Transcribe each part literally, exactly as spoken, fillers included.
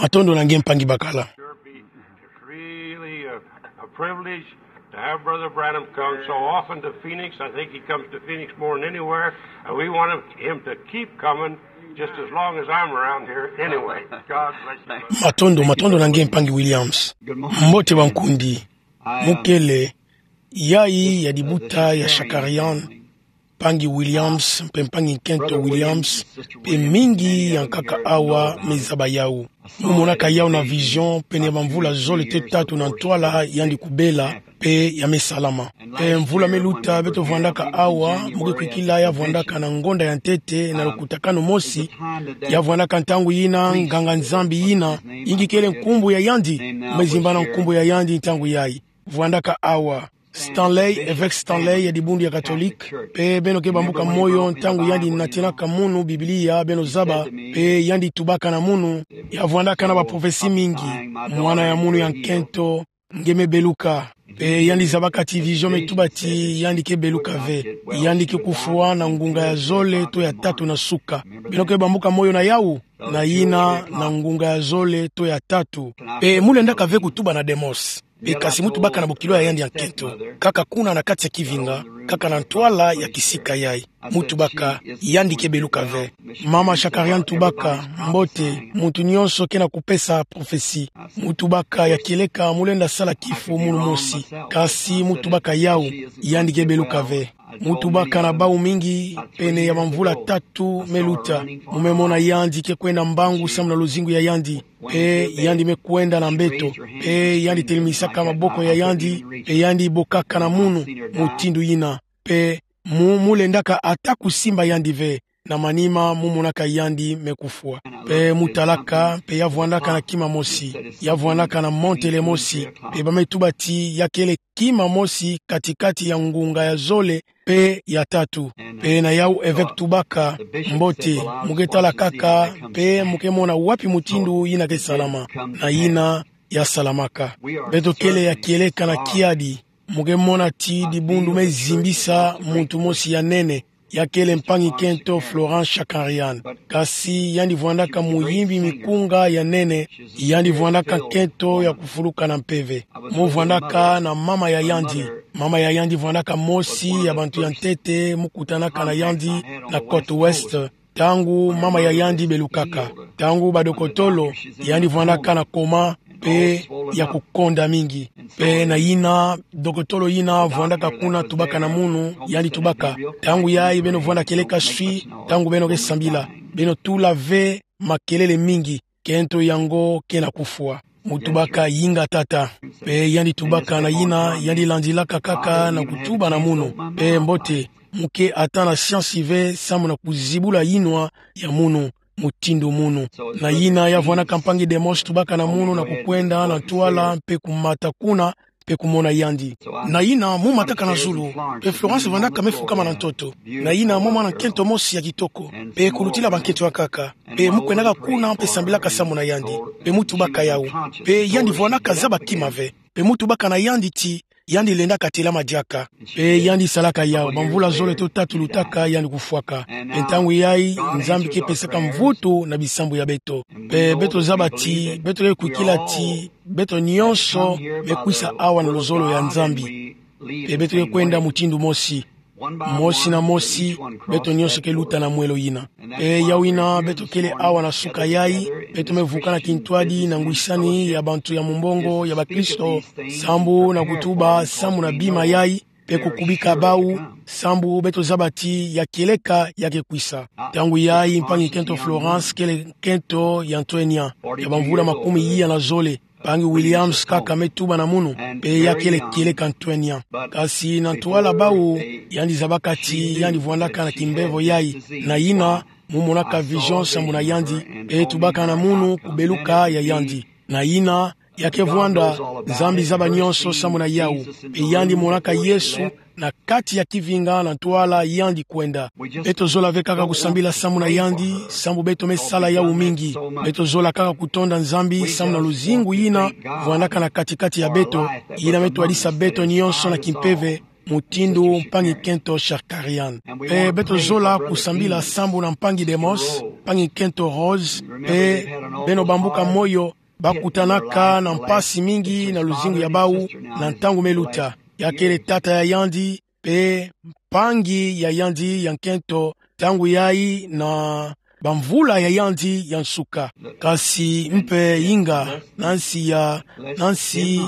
Matondo na nge mpangi bakala. It's really a, a privilege to have Brother Branham come so often to Phoenix. I think he comes to Phoenix more than anywhere, and we want him, him to keep coming just as long as I'm around here anyway. God bless you, brother. Matondo, matondo na nge mpangi Williams. Mbote bankundi. Mukele, yayi ya dibuta ya Shakarian, mpangi Williams, mpe mpangi nkento Williams, mpe mingi ya nkaka awa me zaba yawu. Mu monaka yawu na vision, pene ya bamvula zole to tatu na ntwala yandi kubela, mpe ya me salama. Mpe mvula me luta, beto vwandaka awa, mu ke kwikila ya vwandaka na ngonda ya ntete, na lukutakanu mosi, ya vwandaka ntangu yina, nganga-Nzambi yina, yingi kele nkumbu ya yandi, me zimbana nkumbu ya yandi ntangu yayi. Vwandaka awa. Stanley, Évêque Stanley ya dibundu ya Catholique, mpe beno ke bambuka moyo ntangu yandi natinaka munu Biblia, beno zaba, mpe yandi tubaka na munu, ya vwandaka na ba prophétie mingi, mwana ya munu ya nkento nge me beluka, mpe yandi zabaka ti vision me tuba ti yandi ke beluka ve, yandi ke kufwa na ngunga ya zole to ya tatu na suka. Beno ke bambuka moyo na yawu, na yina na ngunga ya zole to ya tatu. Mpe mu lendaka ve kutuba na Demos. Mpe kasi mu tubaka na bokilo ya yandi ya nkento, kaka kuna na kati ya kivinga, kaka na ntwala ya kisika yayi. Mu tubaka, yandi ke beluka ve. Mama Shakarian tubaka, mbote, muntu nyonso ke na kupesa prophétie. Mu tubaka ya kieleka mu lenda sala kifu munu mosi. Kasi mu tubaka yawu, yandi ke beluka ve. Mu tubaka na bawu mingi, pene ya bamvula tatu me luta. Mu me mona yandi ke kwenda mbangu samu na luzingu ya yandi. Mpe yandi me kwenda na mbeto. Mpe yandi telemwisaka maboko ya yandi. Mpe yandi bokaka na munu, mutindu yina. Mpe mu, mu lendaka ata kusimba yandi ve. Na manima mu monaka yandi me kufwa. Mpe mu talaka, mpe ya vwandaka na kima mosi. Ya vwandaka na montele mosi. Mpe ba me tuba ti ya kele kima mosi katikati ya ngunga ya zole mpe ya tatu. Mpe na yawu Évêque tubaka, mbote, mu ke tala kaka, mpe mu ke mona wapi mutindu yina ke salama. Na yina ya salamaka. Beto kele ya kieleka na kiadi, mu ke mona ti dibundu me zimbisa muntu mosi ya nene, ya kele mpangi nkento Florence Shakarian. Kasi yandi vwandaka muyimbi mikunga ya nene, yandi vwandaka nkento ya kufuluka na mpeve. Mu vwandaka na mama ya yandi. Mama ya yandi vwandaka mosi ya bantu ya ntete mu kutanaka na yandi na côte ouest. Ntangu mama ya yandi belukaka, ntangu badokotolo, yandi vwandaka na coma, mpe ya kukonda mingi. Mpe na yina, dokotolo yina vwandaka kuna tubaka na munu, yandi tubaka: Ntangu yayi beno vwanda kieleka swi, ntangu beno ke sambila, beno tula ve makelele mingi, nkento yango ke na kufwa. Mu tubaka: Yinga tata. Mpe yandi tubaka na yina, yandi landilaka kaka na kutuba na munu. Mpe mbote, mu ke ata na siansi ve samu na kuzibula yinwa ya munu, mutindu munu. Na yina ya vwandaka mpangi Demos tubaka na munu na kukwenda na ntwala mpe kumata kuna, mpe kumona yandi. Na yina mu mataka na zulu, mpe Florence vwandaka me fukama na ntoto. Na yina mwa mwana nkento mosi ya kitoko, mpe kulutila bankento ya nkaka. Mpe mu kwendaka kuna mpe sambilaka samu na yandi. Mpe mu tubaka yawu. Mpe yandi vwandaka zaba kima ve. Mpe mu tubaka na yandi ti yandi lendaka telama diaka. Mpe yandi salaka yawu, bamvula zole to tatu lutaka yandi kufwaka. Mpe ntangu yayi, Nzambi ke pesaka mvutu na bisambu ya beto. Mpe beto zaba ti, beto ke kwikila ti, beto nyonso me kwisa awa na luzolo ya Nzambi. Mpe beto ke kwenda mutindu mosi. Mosi na mosi, beto nyonso ke luta na mwelo yina. Mpe yawu yina, beto kele awa na suka yayi, beto me vuka na kintwadi na ngwisani ya bantu ya mumbongo ya bakristo, sambu na kutuba samu na bima yayi, mpe kukubika bawu, sambu beto zaba ti ya kieleka ya ke kwisa. Ntangu yayi mpangi nkento Florence kele nkento ya ntwenya, ya bamvula makumi iya na zole. Mpangi Williams kaka me tuba na munu, mpe ya kele kieleka ntwenya. Kasi na ntwala bawu, yandi zabaka ti yandi vwandaka na kimbevo yayi, na yina, mu monaka vision sambu na yandi, mpe tubaka na munu kubeluka ya yandi. Na yina, ya ke vwanda, Nzambi zaba nyonso sambu na yawu, mpe yandi monaka Yesu na kati ya kivinga na ntwala yandi kwenda. Beto zola ve kaka kusambila samu na yandi, sambu beto me sala yawu mingi. Beto zola kaka kutonda Nzambi samu na luzingu yina vwandaka na kati-kati ya beto, yina me twadisa beto nyonso na kimpeve, mutindu mpangi-nkento Shakarian. Mpe beto zola kusambila sambu na mpangi Demos, mpangi-nkento Rose, mpe beno bambuka moyo, bakutanaka na mpasi mingi na luzingu ya bau, na ntangu me luta. Ya kele tata ya yandi, mpe mpangi ya yandi ya nkento, ntangu yayi na bamvula ya yandi ya nsuka. Kasi mpe inga, na nsi ya, na nsi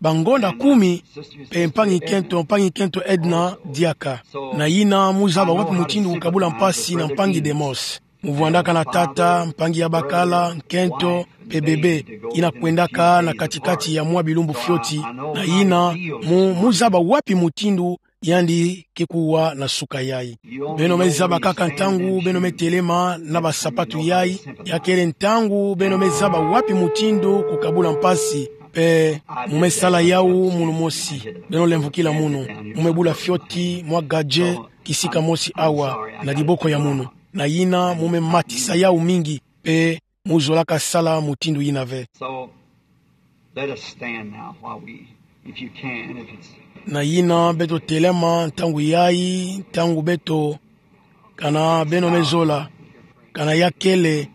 bangonda kumi, mpe mpangi-nkento, mpangi-nkento Edna diaka. Na yina mu zaba wapi mutindu kukabula mpasi na mpangi Demos. Mu vwandaka na tata, mpangi ya bakala, nkento, mpe bebe, yina kwendaka na kati-kati ya mwa bilumbu fioti, na yina mu, mu zaba wapi mutindu yandi ke kuwa na suka yayi. Beno me zaba kaka ntangu beno me telema na basapatu yayi, ya kele ntangu beno me zaba wapi mutindu kukabula mpasi, mpe mu me sala yawu munu mosi. Beno lemvokila munu, mu me bula fioti mwa gadget kisika mosi awa, na diboko ya munu. Na yina mu me matisa yawu mingi, mpe mu zolaka sala mutindu yina ve. So, let us stand now while we, if you can, if it's... Na yina beto telema ntangu yayi, ntangu beto, kana beno me zola, kana ya kele,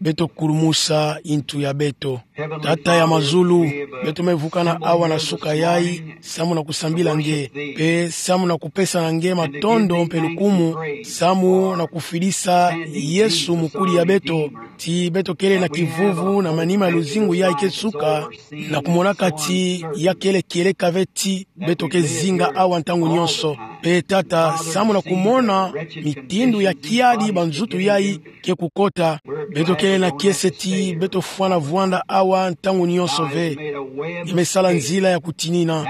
beto kulumusa yintu ya beto. Tata ya mazulu, beto me vukana awa na suka yayi, samu na kusambila nge, mpe samu na kupesa na nge matondo mpe lukumu, samu na kufidisa Yesu mukuli ya beto, ti beto kele na kivuvu na manima ya luzingu yayi ke suka, na kumonaka ti ya kele kieleka ve ti beto ke zinga awa ntangu nyonso. Mpe tata, samu na kumona mitindu ya kiadi banzutu yayi ke kukota, beto kele na kiese ti beto fwana vwanda awa ntangu nyonso ve. Nge me sala nzila ya kutinina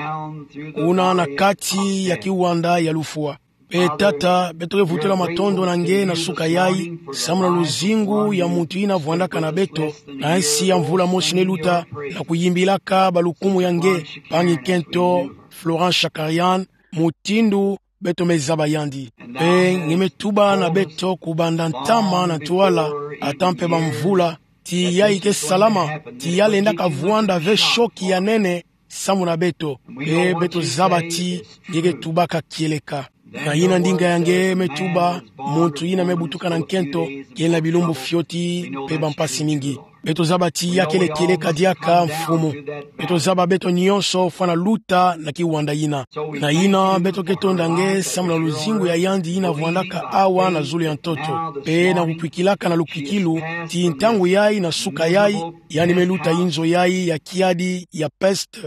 kuna na kati ya kiwanda ya lufwa. Mpe tata, beto ke vutula matondo na nge na suka yayi, samu na luzingu ya muntu yina vwandaka na beto, na nsi ya mvula mosi me luta, na kuyimbilaka balukumu ya nge, mpangi-nkento Florent Shakarian, mutindu beto me zaba yandi. Mpe nge me tuba na beto kubanda ntama na ntwala, ata mpe bamvula, ti yayi ke salama, ti ya lendaka vwanda ve choc ya nene, samu na beto. Mpe beto zaba ti nge ke tubaka kieleka. Na yina ndinga ya nge me tuba, muntu yina me butuka na nkento, kele na bilumbu fioti mpe bampasi mingi. Beto zaba ti ya kele kieleka diaka, Mfumu. Beto zaba beto nyonso fwana luta na kiwanda yina. Na yina beto ke tonda nge samu na luzingu ya yandi yina vwandaka awa na zulu ya ntoto, mpe na kukwikilaka na lukwikilu ti ntangu yayi na suka yayi, yandi me luta inzo yayi ya kiadi ya peste,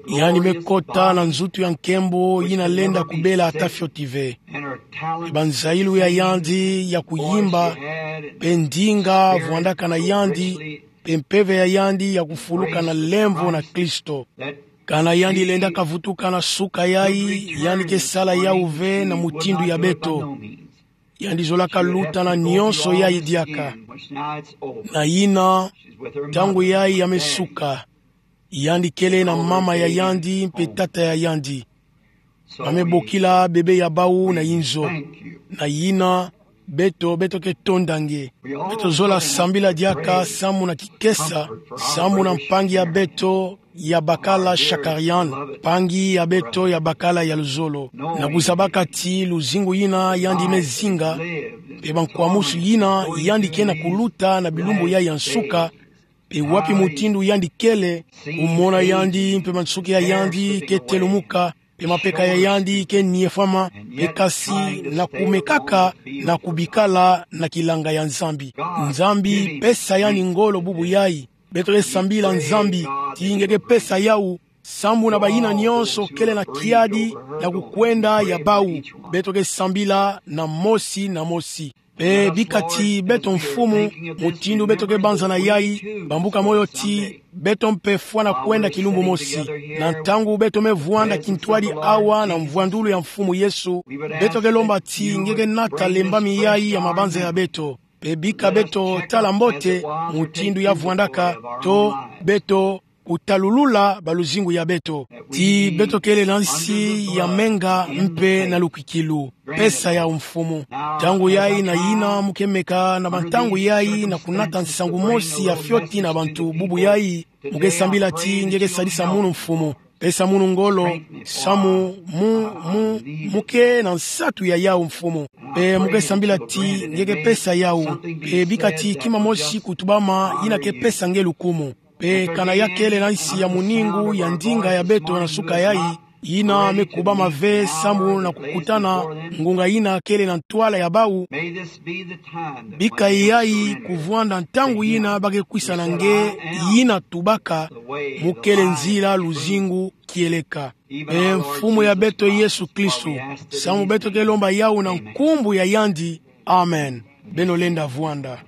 yandi me kota na nzutu ya nkembo yina lenda kubela ata fioti ve. Mpe banzayilu ya yandi ya kuyimba, mpe ndinga vwandaka na yandi, mpe mpeve ya yandi ya kufuluka na lemvo na Kristo. Kana yandi lendaka vutuka na suka yayi, yandi ke sala yawu ve na mutindu ya beto. Yandi zolaka luta na nyonso yayi diaka. Na yina, ntangu yayi ya me suka, yandi kele na mama ya yandi mpe tata ya yandi. Ba me bokila bebe ya bawu na inzo. Na yina, beto, beto ke tonda nge. Beto zola sambila diaka samu na kikesa, samu na mpangi ya beto ya bakala Shakarian, mpangi ya beto ya bakala ya luzolo. Na kuzabaka ti luzingu yina yandi me zinga, mpe bankwamusu yina yandi ke na kuluta na bilumbu yayi ya nsuka, mpe wapi mutindu yandi kele, kumona yandi mpe mansuki ya yandi ke telumuka, mpe mapeka ya yandi ke niefwama, mpe kasi na kumekaka na kubikala na kilanga ya Nzambi. Nzambi, pesa yandi ngolo bubu yayi. Beto ke sambila Nzambi, ti nge ke pesa yawu, samu na bayina nyonso kele na kiadi na kukwenda ya bawu. Beto ke sambila na mosi na mosi. Mpe bika ti beto, Mfumu, mutindu beto ke banzana yayi, bambuka moyo ti beto mpe fwana kwenda kilumbu mosi. Na ntangu beto me vwanda kintwadi awa na mvwandulu ya Mfumu Yesu, beto ke lomba ti nge ke nata lembami yayi ya mabanza ya beto. Mpe bika beto tala mbote mutindu ya vwandaka, to beto kutalulula baluzingu ya beto. Ti beto kele na nsi ya menga mpe na lukwikilu. Pesa yawu, Mfumu. Ntangu yayi na yina mu ke meka na bantangu yayi na kunata nsangu mosi ya fioti na bantu bubu yayi, mu ke sambila ti nge ke sadisa munu, Mfumu. Pesa munu ngolo, samu mu, mu, mu ke na nsatu ya yawu, Mfumu. Mpe mu ke sambila ti nge ke pesa yawu. Mpe bika ti kima mosi kutubama yina ke pesa nge lukumu. Mpe kana ya kele na nsi ya muningu ya ndinga ya beto na suka yayi, yina me kubama ve samu na kukutana ngunga yina kele na ntwala ya bawu, bika yayi kuvwanda ntangu yina ba ke kwisa na nge, yina tubaka mu kele nzila, luzingu, kieleka. E Mfumu ya beto Yesu Kristu, samu beto ke lomba yawu na nkumbu ya yandi. Amen. Beno lenda vwanda.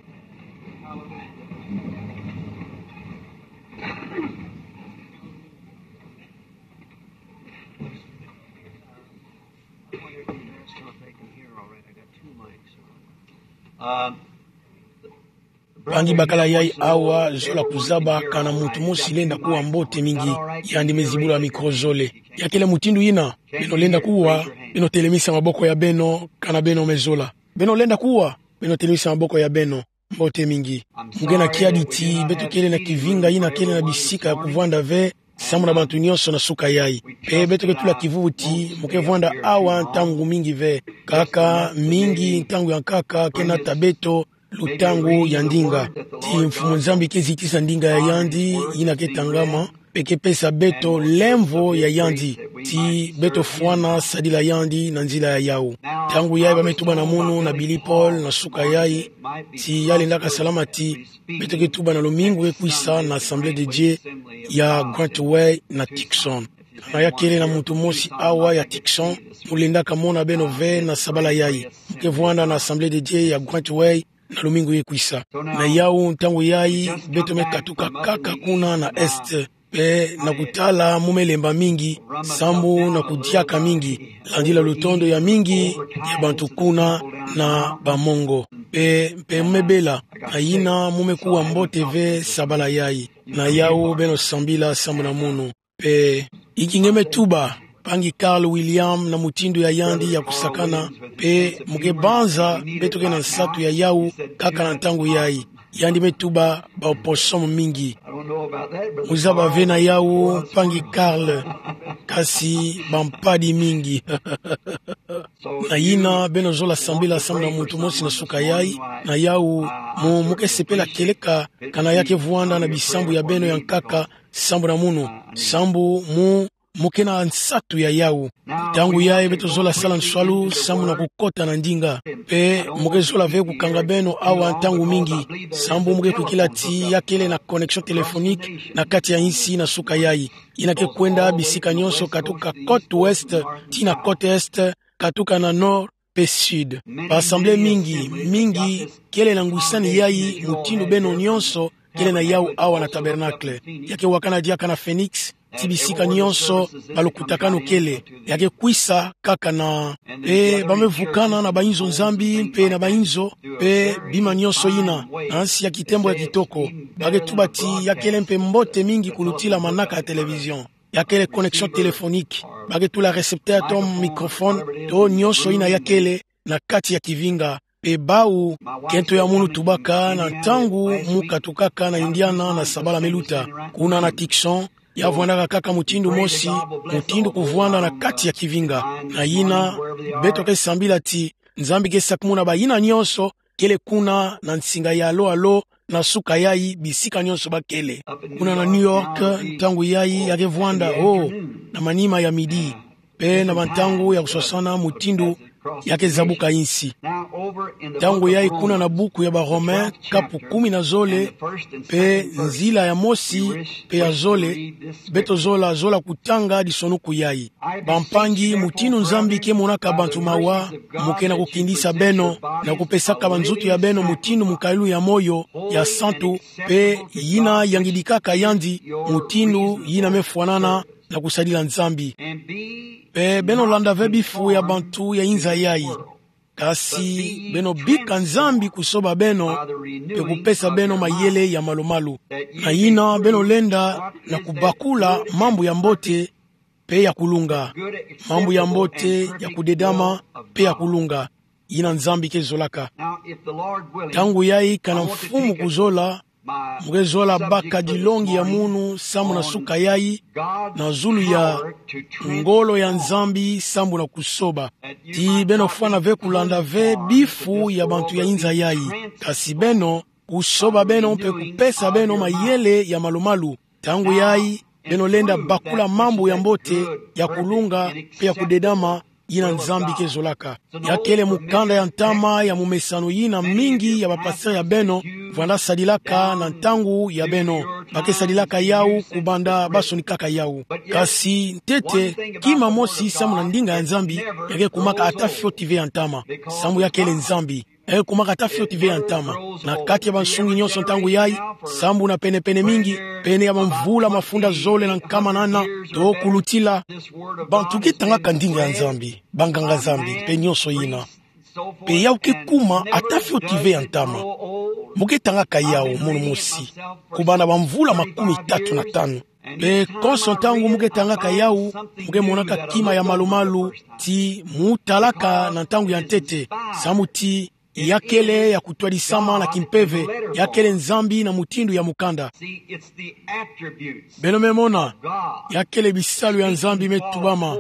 Mpangi bakala yayi awa, zola kuzaba kana muntu mosi lenda kuwa mbote mingi, yandi me zibula micro zole. Ya kele mutindu yina? Beno lenda kuwa, beno telemisa maboko ya beno, kana beno me zola. Beno lenda kuwa, beno telemisa maboko ya beno. Mbote mingi. Mu ke na kiadi ti beto kele na kivinga yina kele na bisika ya kuvwanda ve, samu na bantu nyonso na suka yayi. Mpe beto ke tula kivuvu ti mu ke vwanda awa ntangu mingi ve. Kaka mingi ntangu ya nkaka ke nata beto lutangu ya ndinga. Ti Mfumu Nzambi ke zitisa ndinga ya yandi yina ke tangama, mpe ke pesa beto lemvo ya yandi, ti beto fwana sadila yandi na nzila ya yawu. Ntangu yayi ba me tuba na munu na Billy Paul na suka yayi, ti ya lendaka salama ti beto ke tuba na lumingu ke kwisa na Assemblée de Dieu ya Grant Way na Tucson. Kana ya kele na muntu mosi awa ya Tucson, mu lendaka mona beno ve na sabala yayi. Mu ke vwanda na Assemblée de Dieu ya Grant Way na lumingu ke kwisa. Na yawu ntangu yayi, beto me katuka kaka kuna na Est. Mpe na kutala mu me lemba mingi, sambu na kudiaka mingi, landila lutondo ya mingi ya bantu kuna na bamongo. Mpe, mpe mu me bela, na yina mu me kuwa mbote ve sabala yayi. Na yawu beno sambila samu na munu. Mpe, inki nge me tuba, mpangi Carl William na mutindu ya yandi ya kusakana, mpe mu ke banza beto ke na nsatu ya yawu kaka na ntangu yayi. Yandi me tuba ba opossum mingi. Mu zaba ve na yawu, mpangi Carl, kasi bampadi mingi. Na yina beno zola sambila samu na muntu mosi na suka yayi, na yawu mu, mu ke sepela kieleka, kana ya ke vwanda na bisambu ya beno ya nkaka, sambu na munu, sambu mu, mu ke na nsatu ya yawu. Ntangu yayi beto zola sala nswalu samu na kukota na ndinga. Mpe mu ke zola ve kukanga beno awa ntangu mingi, sambu mu ke kwikila ti ya kele na connexion téléphonique na kati ya insi na suka yayi. Yina ke kwenda bisika nyonso katuka côte ouest tii na côte est, katuka na nord mpe sud. Ba assemblée mingi, mingi kele na ngwisani yayi, mutindu beno nyonso kele na yawu awa na Tabernacle. Ya ke wakana diaka na Phoenix, ti bisika nyonso balukutakanu kele. Ya ke kwisa kaka na, mpe ba me vukana na bainzo Nzambi mpe na bainzo, mpe bima nyonso yina, na nsi ya kitembo ya kitoko. Ba ke tuba ti ya kele mpe mbote mingi kulutila manaka ya télévision. Ya kele connexion téléphonique. Ba ke tula récepteur to microphone, to nyonso yina ya kele na kati ya kivinga. Mpe bawu, kento ya munu tubaka na ntangu mu katukaka na Indiana na sabala me luta, kuna na Tucson, ya vwandaka kaka mutindu mosi, mutindu kuvwanda na kati ya kivinga. Na yina, beto ke sambila ti Nzambi ke sakumuna bayina nyonso kele kuna na nsinga ya alo alo, na suka yayi bisika nyonso ba kele. Kuna na New York, ntangu yayi ya ke vwanda, oh, na manima ya midi, mpe na bantangu ya kuswasana mutindu ya ke zabuka insi. Ntangu yayi kuna na buku ya ba Romain, kapu kumi na zole, mpe nzila ya mosi, mpe ya zole, beto zola, zola kutanga disonuku yayi. Bampangi, mutindu Nzambi ke monaka bantu mawa, mu ke na kukindisa beno, na kupesaka banzutu ya beno mutindu mukalulu ya moyo ya santu, mpe yina yangidikaka yandi, mutindu yina me fwanana na kusadila Nzambi. Mpe beno landa ve bifu ya bantu ya inza yayi. Kasi beno bika Nzambi kusoba beno, mpe kupesa beno mayele ya malu-malu. Na yina beno lenda na kubakula mambu ya mbote mpe ya kulunga. Mambu ya mbote, ya kudedama, mpe ya kulunga. Yina Nzambi ke zolaka. Ntangu yayi kana Mfumu kuzola, Mu ke zola baka dilongi ya munu sambu na suka yayi, na zulu ya ngolo ya Nzambi sambu na kusoba. Ti beno fwana ve kulanda ve bifu ya bantu ya inza yayi. Kasi beno, kusoba beno mpe kupesa beno mayele ya malu-malu. Ntangu yayi, beno lenda bakula mambu ya mbote, ya kulunga, mpe ya kudedama, yina Nzambi ke zolaka. Ya kele mukanda ya ntama ya mumesano yina mingi ya bapasteur ya beno vwanda sadilaka na ntangu ya beno. Ba ke sadilaka yawu kubanda ba sonikaka yawu. Kasi ntete, kima mosi sambu na ndinga ya Nzambi, ya ke kumaka ata fioti ve ya ntama. Sambu ya kele Nzambi. Ya ke kumaka ata fioti ve ya ntama. Na kati ya bansungi nyonso ntangu yayi, sambu na pene-pene mingi, pene ya bamvula mafunda zole na nkama nana, to kulutila, bantu ke tangaka ndinga ya Nzambi, banganga-Nzambi, mpe nyonso yina. Mpe yawu ke kuma ata fioti ve ya ntama. Mu ke tangaka yawu munu mosi, kubanda bamvula makumi tatu na tanu. Mpe konso ntangu mu ke tangaka yawu, mu ke monaka kima ya malu-malu, ti mu talaka na ntangu ya ntete, sambu ti ya kele ya kutwadisama na kimpeve, ya kele Nzambi na mutindu ya mukanda. Beno me mona, ya kele bisalu ya Nzambi me tubama,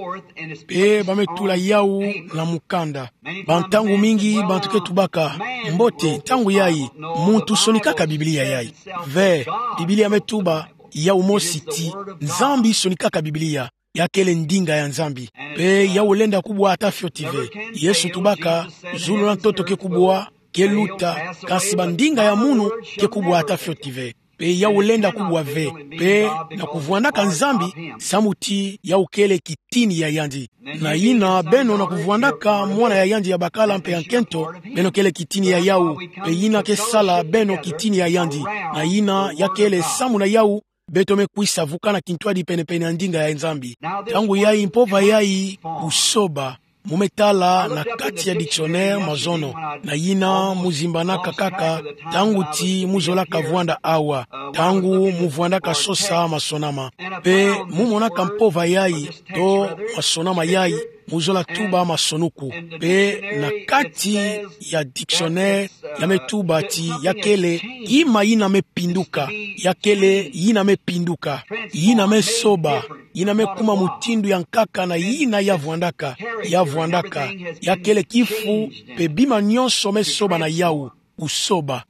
mpe ba me tula yawu na mukanda. Bantangu mingi bantu ke tubaka: Mbote, ntangu yayi, muntu sonikaka Biblia yayi? Ve, Biblia me tuba yawu mosi ti Nzambi sonikaka Biblia, ya kele ndinga ya Nzambi. Mpe yawu lenda kubwa ata fioti ve. Yesu tubaka: Zulu na ntoto ke kubwa, ke luta, kasi bandinga ya munu ke kubwa ata fioti ve. Mpe yawu lenda kubwa ve. Mpe na kuvwandaka Nzambi, sambu ti yawu kele kitini ya yandi. Na yina beno, na kuvwandaka mwana ya yandi ya bakala mpe ya nkento, beno kele kitini ya yawu. Mpe yina ke sala beno kitini ya yandi. Na yina ya kele sambu na yawu, beto me kwisa vukana kintwadi pene-pene ya ndinga ya Nzambi. Ntangu yayi, mpova yayi, kusoba. Mu me tala na kati ya dictionnaire mazono. Na yina mu zimbanaka kaka ntangu ti mu zolaka vwanda awa, ntangu mu vwandaka sosa masonama. Mpe mu monaka mpova yayi, to masonama yayi, mu zola tuba masonuku. Mpe na kati ya dictionnaire, ya me tuba ti ya kele kima yina me pinduka, ya kele yina me pinduka, yina me soba, yina me kuma mutindu ya nkaka na yina ya vwandaka, ya vwandaka, ya kele kifu, mpe bima nyonso me soba na yawu, kusoba.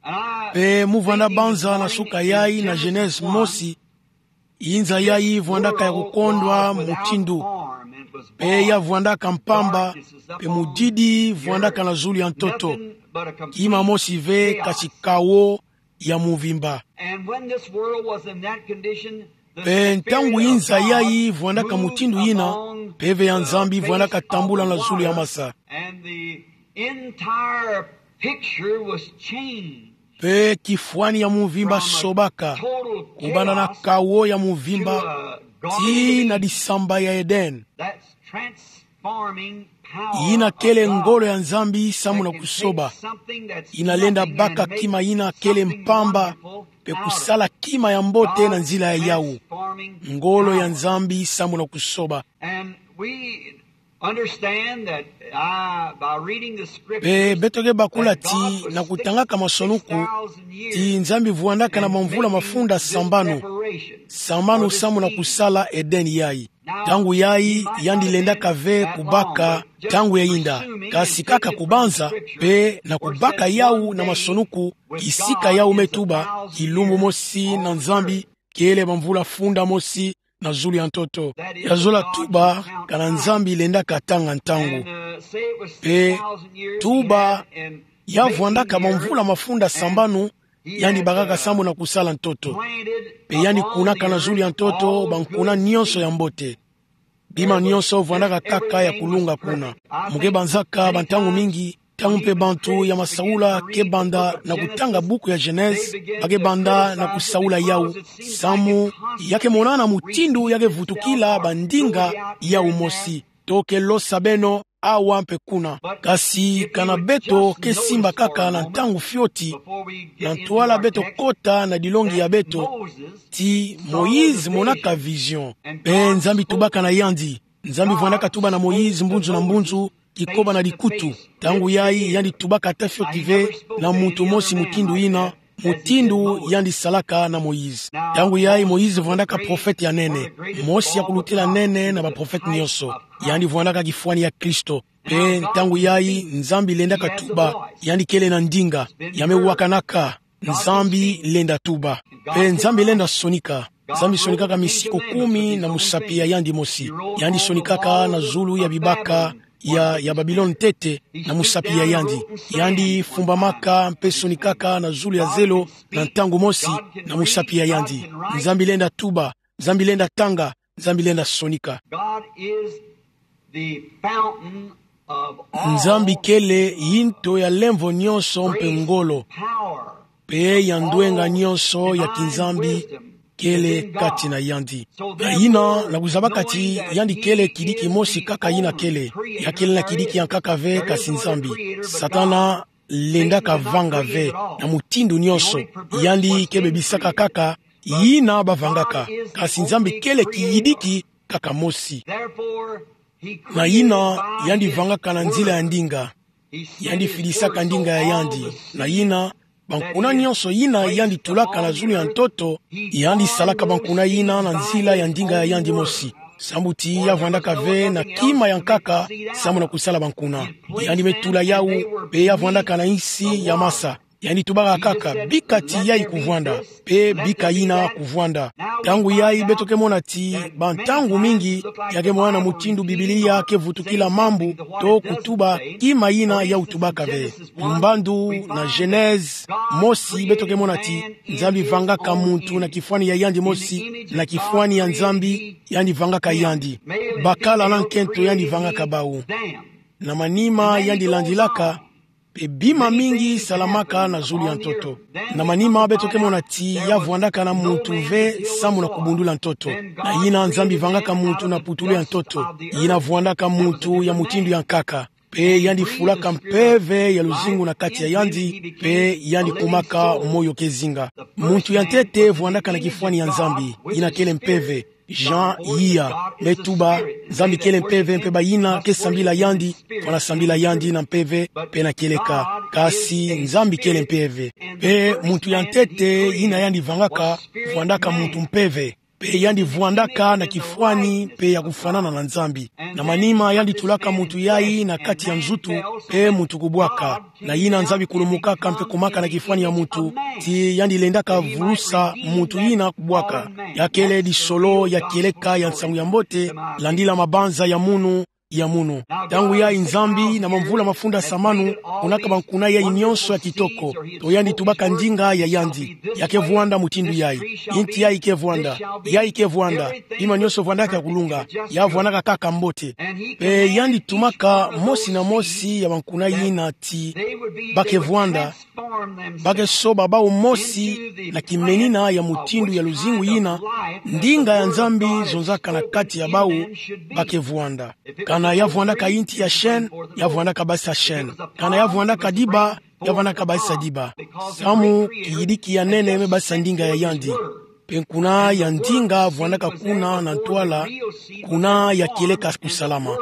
Mpe mu vwanda banza na suka yayi na Genèse mosi, inza yayi vwandaka ya kukondwa mutindu, mpe ya vwandaka mpamba, mpe mudidi vwandaka na zulu ya ntoto. Kima mosi ve kasi kawo ya muvimba. And when this world was in that condition, the Mpe ntangu inza yayi vwandaka mutindu yina, mpeve ya Nzambi vwandaka tambula na zulu ya masa. And the entire picture was changed. Mpe kifwani ya muvimba sobaka, kubanda na kawo ya muvimba, tii na disamba ya Eden. That's transforming power. Yina kele ngolo ya Nzambi samu na kusoba. Yina lenda baka kima yina kele mpamba, mpe kusala kima ya mbote na nzila ya yawu. Ngolo ya Nzambi samu na kusoba. And we understand that, uh, by reading the scriptures, mpe beto ke bakula ti na kutangaka masonuku, ti Nzambi vwandaka na mamvula mafunda sambanu, sambanu samu na kusala Eden yayi. Ntangu yayi, yandi lendaka ve kubaka ntangu ya yinda, kasi kaka kubanza, mpe na kubaka yawu na masonuku, kisika yawu me tuba, kilumbu mosi na Nzambi, kele mamvula funda mosi na zulu ya ntoto. Ya zola tuba, kana Nzambi lendaka tanga ntangu. Mpe tuba, ya vwandaka mamvula mafunda sambanu, yandi bakaka samu na kusala ntoto. Mpe yandi kunaka na zulu ya ntoto bankuna nyonso ya mbote. Bima nyonso vwandaka kaka ya kulunga kuna. Mu ke banzaka bantangu mingi, ntangu mpe bantu ya masaula ke banda na kutanga buku ya Genèse, ba ke banda na kusaula yawu, samu ya ke monana mutindu ya ke vutukila bandinga yawu mosi. To ke losa beno awa mpe kuna. Kasi kana beto ke simba kaka na ntangu fioti, na ntwala beto kota na dilongi ya beto, ti Moïse monaka vision. Mpe Nzambi tubaka na yandi. Nzambi vwandaka tuba na Moïse mbunzu na mbunzu, kikoba na dikutu. Ntangu yayi yandi tubaka ata fioti ve na muntu mosi mutindu yina, mutindu yandi salaka na Moïse. Ntangu yayi Moïse vwandaka profete ya nene, mosi ya kulutila nene na baprofete nyonso. Yandi vwandaka kifwani ya Kristo. Pe ntangu yayi Nzambi lendaka tuba, yandi kele na ndinga, ya me wakanaka, Nzambi lenda tuba. Pe Nzambi lenda sonika. Nzambi sonikaka misiku kumi na musapi ya yandi mosi. Yandi sonikaka na zulu ya bibaka ya, ya Babilone ntete na musapi ya yandi. Yandi fumbamaka mpe sonikaka na zulu ya zelo na ntangu mosi na musapi ya yandi. Nzambi lenda tuba, Nzambi lenda tanga, Nzambi lenda sonika. God is the fountain of all Nzambi kele yinto ya lemvo nyonso mpe ngolo, power. pe ya ndwenga nyonso ya kinzambi kele kati na yandi. Na yina, na kuzabaka ti yandi kele kidiki mosi kaka yina kele, ya kele na kidiki ya nkaka ve kasi Nzambi. Satana lendaka vanga ve na mutindu nyonso. Yandi ke bebisaka kaka yina bavangaka, kasi Nzambi kele kiyidiki kaka mosi. Therefore, he Na yina, yandi vangaka na nzila ya ndinga. Yandi fidisaka ndinga ya yandi. Na yina, bankuna nyonso yina yandi tulaka na zulu ya ntoto, yandi salaka bankuna yina na nzila ya ndinga ya yandi mosi. Sambu ti ya vwandaka ve na kima ya nkaka, samu na kusala bankuna. Yandi me tula yawu, pe ya vwandaka na insi ya masa. Yandi tubaka kaka, bika ti yayi kuvwanda, pe bika yina kuvwanda. Ntangu yayi beto ke mona ti, bantangu mingi, ya ke mona mutindu Biblia ke vutukila mambu, to kutuba kima yina yawu tubaka ve. Mbandu na Genèse mosi beto ke mona ti, Nzambi vangaka muntu na kifwani ya yandi mosi, na kifwani ya Nzambi, yandi vangaka yandi. Bakala na nkento yandi vangaka bawu. Na manima yandi landilaka, pe bima mingi salamaka na zulu ya ntoto. Na manima beto ke mona ti ya vwandaka na muntu ve samu na kubundula ntoto. Na yina Nzambi vangaka muntu na putulu ya ntoto. Yina vwandaka muntu ya mutindu ya nkaka. Pe yandi fulaka mpeve ya luzingu na kati ya yandi, pe yandi kumaka moyo ke zinga. Muntu ya ntete vwandaka na kifwani ya Nzambi, yina kele mpeve. Jean Yia me tuba, Nzambi kele mpeve mpe bayina ke sambila yandi, fwana sambila yandi na mpeve, pe na kieleka. Kasi Nzambi kele mpeve. Pe muntu ya ntete yina yandi vangaka, vwandaka muntu mpeve. Pe yandi vwandaka na kifwani mpe ya kufwanana na Nzambi. Na manima yandi tulaka muntu yayi na kati ya nzutu, pe muntu kubwaka. Na yina Nzambi kulumukaka mpe kumaka na kifwani ya muntu, ti yandi lendaka vulusa muntu yina kubwaka. Ya kele disolo ya kieleka ya nsangu ya mbote, landila mabanza ya munu, ya munu. Ntangu yayi Nzambi na mamvula mafundasa manu, monaka bankuna yayi nyonso ya kitoko. To yandi tubaka ndinga ya yandi. Ya ke vwanda mutindu yayi. Inti yayi ke vwanda. Yayi ke vwanda. Bima nyonso vwandaka ya kulunga. Ya vwandaka kaka mbote. Pe yandi tumaka mosi na mosi ya bankuna yina ti ba ke vwanda, ba ke soba bawu mosi na kimenina ya mutindu ya luzingu yina, ndinga ya Nzambi zonzaka na kati ya bawu ba ke vwanda. Kana ya vwandaka inti ya sheni, ya vwandaka basisa sheni. Kana ya vwandaka diba, ya vwandaka basisa diba. Samu kiyidiki ya nene me basisa ndinga ya yandi. Pe nkuna ya ndinga vwandaka kuna na ntwala, kuna ya kieleka kusalama.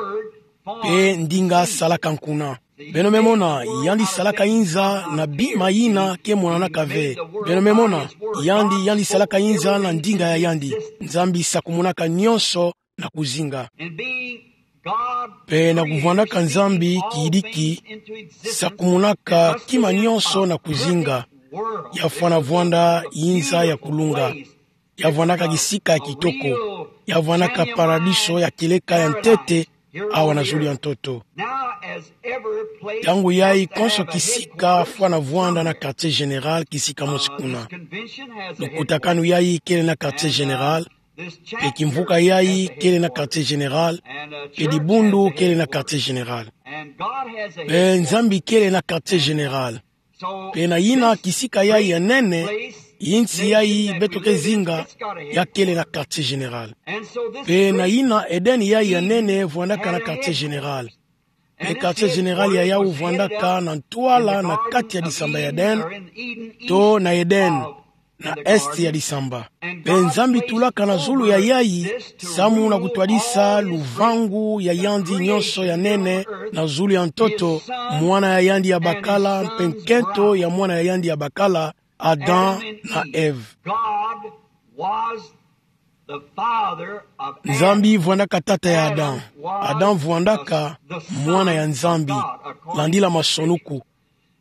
Pe ndinga salaka nkuna. Beno me mona, yandi salaka inza na bima yina ke monanaka ve. Beno me mona, yandi, yandi salaka inza na ndinga ya yandi. Nzambi sakumunaka nyonso na kuzinga. Pe na kuvwandaka Nzambi kiyidiki, sakumunaka kima nyonso na kuzinga. Ya fwana vwanda inza ya kulunga. Ya vwandaka kisika ya kitoko. Ya vwandaka paradiso ya kieleka ya ntete awa na zulu ya ntoto. Ntangu yayi konso kisika fwana vwanda na quartier général, kisika mosi kuna. Lukutakanu yayi kele na quartier général, pe kimvuka yayi kele na quartier général, pe dibundu kele na quartier général. Pe Nzambi kele na quartier général. Pe na yina kisika yayi ya nene, insi yayi beto ke zinga, ya kele na quartier général. Pe na yina Eden yayi ya nene vwandaka na quartier général. Pe quartier général ya yawu vwandaka na ntwala na kati ya disamba ya Eden, to na Eden, na est ya disamba. Pe Nzambi tulaka na zulu ya yayi, samu na kutwadisa luvangu ya yandi nyonso ya nene na zulu ya ntoto, mwana ya yandi ya bakala, mpe nkento ya mwana ya yandi ya bakala, Adam na Ève. Nzambi vwandaka tata ya Adam. Adam vwandaka mwana ya Nzambi, landila masonuku.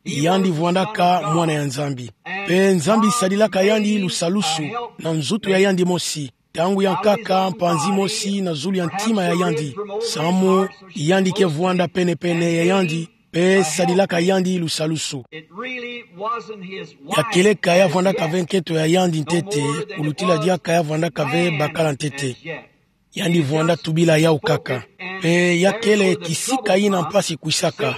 Yandi vwandaka mwana ya Nzambi. Pe Nzambi sadilaka yandi lusalusu na nzutu ya yandi mosi, ntangu ya nkaka, mpanzi mosi na zulu ya ntima ya yandi, samu yandi ke vwanda pene-pene ya yandi, pe sadilaka yandi lusalusu. Ya keleka ya vwandaka ve nkento ya yandi ntete, kulutila diaka ya vwandaka ve bakala ntete. Yandi vwanda tubila yawu kaka. Pe ya kele kisika yina mpasi kwisaka.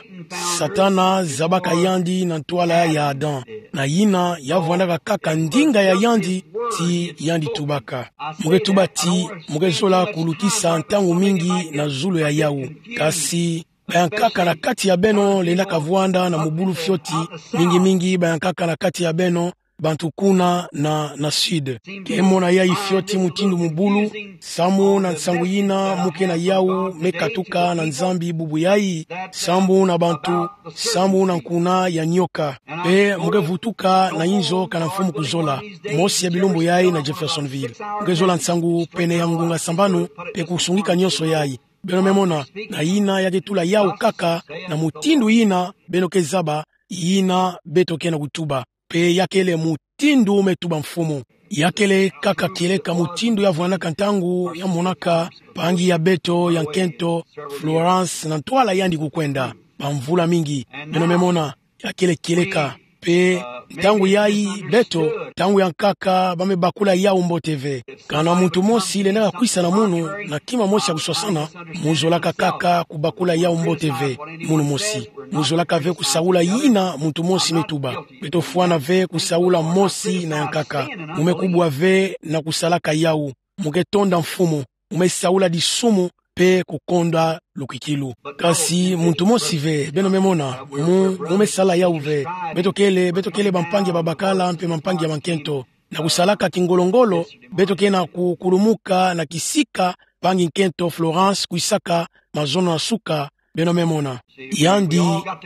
Satana zabaka yandi na ntwala ya Adam. Na yina ya vwandaka kaka ndinga ya yandi ti yandi tubaka. Mu ke tuba ti, mu ke zola kulutisa ntangu mingi na zulu ya yawu. Kasi bayankaka na kati ya beno lendaka vwanda na mubulu fioti, mingi-mingi bayankaka na kati ya beno, bantu kuna na, na sud. Ke mona yayi fioti mutindu mubulu, samu na nsangu yina mu ke na yawu me katuka na Nzambi bubu yayi, samu na bantu, samu na nkuna ya nioka. Pe mu ke vutuka na inzo kana mfumu kuzola, mosi ya bilumbu yayi na Jeffersonville. Mu ke zola nsangu pene ya ngunga sambanu, pe kusungika nionso yayi. Beno me mona, na yina ya ke tula yawu kaka, na mutindu yina beno ke zaba, yina beto ke na kutuba. Pe ya kele mutindu me tuba mfumu. Ya kele kaka kieleka mutindu ya vwandaka ntangu ya monaka mpangi ya beto ya nkento, Florence, na ntwala yandi kukwenda bamvula mingi. Beno me mona, ya kele kieleka. Pe ntangu yayi beto, ntangu ya nkaka, ba me bakula yawu mbote ve. Kana muntu mosi lendaka kwisa na munu na kima mosi ya kuswasana, mu zolaka kaka kubakula yawu mbote ve, munu mosi. Mu zolaka ve kusaula yina muntu mosi me tuba. Beto fwana ve kusaula mosi na ya nkaka. Mu me kubwa ve na kusalaka yawu. Mu ke tonda mfumu. Mu me saula disumu pe kukonda lukwikilu. Kasi muntu mosi ve, beno me mona, mu, mu me sala yawu ve. Beto kele, beto kele bampangi ya babakala mpe bampangi ya bankento. Na kusalaka kingolo-ngolo, beto ke na kukulumuka na kisika mpangi nkento Florence kwisaka mazono na suka, beno me mona. Yandi,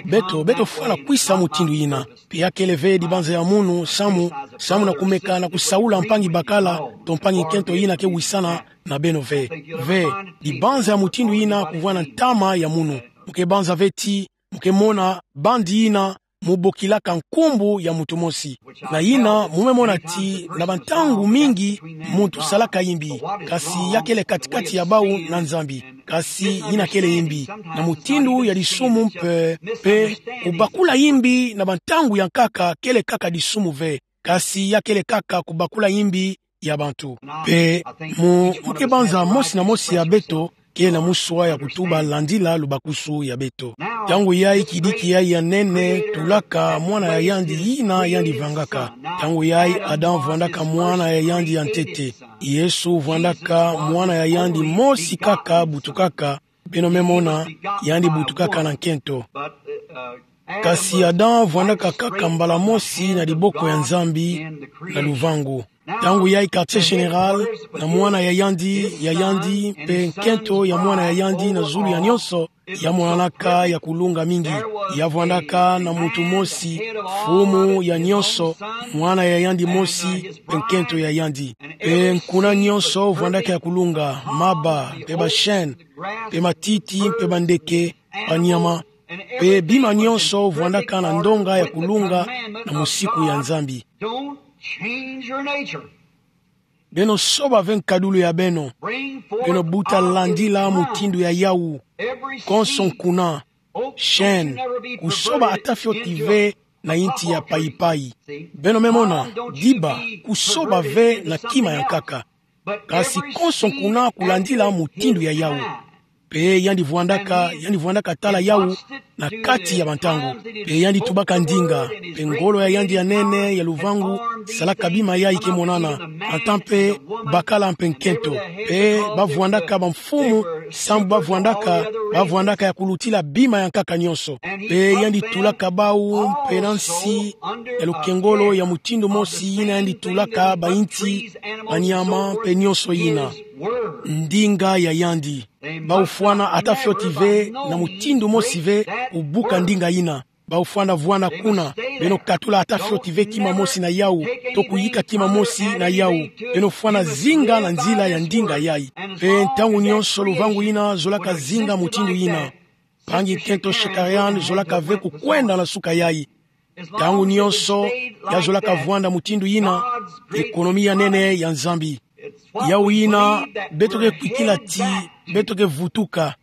beto, beto fwana kwisa mutindu yina. Pe ya kele ve dibanza ya munu, samu, samu na kumeka na kusaula mpangi bakala, to mpangi nkento yina ke wisana na beno ve. Ve, dibanza ya mutindu yina kuvwanda ntama ya munu. Mu ke banza ve ti, mu ke mona bandi yina mu bokilaka nkumbu ya muntu mosi. Na yina, mu me mona ti, na bantangu mingi, muntu salaka yimbi. Kasi ya kele kati-kati ya bawu na Nzambi. Kasi yina kele yimbi. Na mutindu ya disumu mpe, pe, kubakula yimbi na bantangu ya nkaka kele kaka disumu ve. Kasi ya kele kaka kubakula yimbi ya bantu. Pe mu, mu ke banza mosi na mosi ya beto ke na muswa ya kutuba landila lubakusu ya beto. Ntangu yayi kidiki yayi ya nene tulaka mwana ya yandi yina yandi vangaka. Ntangu yayi Adam vwandaka mwana ya yandi ya ntete. Yesu vwandaka mwana ya yandi mosi kaka butukaka, beno me mona, yandi butukaka na nkento. Kasi Adam vwandaka kaka mbala mosi na diboko ya Nzambi na luvangu. Ntangu yayi quartier général, na mwana ya yandi, ya yandi, mpe nkento ya mwana ya yandi na zulu ya nionso, ya monanaka ya kulunga mingi. Ya vwandaka na muntu mosi, mfumu ya nionso, mwana ya yandi mosi, mpe nkento ya yandi. Mpe nkuna nionso vwandaka ya kulunga, maba, mpe ba chêne, mpe matiti, mpe bandeke, banyama, mpe bima nionso vwandaka na ndonga ya kulunga na musiku ya Nzambi. Don't change your nature. Beno soba ve nkadulu ya beno. Beno buta landila mutindu ya yawu. Konso nkuna, chêne, kusoba ata fioti ve na inti ya payi-payi. Beno me mona, diba, kusoba ve na kima ya nkaka. Kasi konso nkuna kulandila mutindu ya yawu. Mpe yandi vwandaka, yandi vwandaka tala yawu na kati ya bantangu. Mpe yandi tubaka ndinga, mpe ngolo ya yandi ya nene ya luvangu salaka bima yayi ke monana, ata mpe bakala mpe nkento. Mpe ba vwandaka bamfumu, sambu ba vwandaka, ba vwandaka ya kulutila bima ya nkaka nionso. Mpe yandi tulaka bawu mpe na nsi ya lukengolo ya mutindu mosi yina yandi tulaka bainti, banyama, mpe nionso yina. Ndinga ya yandi. Bawu fwana ata fioti ve na mutindu mosi ve kubuka ndinga yina. ba ofwana vwanda kuna, beno katula ata fioti ve kima mosi na yawu, to kuyika kima mosi na yawu, beno fwana zinga na nzila ya ndinga yayi. Mpe ntangu nyonso luvangu yina zolaka zinga mutindu yina, mpangi-nkento Shakarian zolaka ve kukwenda na suka yayi. Ntangu nyonso ya zolaka vwanda mutindu yina, ekonomi ya nene ya Nzambi. Yawu yina, beto ke kwikila ti, beto ke vutuka.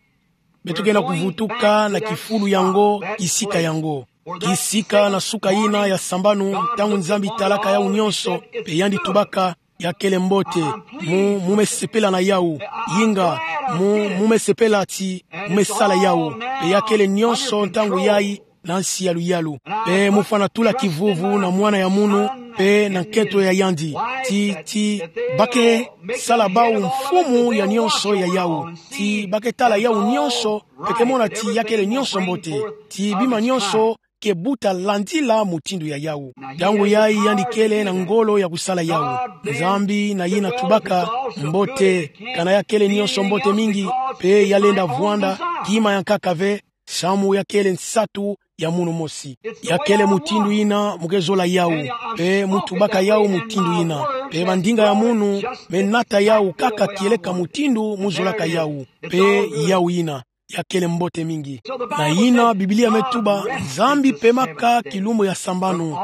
Beto ke na kuvutuka na kifulu yango, kisika yango. Kisika na suka yina ya sambanu, ntangu Nzambi talaka yawu nyonso, mpe yandi tubaka, ya kele mbote, mu, mu me sepela na yawu, inga, mu, mu me sepela ti, mu me sala yawu, mpe ya kele nyonso ntangu yayi, na nsi ya luyalu. Mpe mu fwana tula kivuvu na mwana ya munu, mpe na nkento ya yandi. Ti, ti, ba ke sala bawu mfumu ya nyonso ya yawu. Ti ba ke tala yawu nyonso, mpe ke mona ti ya kele nyonso mbote. Ti bima nyonso ke buta landila mutindu ya yawu. Ntangu yayi yandi kele na ngolo ya kusala yawu. Nzambi na yina tubaka, mbote, kana ya kele nyonso mbote mingi, mpe ya lenda vwanda, kima ya nkaka ve, samu ya kele nsatu ya munu mosi. Ya kele mutindu yina mu ke zola yawu, mpe mu tubaka yawu mutindu yina. Mpe bandinga ya munu me nata yawu kaka kieleka mutindu mu zolaka yawu. Mpe yawu yina, ya kele mbote mingi. Na yina Biblia me tuba, Nzambi pemaka kilumbu ya sambanu,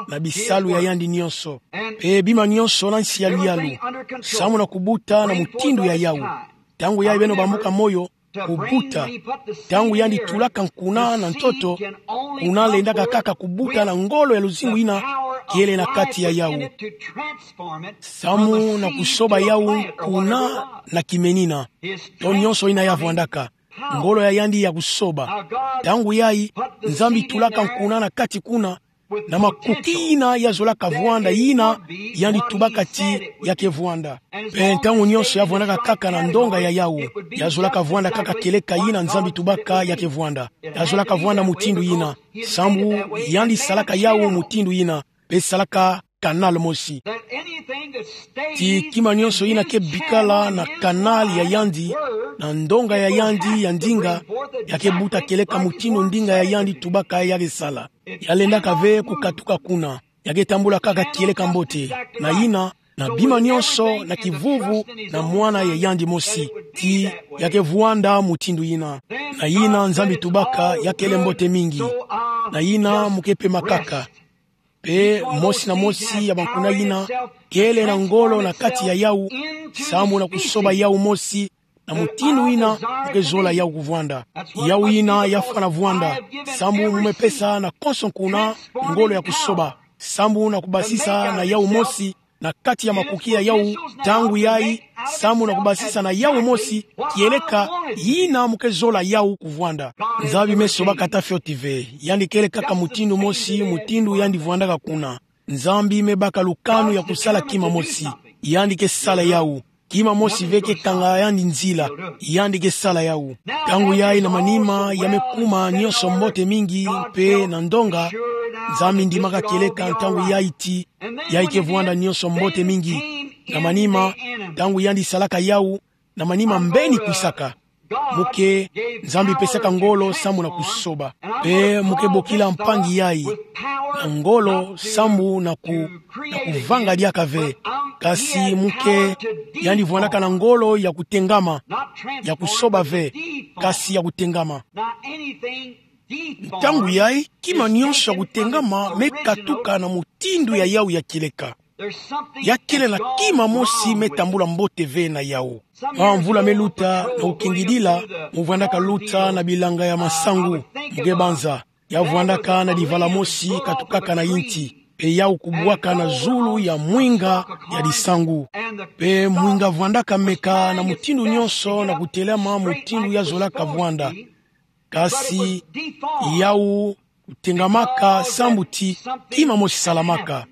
na bisalu ya yandi nyonso. Mpe bima nyonso na nsi ya luyalu, samu na kubuta na mutindu ya yawu. Ntangu yayi beno bambuka moyo, kubuta. Ntangu yandi tulaka nkuna na ntoto, kuna lendaka kaka kubuta na ngolo ya luzingu yina kele na kati ya yawu. Samu na kusoba yawu nkuna na kimenina. To nyonso yina ya vwandaka. Ngolo ya yandi ya kusoba. Ntangu yayi, Nzambi tulaka nkuna na kati kuna, na makuki yina ya zolaka vwanda yina, yandi tubaka ti ya ke vwanda. Mpe ntangu nyonso ya vwandaka kaka na ndonga ya yawu, ya zolaka vwanda kaka kieleka yina Nzambi tubaka ya ke vwanda. Ya zolaka vwanda mutindu yina, samu yandi salaka yawu mutindu yina, mpe salaka canal mosi. Ti kima nyonso yina ke bikala na canal ya yandi, na ndonga ya yandi ya ndinga, ya ke buta kieleka mutindu ndinga ya yandi tubaka ya ke sala. Ya lendaka ve kukatuka kuna. Ya ke tambula kaka kieleka mbote. Na yina, na bima nyonso, na kivuvu, na mwana ya yandi mosi. Ti, ya ke vwanda mutindu yina. Na yina Nzambi tubaka, ya kele mbote mingi. Na yina mu ke pema kaka. Mpe mosi na mosi ya bankuna yina, kele na ngolo na kati ya yawu, samu na kusoba yawu mosi, na mutindu yina, mu ke zola yawu kuvwanda. Yawu yina ya fwana vwanda, samu mu me pesa na konso nkuna, ngolo ya kusoba. Samu na kubasisa na yawu mosi, na kati ya makuki ya yawu, ntangu yayi, samu na kubasisa na yawu mosi, kieleka, yina mu ke zola yawu kuvwanda. Nzambi me sobaka ata fioti ve, yandi kele kaka mutindu mosi, mutindu yandi vwandaka kuna. Nzambi me baka lukanu ya kusala kima mosi. Yandi ke sala yawu. Kima mosi ve ke kanga yandi nzila. Yandi ke sala yawu. Ntangu yayi na manima ya me kuma nyonso mbote mingi mpe na ndonga. Nzambi ndimaka kieleka ntangu yayi ti, yayi ke vwanda nyonso mbote mingi. Na manima, ntangu yandi salaka yawu, na manima mbeni kwisaka. Mu ke, Nzambi pesaka ngolo samu na kusoba. Mpe mu ke bokila mpangi yayi. Na ngolo samu na ku, na kuvanga diaka ve. Kasi mu ke, yandi vwandaka na ngolo ya kutengama. Ya kusoba ve. Kasi ya kutengama. Ntangu yayi, kima nyonso ya kutengama me katuka na mutindu ya yawu ya kieleka. Ya kele na kima mosi me tambula mbote ve na yawu. Mwa mvula me luta na ukengidila, mu vwandaka luta na bilanga ya masangu, mu ke banza. Ya vwandaka na divala mosi katukaka na yinti. Mpe yawu kubwaka na zulu ya mwinga ya disangu. Mpe mwinga vwandaka meka na mutindu nyonso na kutelama mutindu ya zolaka vwanda. Kasi yawu kutengamaka sambu ti kima mosi salamaka.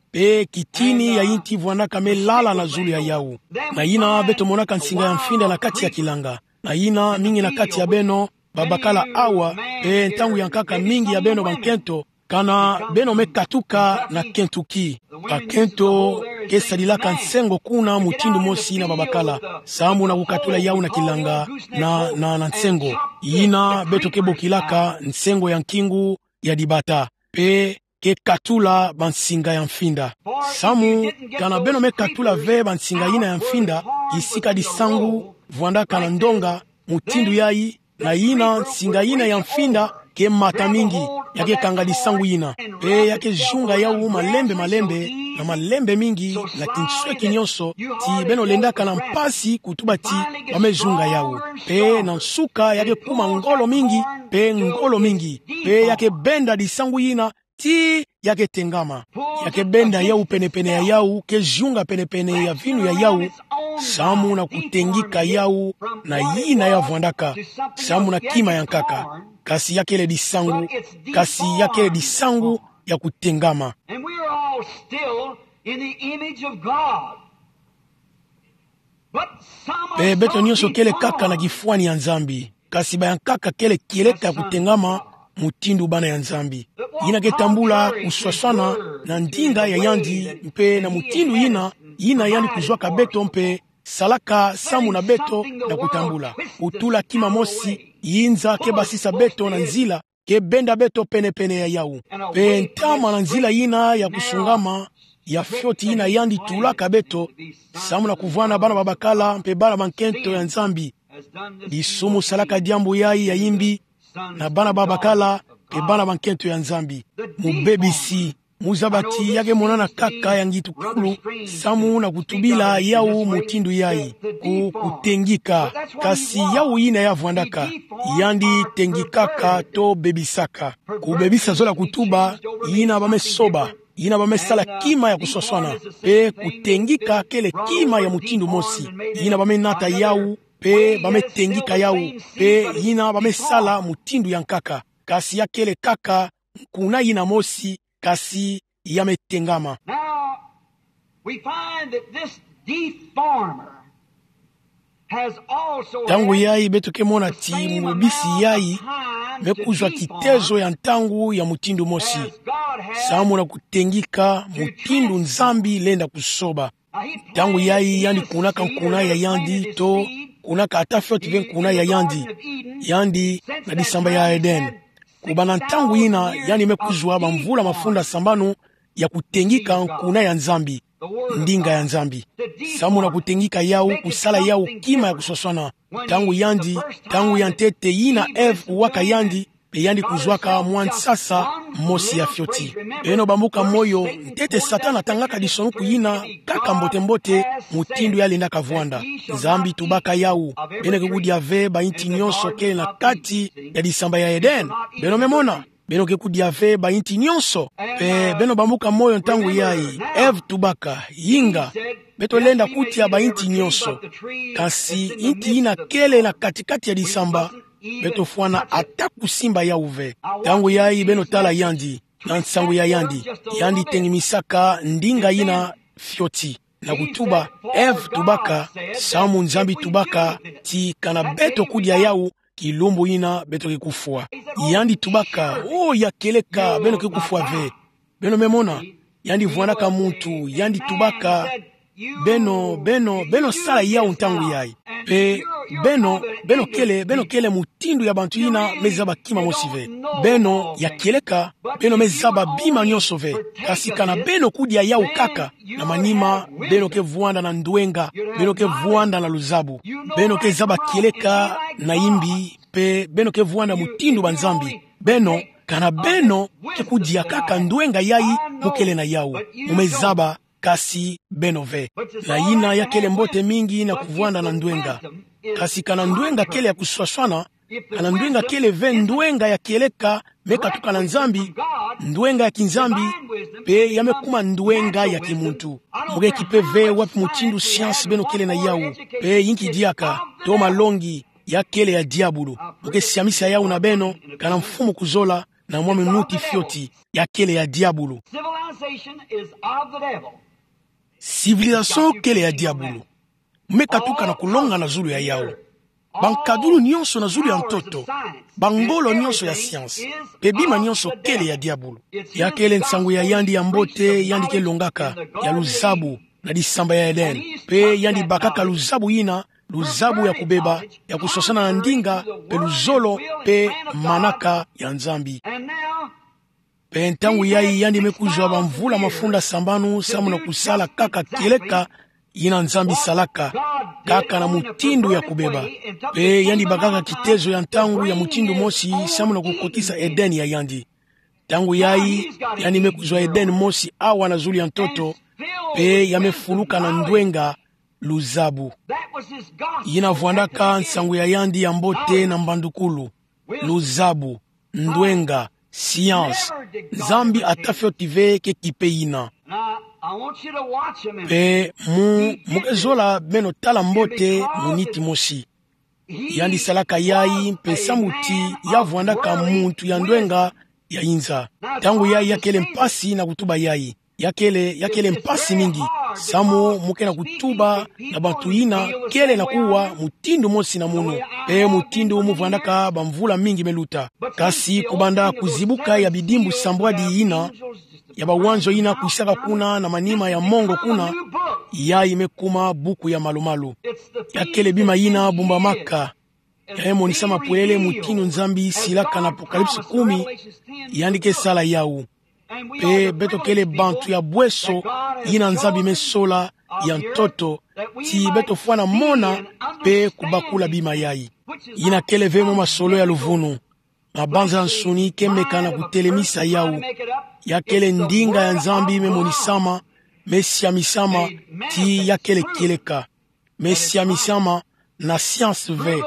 Mpe kitini ya yinti vwandaka me lala na zulu ya yawu. Na yina beto monaka nsinga ya mfinda na kati ya kilanga. Na yina mingi na kati ya beno babakala awa, mpe ntangu ya nkaka mingi ya beno bankento, kana beno me katuka na Kentucky. Bakento ke sadilaka nsengo kuna mutindu mosi na babakala. Samu na kukatula yawu na kilanga na, na, na nsengo. Yina beto ke bokilaka nsengo ya nkingu, ya dibata, pe ke katula bansinga ya mfinda. Samu kana beno me katula ve bansinga yina ya mfinda, kisika disangu vwandaka na ndonga mutindu yayi, na yina nsinga yina ya mfinda ke mata mingi, ya ke kanga disangu yina, pe ya ke zunga yawu malembe malembe, na malembe mingi, na kinsweki nyonso, ti beno lendaka na mpasi kutuba ti ba me zunga yawu. Pe na nsuka ya ke kuma ngolo mingi, pe ngolo mingi, pe ya ke benda disangu yina, ti ya ke tengama. Ya ke benda yawu penepene ya yawu, ke zunga penepene ya vinu ya yawu, samu na kutengika yawu na yina ya vwandaka, samu na kima ya nkaka. Kasi ya kele disangu, kasi ya kele disangu ya kutengama. And we are all still in the image of God. But some are Pe beto so nyonso kele kaka na deformed. Kifwani ya Nzambi. Kasi ba ya nkaka kele kieleka ya kutengama mutindu bana ya Nzambi. Yina ke tambula kuswaswana na ndinga ya yandi, mpe na mutindu yina, yina yandi kuzwaka beto mpe salaka samu na beto na kutambula. Kutula kima mosi, yinza ke basisa beto na nzila, ke benda beto penepene ya yawu. Pe ntama na nzila yina ya kusungama, ya fioti yina yandi tulaka beto, samu na kuvwanda bana babakala mpe bana bankento ya Nzambi. Disumu salaka diambu yayi ya yimbi na bana babakala mpe bana bankento ya Nzambi. Mubebisi, muzaba ti ya ke monana kaka ya ngitukulu, samu na kutubila yawu mutindu yayi. Ku, kutengika, kasi yawu yina ya vwandaka, yandi tengikaka to bebisaka. Kubebisa zola kutuba yina ba me soba, yina ba me sala kima ya kuswaswana, pe kutengika kele kima ya mutindu mosi, yina ba me nata yawu, pe ba me tengika yawu, pe yina ba me sala mutindu ya nkaka, kasi ya kele kaka nkuna yina mosi, kasi ya me tengama. Now, we find that this deformer has also Ntangu had yayi beto ke mona the ti same mubebisi amount yayi of time me to kuzwa deform kitezo ya ntangu ya mutindu mosi, as God has samu na kutengika mutindu Nzambi lenda kusoba. Ntangu yayi yandi kunaka nkuna ya yandi to kunaka ata fioti ve nkuna ya yandi. Yandi na disamba ya Eden. Kubanda ntangu yina yandi me kuzwa bamvula mafunda sambanu ya kutengika nkuna ya Nzambi, ndinga ya Nzambi. Samu na kutengika yawu, kusala yawu kima ya kuswaswana. Ntangu yandi, ntangu ya ntete yina Ève kuwaka yandi, pe yandi kuzwaka mwa nsasa mosi ya fioti. Beno bambuka moyo, ntete Satana atangaka disonuku yina kaka mbote-mbote, mutindu ya lendaka vwanda. Nzambi tubaka yawu: Beno ke kudia ve ba inti nyonso kele na kati ya disamba ya Eden. Beno me mona? Beno ke kudia ve ba inti nyonso? Pe beno bambuka moyo ntangu yayi, Ève tubaka: Inga, beto lenda kudia ba inti nyonso. Kasi inti yina kele na kati-kati ya disamba, beto fwana ata kusimba yawu ve. Ntangu yayi beno tala yandi, na nsangu ya yandi. Yandi tengimisaka ndinga yina fioti. Na kutuba, Ève tubaka, samu Nzambi tubaka, ti kana beto kudia yawu, kilumbu yina beto ke kufwa. Yandi tubaka: Oh, ya kieleka, beno ke kufwa ve. Beno me mona? Yandi vwandaka muntu, yandi tubaka: Beno, beno, beno sala yawu ntangu yayi. Pe beno, beno kele, beno kele mutindu ya bantu yina me zaba kima mosi ve. Beno, ya kieleka, beno me zaba bima nyonso ve. Kasi kana beno kudia yawu kaka, na manima beno ke vwanda na ndwenga, beno ke vwanda na luzabu. Beno ke zaba kieleka na imbi, pe beno ke vwanda mutindu ba nzambi. Beno, kana beno ke kudia kaka ndwenga yayi, mu kele na yawu. Mu me zaba, kasi beno ve. Na yina ya kele mbote mingi na kuvwanda na ndwenga. Kasi kana ndwenga kele ya kuswaswana, kana ndwenga kele ve ndwenga ya kieleka me katuka na Nzambi, ndwenga ya kinzambi, pe ya me kuma ndwenga ya kimuntu. Mu ke kipe ve wapi mutindu science beno kele na yawu, pe yinki diaka, to malongi, ya kele ya diabulu. Mu ke siamisa yawu na beno, kana mfumu kuzola, na mwa minuti fioti, ya kele ya diabulu. Civilization is of the devil. Civilisation kele ya diabulu. Mu me katuka na kulonga na zulu ya yawu. Bankadulu nyonso na zulu ya ntoto, bangolo nyonso ya science, pe bima nyonso kele ya diabulu. Ya kele nsangu ya yandi ya mbote yandi ke longaka, ya luzabu, na disamba ya Eden. Pe yandi bakaka luzabu yina, luzabu ya kubeba, ya kuswaswana na ndinga, pe luzolo, pe manaka ya Nzambi. And now, Pe ntangu yayi yandi me kuzwa bamvula mafunda sambanu samu na kusala kaka kieleka yina Nzambi salaka, kaka na mutindu ya kubeba. Pe yandi bakaka kitezo ya ntangu ya mutindu mosi samu na kukotisa Eden ya yandi. Ntangu yayi, yandi me kuzwa Eden mosi awa na zulu ya ntoto, pe ya me fuluka na ndwenga, luzabu. Yina vwandaka nsangu ya yandi ya mbote na mbandukulu. Luzabu, ndwenga, science. Nzambi ata fioti ve ke kipe yina. Pe mu, mu ke zola beno tala mbote muniti mosi. Yandi salaka yayi mpe samu ti ya vwandaka muntu ya ndwenga ya inza. Ntangu yayi ya kele mpasi na kutuba yayi. Ya kele, ya kele mpasi mingi. Samu mu ke na kutuba na bantu yina kele na kuwa mutindu mosi na munu. Pe mutindu mu vwandaka bamvula mingi me luta. Kasi kubanda kuzibuka ya bidimbu sambwadi yina, ya bawanzo yina kwisaka kuna na manima ya mongo kuna, yayi me kuma buku ya malu-malu. Ya kele bima yina bumbamaka. Ya me monisama pwelele mutindu Nzambi silaka na Apocalypse kumi, yandi ke sala yawu. Pe beto kele bantu ya bweso yina Nzambi me sola ya ntoto, ti beto fwana mona pe kubakula bima yayi. Yina kele ve mwa masolo ya luvunu. Mabanza nsuni ke meka na kutelemisa yawu. Ya kele ndinga ya Nzambi me monisama, me siamisama, ti ya kele kieleka. Me siamisama na science ve,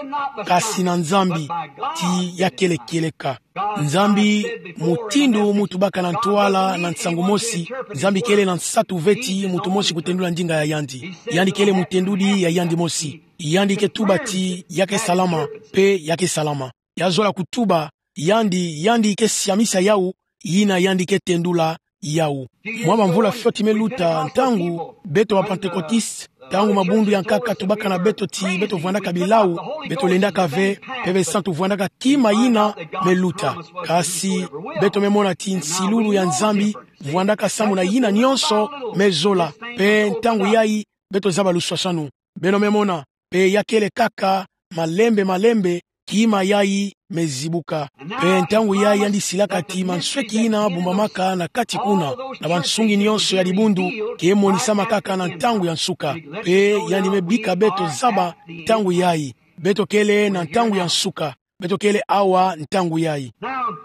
kasi na Nzambi, ti ya kele kieleka. Nzambi, mutindu mu tubaka na ntwala na nsangu mosi, Nzambi kele na nsatu ve ti muntu mosi kutendula ndinga ya yandi. Yandi kele mutendudi ya yandi mosi. Yandi ke tuba ti ya ke salama, pe ya ke salama. Ya zola kutuba, yandi, yandi ke siamisa yawu, yina yandi ke tendula yawu. Mwa bamvula fioti me luta, ntangu beto ba Pantekotiste, ntangu mabundu ya nkaka tubaka na beto ti beto vwandaka bilawu, beto lendaka ve, pe besantu vwandaka kima yina me luta. Kasi beto me mona ti nsilulu ya Nzambi vwandaka samu na yina nyonso me zola, pe ntangu yayi beto zaba luswaswanu. Beno me mona, pe ya kele kaka malembe malembe, kima yayi me zibuka. Pe ntangu yayi yandi silaka ti mansweki yina bumbamaka na kati kuna, na bansungi nyonso ya dibundu, ke monisama kaka na ntangu ya nsuka. Pe yandi me bika beto zaba ntangu yayi. Beto kele na ntangu ya nsuka. Beto kele awa ntangu yayi. Now,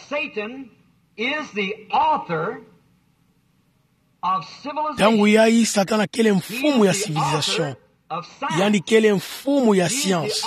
Satan is the author of civilization. Ntangu yayi Satana kele mfumu ya civilisation. Yandi kele mfumu ya science.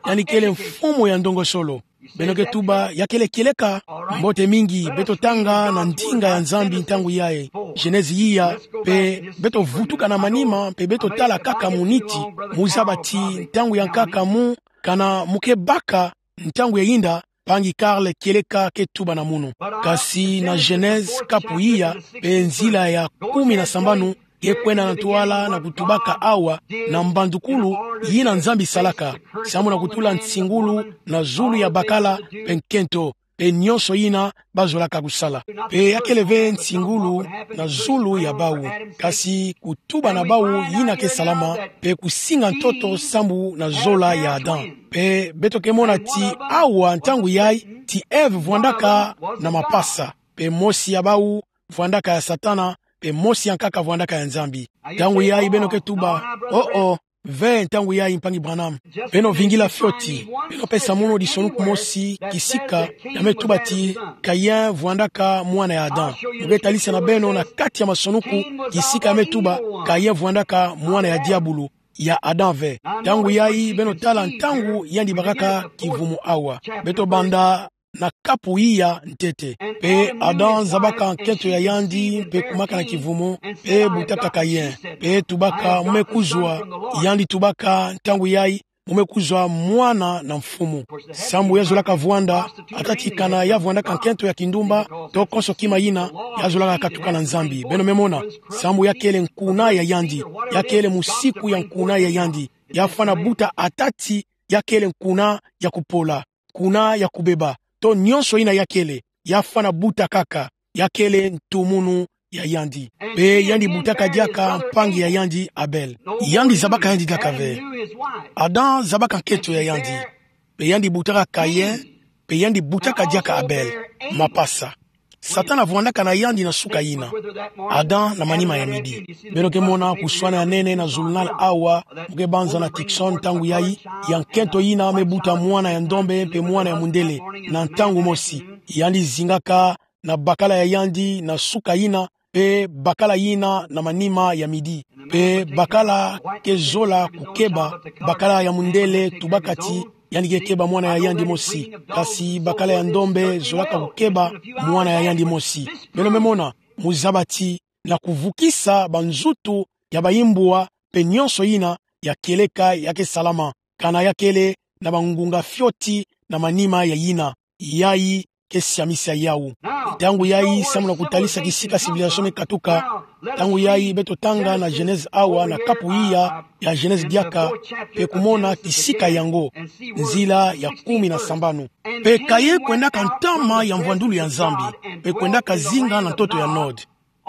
Yandi kele mfumu ya ndongosolo. Beno ke tuba ya kele kieleka. Mbote mingi, beto tanga na ndinga ya Nzambi ntangu yayi. Genèse iya, pe beto vutuka na manima, pe beto tala kaka muniti, mu zaba ti ntangu ya nkaka mu, kana mu ke baka ntangu ya yinda, mpangi Karl kieleka ke tuba na munu. Kasi na Genèse kapu iya, pe nzila ya kumi na sambanu, ke kwenda na ntwala na kutubaka awa, na mbandukulu, yina Nzambi salaka, samu na kutula nsingulu na zulu ya bakala, pe nkento, pe nyonso yina ba zolaka kusala. Pe ya kele ve nsingulu na zulu ya bawu. Kasi kutuba na bawu yina ke salama, pe kusinga ntoto samu na zola ya Adam. Pe beto ke mona ti awa ntangu yayi, ti Ève vwandaka na mapasa. Pe mosi ya bawu vwandaka ya Satana, pe mosi ya nkaka vwandaka ya Nzambi. Ntangu yayi beno ke tuba, oh, oh, ve ntangu yayi mpangi Branham. Beno vingila fioti, beno pesa mono disonuku mosi, kisika, ya me tuba ti Caïn vwandaka mwana ya Adam. Mu ke talisa na beno na kati ya masonuku, kisika ya me tuba, Caïn vwandaka mwana ya diabulu, ya Adam ve. Ntangu yayi beno tala ntangu yandi bakaka kivumu awa. Beto banda na kapu iya ntete. Pe Adam zabaka nkento ya yandi, pe kumaka na kivumu, pe butaka Caïn. Pe tubaka, mu me kuzwa, yandi tubaka, ntangu yayi, mu me kuzwa mwana na mfumu. Samu ya zolaka vwanda, ata ti kana ya vwandaka nkento ya kindumba, to konso kima yina, ya zolaka katuka na Nzambi. Beno me mona, samu ya kele nkuna ya yandi, ya kele musiku ya nkuna ya yandi, ya fwana buta ata ti ya kele nkuna ya kupola, nkuna ya kubeba, to nyonso yina ya kele, ya fwana buta kaka, ya kele ntumunu ya yandi. Pe yandi butaka diaka mpangi ya yandi Abel. Yandi zabaka yandi diaka ve. Adam zabaka nkento ya yandi. Pe yandi butaka Caïn, pe yandi butaka diaka Abel. Mapasa. Satana vwandaka na yandi na suka yina. Adam na manima ya midi. Beno ke mona kuswana ya nene na journal awa, mu ke banza na Tucson ntangu yayi, ya nkento yina me buta mwana ya ndombe mpe mwana ya mundele, na ntangu mosi. Yandi zingaka na bakala ya yandi na suka yina, mpe bakala yina na manima ya midi. Mpe bakala ke zola kukeba, bakala ya mundele tubaka ti yandi ke keba mwana ya yandi mosi. Kasi bakala ya ndombe zolaka kukeba mwana ya yandi mosi. Beno me mona, mu zaba ti na kuvukisa banzutu ya bayimbwa mpe nyonso yina ya kieleka ya ke salama. Kana ya kele na bangunga fioti na manima ya yina. Yayi ke siamisa yawu. Ntangu yayi, samu na kutalisa kisika civilisation me katuka. Ntangu yayi, beto tanga na Genèse awa na kapu iya ya Genèse diaka, mpe kumona kisika yango, nzila ya kumi na sambanu. Mpe Kayin kwendaka ntama ya mvwandulu ya Nzambi, mpe kwendaka zinga na ntoto ya Nod,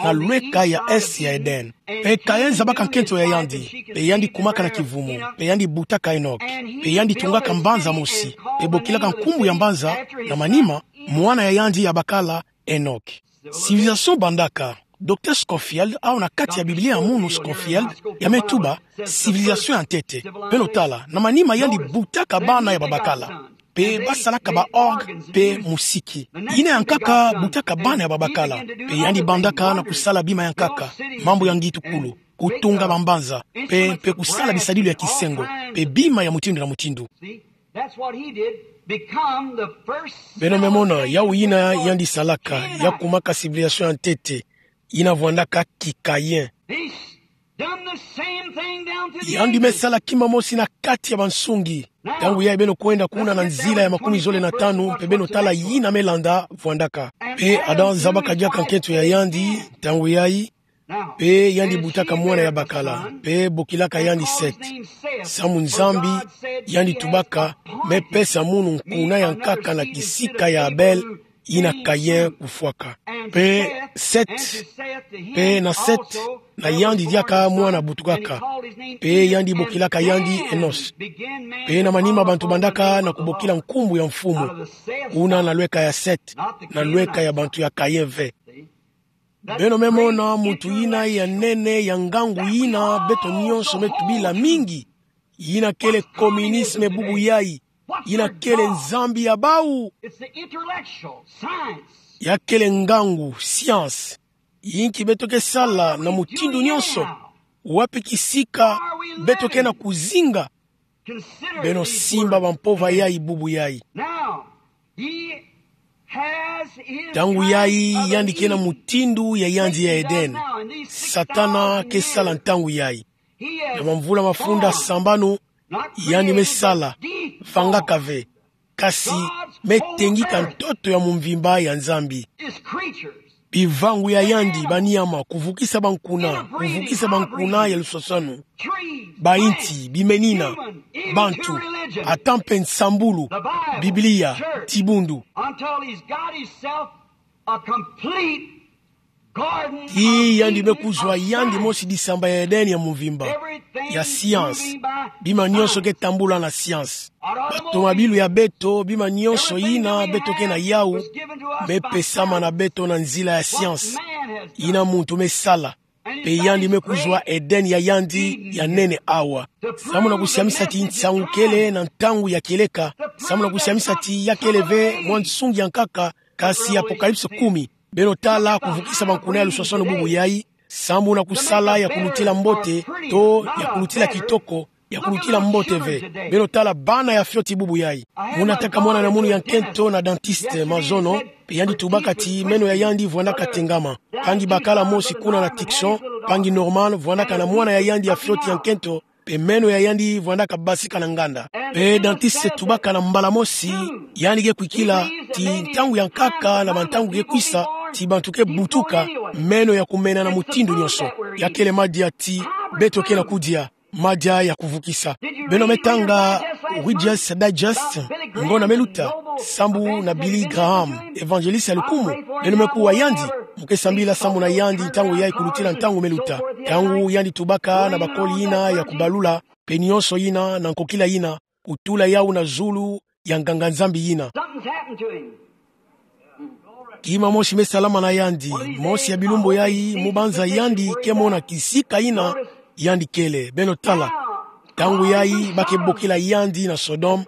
na lweka ya Est ya Eden. Mpe Kayin zabaka nkento ya yandi, mpe yandi kumaka na kivumu, mpe yandi butaka Enok, mpe yandi tungaka mbanza mosi, mpe bokilaka nkumbu ya mbanza, na manima, mwana ya yandi ya bakala Enok. Civilisation bandaka. Docteur Scofield, awa na kati ya Biblia ya munu Scofield, ya me tuba, civilisation ya ntete. Beno tala, na manima yandi butaka bana ya babakala. Mpe basalaka ba orgue mpe musiki. Yina ya nkaka butaka bana ya babakala. Mpe yandi bandaka na kusala bima ya nkaka. Mambu ya ngitukulu. Kutunga bambanza. Mpe, mpe kusala bisadilu ya kisengo. Mpe bima ya mutindu na mutindu. That's what he did. Become the first Beno me mona, yawu yina yandi salaka, ya kumaka civilisation ya ntete, yina vwandaka ki Kayin. He's done the same thing down to the Yandi me sala kima mosi na kati ya bansungi. Ntangu yayi beno kwenda kuna na nzila ya makumi zole na tanu, mpe beno tala yina me landa vwandaka. Mpe Adam zabaka diaka nkento ya yandi, ntangu yayi, mpe yandi butaka mwana ya bakala, mpe bokilaka yandi Set. Samu Nzambi, yandi tubaka, me pesa munu nkuna ya nkaka na kisika ya Abel, yina Kayin kufwaka. Mpe Set, mpe na Set, na yandi diaka mwana butukaka. Mpe yandi bokilaka yandi Enos. Mpe na manima bantu bandaka na kubokila nkumbu ya mfumu. Kuna na lweka ya Set, na lweka ya bantu ya Kayin ve. Beno me mona muntu yina ya nene ya ngangu yina beto nyonso me tubila mingi. Yina kele communisme bubu yayi. Yina kele nzambi ya bawu. It's the intellectual, science. Ya kele ngangu, science. Yinki beto ke sala na mutindu nyonso. Wapi kisika beto ke na kuzinga. Beno simba bampova yayi bubu yayi. Now, he has his Ntangu yayi, yandi ke na mutindu ya yandi ya Eden. Satana ke sala ntangu yayi. Na bamvula mafunda sambanu, yandi me sala, vangaka ve. Kasi me tengika ntoto ya mumvimba ya Nzambi. Bivangu ya yandi, banyama, kuvukisa bankuna, kuvukisa bankuna ya lusosanu. Bayinti, bimenina, bantu, ata mpe nsambulu, Biblia, dibundu. Until he's got himself a complete garden of Eden. Ti yandi me kuzwa yandi mosi disamba ya Eden ya mumvimba, ya science. Bima nyonso ke tambula na science. Batomabilu ya beto, bima nyonso yina beto ke na yawu, me pesama na beto na nzila ya science. Yina muntu me sala. Mpe yandi me kuzwa Eden ya yandi ya nene awa. Samu na kusiamisa ti nsangu kele na ntangu ya kieleka. Samu na kusiamisa ti ya kele ve mwa nsungi ya nkaka, kasi Apocalypse kumi. Beno tala kuvukisa bankuna ya lusosanu bubu yayi. Samu na kusala ya kulutila mbote, to ya kulutila kitoko, ya kulutila mbote ve. Beno tala bana ya fioti bubu yayi. Muna taka mwana na munu ya nkento na dentiste mazono, mpe yandi tubaka ti meno ya yandi vwandaka tengama. Mpangi bakala mosi kuna na Tucson, mpangi Norman, vwandaka na mwana ya yandi ya fioti ya nkento, mpe meno ya yandi vwandaka basika na nganda. Mpe dentiste tubaka na mbala mosi, yandi ke kwikila ti ntangu ya nkaka na bantangu ke kwisa, ti bantu ke butuka, meno ya kumena na mutindu nyonso. Ya kele madia ti beto ke na kudia, madia ya kuvukisa. Beno me tanga Reader's Digest, ngonda me luta, sambu na Billy Graham, évangéliste ya lukumu. Beno me kuwa yandi, mu ke sambila sambu na yandi ntangu yayi kulutila ntangu me luta. Ntangu yandi tubaka na bakoli yina ya kubalula, mpe nyonso yina na nkokila yina, kutula yawu na zulu ya nganga-Nzambi yina. Something's happened to him. Kima mosi me salama na yandi, mosi ya bilumbu yai, mu banza yandi ke mona kisika yina yandi kele. Beno tala. Ntangu yai ba ke bokila yandi na Sodome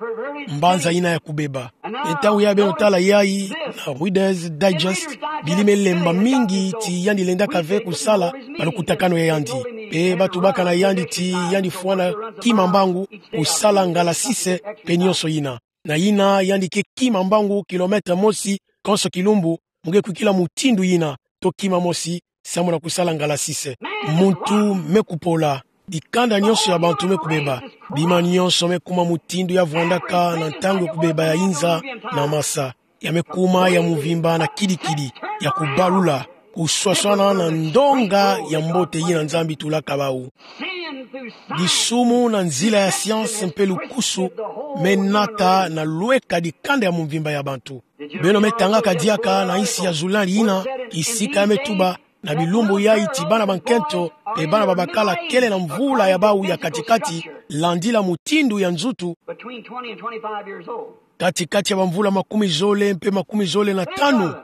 mbanza yina ya kubeba. Ntangu yai beno tala yai na Reader's Digest, Billy me lemba mingi ti yandi lendaka ve kusala malukutakanu ya yandi. Mpe ba tubaka na yandi ti yandi fwana kima mbangu kusala ngala sise mpe nionso yina. Na yina yandi ke kima mbangu kilomètre mosi konso kilumbu, mu ke kwikila mutindu yina, to kima mosi, samu na kusala ngala sise. Muntu me kupola, dikanda nionso ya bantu me kubeba, bima nionso me kuma mutindu ya vwandaka na ntangu ya kubeba ya inza na masa. Ya me kuma ya mvimba na kidikidi, ya kubalula, kuswaswana na ndonga ya mbote yina Nzambi tulaka bau. Disumu na nzila ya science mpe lukusu me nata na lweka dikanda ya mvimba ya bantu. Beno me tangaka diaka na insi ya Julien yina, kisika ya me tuba na bilumbu yai ti bana ba nkento mpe bana ba bakala kele na mvula ya bau ya katikati, landila mutindu ya nzutu, katikati ya bamvula makumi zole mpe makumi zole na tanu.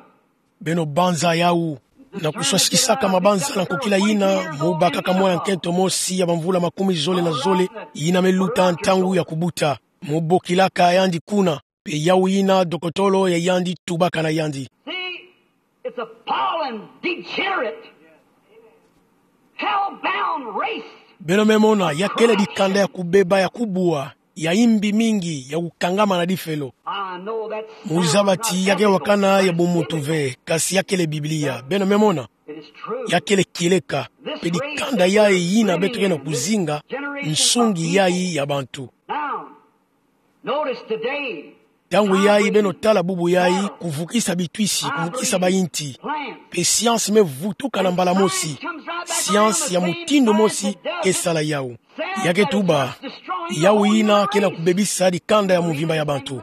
Beno banza yau. Na kuswasikisaka mabanza na nkokila yina, mu bakaka mwana nkento mosi ya bamvula makumi zole na zole, yina me luta ntangu ya kubuta. Mu bokilaka yandi kuna, mpe yau yina dokotolo ya yandi tubaka na yandi. See, it's a fallen, degenerate, hell-bound race. Beno me mona, ya kele dikanda ya kubeba ya kubwa, ya imbi mingi, ya kukangama na difelo. I know that's. Mu zaba ti ya ke wakana ya bumuntu ve, kasi ya kele Biblia. Beno me mona, it is true. Ya kele kieleka, mpe dikanda yai yina beto ke na kuzinga, nsungi yai ya bantu. Now, notice today. Ntangu yai beno tala bubu yai, kuvukisa bitwisi, kuvukisa bayinti. Mpe science me vutuka na mbala mosi. Science ya mutindu mosi ke sala yau. Ya ke tuba, yau yina ke na kubebisa dikanda ya mvimba ya bantu.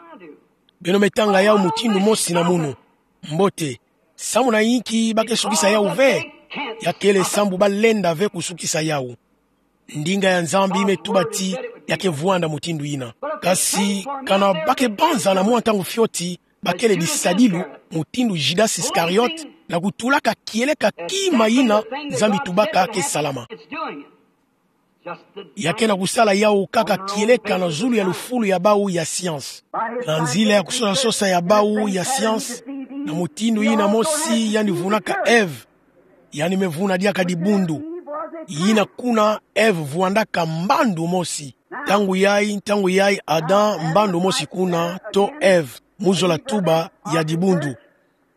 Beno me tanga yau mutindu mosi na munu. Mbote, samu na inki ba ke sukisa yau ve? Ya kele sambu ba lenda ve kusukisa yau. Ndinga ya Nzambi me tuba ti ya ke vwanda mutindu yina. Kasi kana ba ke banza na mwa ntangu fioti, ba kele bisadilu, mutindu Judas Iscariot, na kutulaka kieleka kima yina Nzambi tubaka ke salama. Ya ke na kusala yau kaka kieleka na zulu ya lufulu ya bau ya science. Na nzila ya kusosa-sosa ya bau ya science, na mutindu yina mosi yandi vunaka Ève. Yandi me vuna diaka dibundu. Yina kuna Ève vwandaka mbandu mosi. Ntangu yai, ntangu yai Adam mbandu mosi kuna, to Ève, mu zola tuba ya dibundu.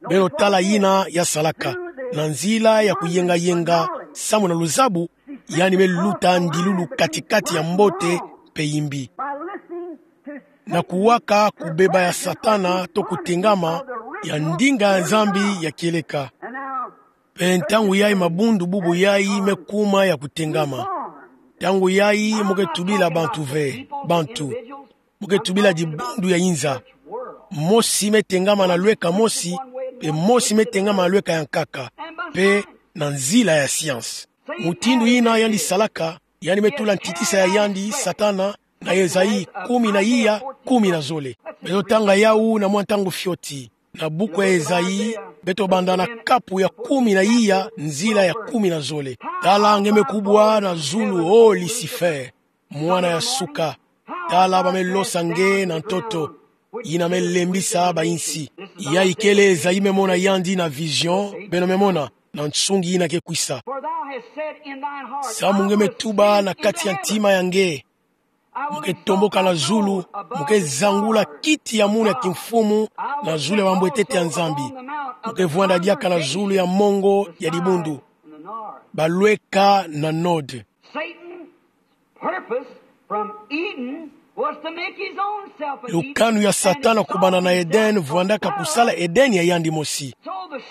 Beno tala yina ya salaka. Na nzila ya kuyenga-yenga, samu na luzabu, yandi me luta ndilulu katikati ya mbote mpe imbi. Na kuwaka kubeba ya Satana to kutengama ya ndinga ya Nzambi ya kieleka. Mpe ntangu yai mabundu bubu yai me kuma ya kutengama. Ntangu yai mu ke tubila bantu ve, bantu. Mu ke tubila dibundu ya inza. Mosi me tengama na lweka mosi, mpe mosi me tengama na lweka ya nkaka, mpe na nzila ya science. Mutindu yina yandi salaka, yandi me tula ntitisa ya yandi, Satana, na Esaïe kumi na iya, kumi na zole. Beto tanga yau na mwa ntangu fioti. Na buku ya Esaïe, beto banda na kapu ya kumi na iya, nzila ya kumi na zole. Tala nge me kubwa na zulu, o Lucifer, mwana ya suka. Tala ba me losa nge na ntoto. Yina me lembisa bainsi. Yai kele Esaïe me mona yandi na vision, beno me mona, na nsungi yina ke kwisa. Samu nge me tuba na kati ya ntima ya nge, mu ke tomboka na zulu, mu ke zangula kiti ya munu ya kimfumu na zulu ya bambwetete ya Nzambi. Mu ke vwanda diaka na zulu ya mongo ya dibundu. Balweka na node. Satan's purpose from Eden was to make his own self an Eden. Lukanu ya Satana kubanda na Eden vwandaka kusala Eden ya yandi mosi.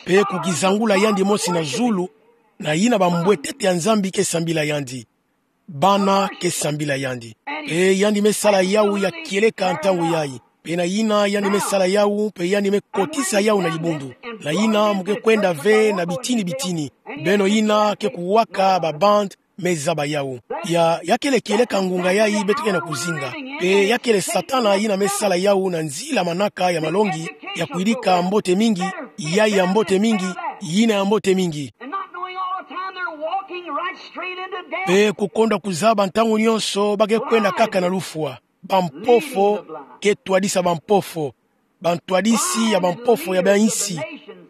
Mpe kukizangula yandi mosi na zulu, na yina bambwetete ya Nzambi ke sambila yandi. Bana ke sambila yandi. Mpe yandi me sala yau ya kieleka ntangu yai. Mpe na yina yandi me sala yau, mpe yandi me kotisa yau na dibundu. Na yina mu ke kwenda ve na bitini-bitini. Beno yina ke kuwaka ba bande me zaba yau. Ya, ya kele kieleka ngunga yai beto ke na kuzinga. Mpe ya kele Satana yina me sala yau na nzila manaka ya malongi, ya kuyidika mbote mingi, yai ya mbote mingi, yina ya mbote mingi. And not knowing all the time they're walking right straight into death. Mpe kukonda kuzaba ntangu nyonso ba ke kwenda kaka na lufwa. Bampofo ke twadisa bampofo. Bantwadisi ya bampofo ya bansi.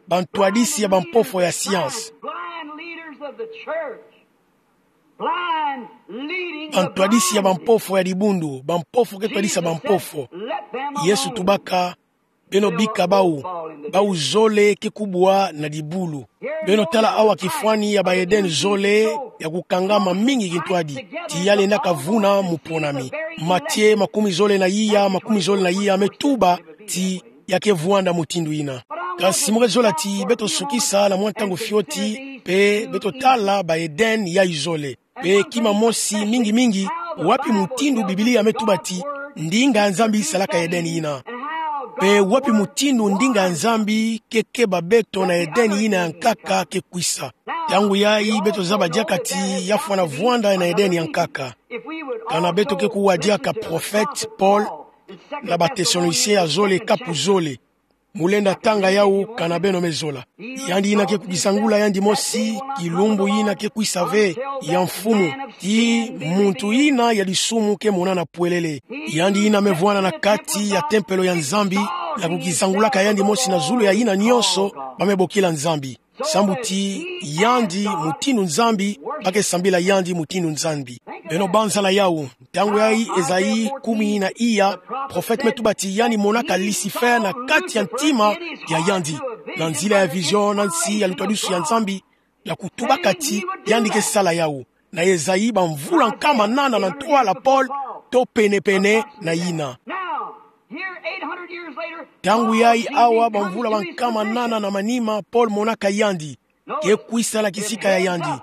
Bantwadisi ya bampofo ya science. Blind leaders of the church. Blind leading the blind. Bantwadisi ya bampofo ya dibundu. Bampofo ke twadisa bampofo. Yesu tubaka: Beno bika bau, bau zole ke kubwa na dibulu. Beno tala awa kifwani ya ba Eden zole ya kukangama mingi kintwadi, ti ya lenda kavuna mu ponami. Matie makumi zole na iya, makumi zole na iya me tuba ti ya ke vwanda mutindu yina. Kasi mu ke zola ti beto sukisa na mwa ntangu fioti, mpe beto tala ba Eden yai zole. Mpe kima mosi mingi mingi, wapi mutindu Biblia me tuba ti ndinga ya Nzambi salaka Eden yina? Mpe wapi mutindu ndinga ya Nzambi ke keba beto na Eden yina ya nkaka ke kwisa? Ntangu yai beto zaba diaka ti ya fwana vwanda na Eden ya nkaka. Kana beto ke kuwa diaka prophète Paul na ba Thessaloniciens ya zole, kapu zole. Mu lenda tanga yau kana beno me zola. Yandi yina ke kukizangula yandi mosi, kilumbu yina ke kwisa ve, ya mfumu, ti muntu yina ya disumu ke monana pwelele. Yandi yina me vwanda na kati ya tempelo ya Nzambi, ya kukizangulaka yandi mosi na zulu ya yina nyonso ba me bokila Nzambi. Sambu ti yandi mutindu Nzambi, ba ke sambila yandi mutindu Nzambi. Beno banzala yau, ntangu yai Esaïe kumi na iya, prophète me tuba ti yandi monaka Lucifer na kati ya ntima ya yandi, na nzila ya vision na nsi ya lutwadusu ya Nzambi, ya kutubaka ti yandi ke sala yau. Na Esaïe bamvula nkama nana na ntwala pole, to pene-pene na yina. Now, here, eight hundred years later, ntangu yai awa bamvula bankama nana na manima, Paul monaka yandi ke kwisa na kisika ya yandi.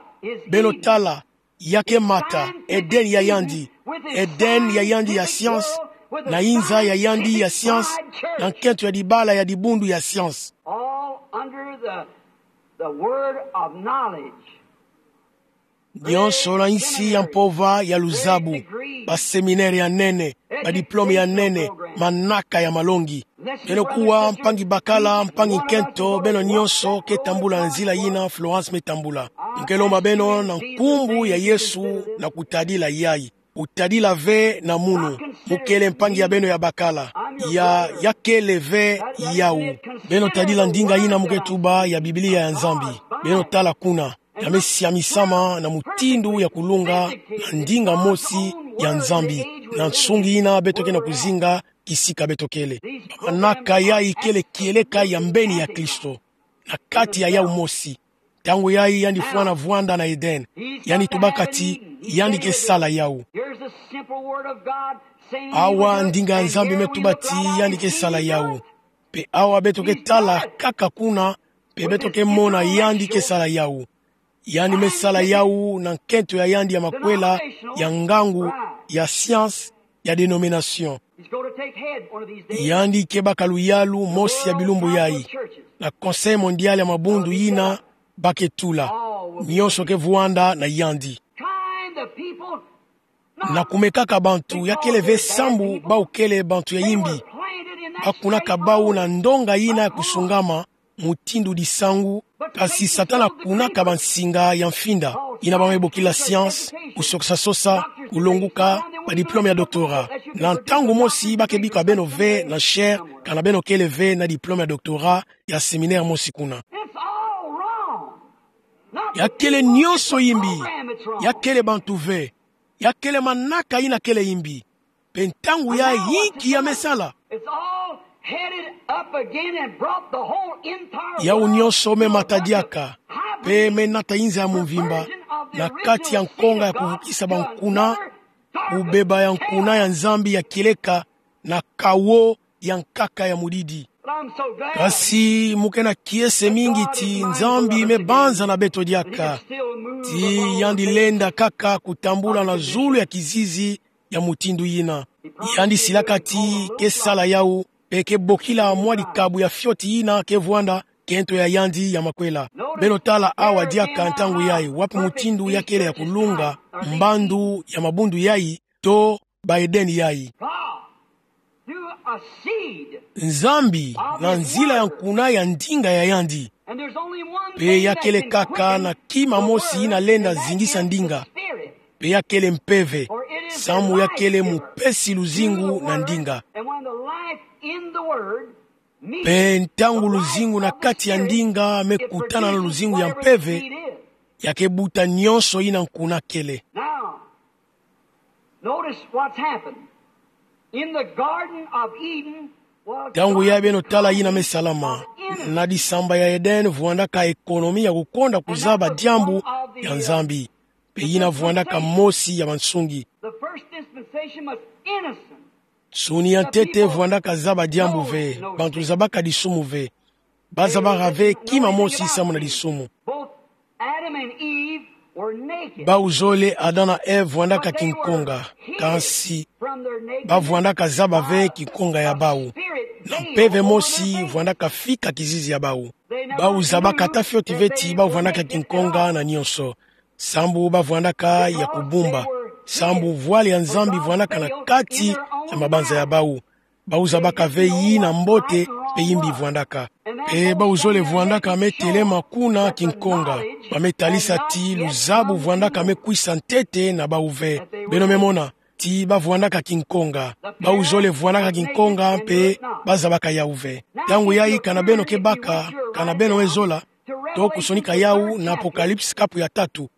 Beno tala, ya ke mata Eden ya yandi, Eden ya yandi ya science, na inza ya yandi ya science, na nkento ya dibala ya dibundu ya science. All under the, the word of knowledge. Nyonso na nsi ya mpova ya luzabu, ba séminaire ya nene, ba diplôme ya nene, manaka ya malongi. Beno kuwa mpangi bakala, mpangi nkento, beno nyonso ke tambula na nzila yina Florence me tambula. Mu ke lomba beno na nkumbu ya Yesu na kutadila yai. Kutadila ve na munu. Mu kele mpangi ya beno ya bakala. Ya, ya kele ve yau. Beno tadila ndinga yina mu ke tuba ya Biblia ya Nzambi. Beno tala kuna. Ya me siamisama na mutindu ya kulunga na ndinga mosi ya Nzambi, na nsungi yina beto ke na kuzinga kisika beto kele. Manaka yai kele kieleka ya mbeni ya Kristo. Na kati ya yau mosi. Ntangu yai yandi fwana vwanda na Eden, yandi tubaka ti yandi ke sala yau. Here's the simple word of God saying, awa ndinga ya Nzambi me tuba ti yandi ke sala yau. Mpe awa beto ke tala kaka kuna, mpe beto ke mona yandi ke sala yau. Yandi me sala yau na nkento ya yandi ya makwela, ya ngangu, ya science, ya dénomination. He's going to take head one of these days. Yandi ke baka luyalu mosi ya bilumbu yai, na Conseil Mondial ya mabundu yina ba ke tula. Nyonso ke vwanda na yandi. Kind the people. Na kumekaka bantu, ya kele ve sambu bau kele bantu ya yimbi. Ba kunaka bau na ndonga yina ya kusungama, mutindu disangu, kasi Satana kunaka bansinga ya mfinda, yina ba me bokila science, kusokisa sosa, kulonguka, ba diplôme ya doctorat. Na ntangu mosi ba ke bika beno ve na chaire, kana beno kele ve na diplôme ya doctorat, ya séminaire mosi kuna. It's all wrong. Ya kele nyonso yimbi, ya kele bantu ve, ya kele manaka yina kele yimbi. Mpe ntangu yai inki ya me sala? It's all headed up again and brought the whole entire world to a bunch of hybrid perversion of the world. Yau nyonso me mata diaka, mpe me nata inza ya mumvimba, na kati ya nkonga ya kuvukisa bankuna, kubeba ya nkuna ya Nzambi ya kieleka, na kawo ya nkaka ya mudidi. But I'm so glad. Kasi mu ke na kiese mingi ti Nzambi me banza na beto diaka. Ti yandi lenda kaka kutambula na zulu ya kizizi ya mutindu yina. Yandi silaka ti ke sala yau, mpe ke bokila mwa dikabu ya fioti yina ke vwanda, nkento ya yandi ya makwela. Beno tala awa diaka ntangu yai, wapi mutindu ya kele ya kulunga, mbandu ya mabundu yai, to ba Eden yai. God, through Nzambi na nzila ya nkuna ya ndinga ya yandi. Pe ya kele kaka na kima mosi yina lenda zingisa ndinga. Pe ya kele Mpeve, samu ya kele mupesi luzingu na ndinga. Pe ntangu luzingu na kati ya ndinga me kutana na luzingu ya Mpeve, ya ke buta nyonso yina nkuna kele. Notice what's happened. In the Garden of Eden was Ntangu ya beno tala yina me salama, na disamba ya Eden vwandaka ekonomi ya kukonda kuzaba diambu ya Nzambi. Pe yina vwandaka mosi ya bansungi. The first dispensation was innocent. Nsuni ya ntete vwandaka zaba diambu ve, bantu zabaka disumu ve. Ba zabaka ve kima mosi samu na disumu. Both Adam and Eve were naked. Bau zole Adam na Ève vwandaka kinkonga, kansi ba vwandaka zaba ve kinkonga ya bau. Na Mpeve mosi vwandaka fika kizizi ya bau. Bau zabaka ata fioti ve ti bau vwandaka kinkonga na nyonso, sambu ba vwandaka ya kubumba, sambu vwali ya Nzambi vwandaka na kati ya mabanza ya bau. Bau zabaka ve yina mbote pe yimbi vwandaka. Pe bau zole vwandaka me telema kuna kinkonga. Ba me talisa ti luzabu vwandaka me kwisa ntete na bau ve. Beno me mona ti ba vwandaka kinkonga. Bau zole vwandaka kinkonga mpe ba zabaka yau ve. Ntangu yayi, kana beno ke baka, kana beno me zola, to kusonika yau na Apocalypse kapu ya tatu.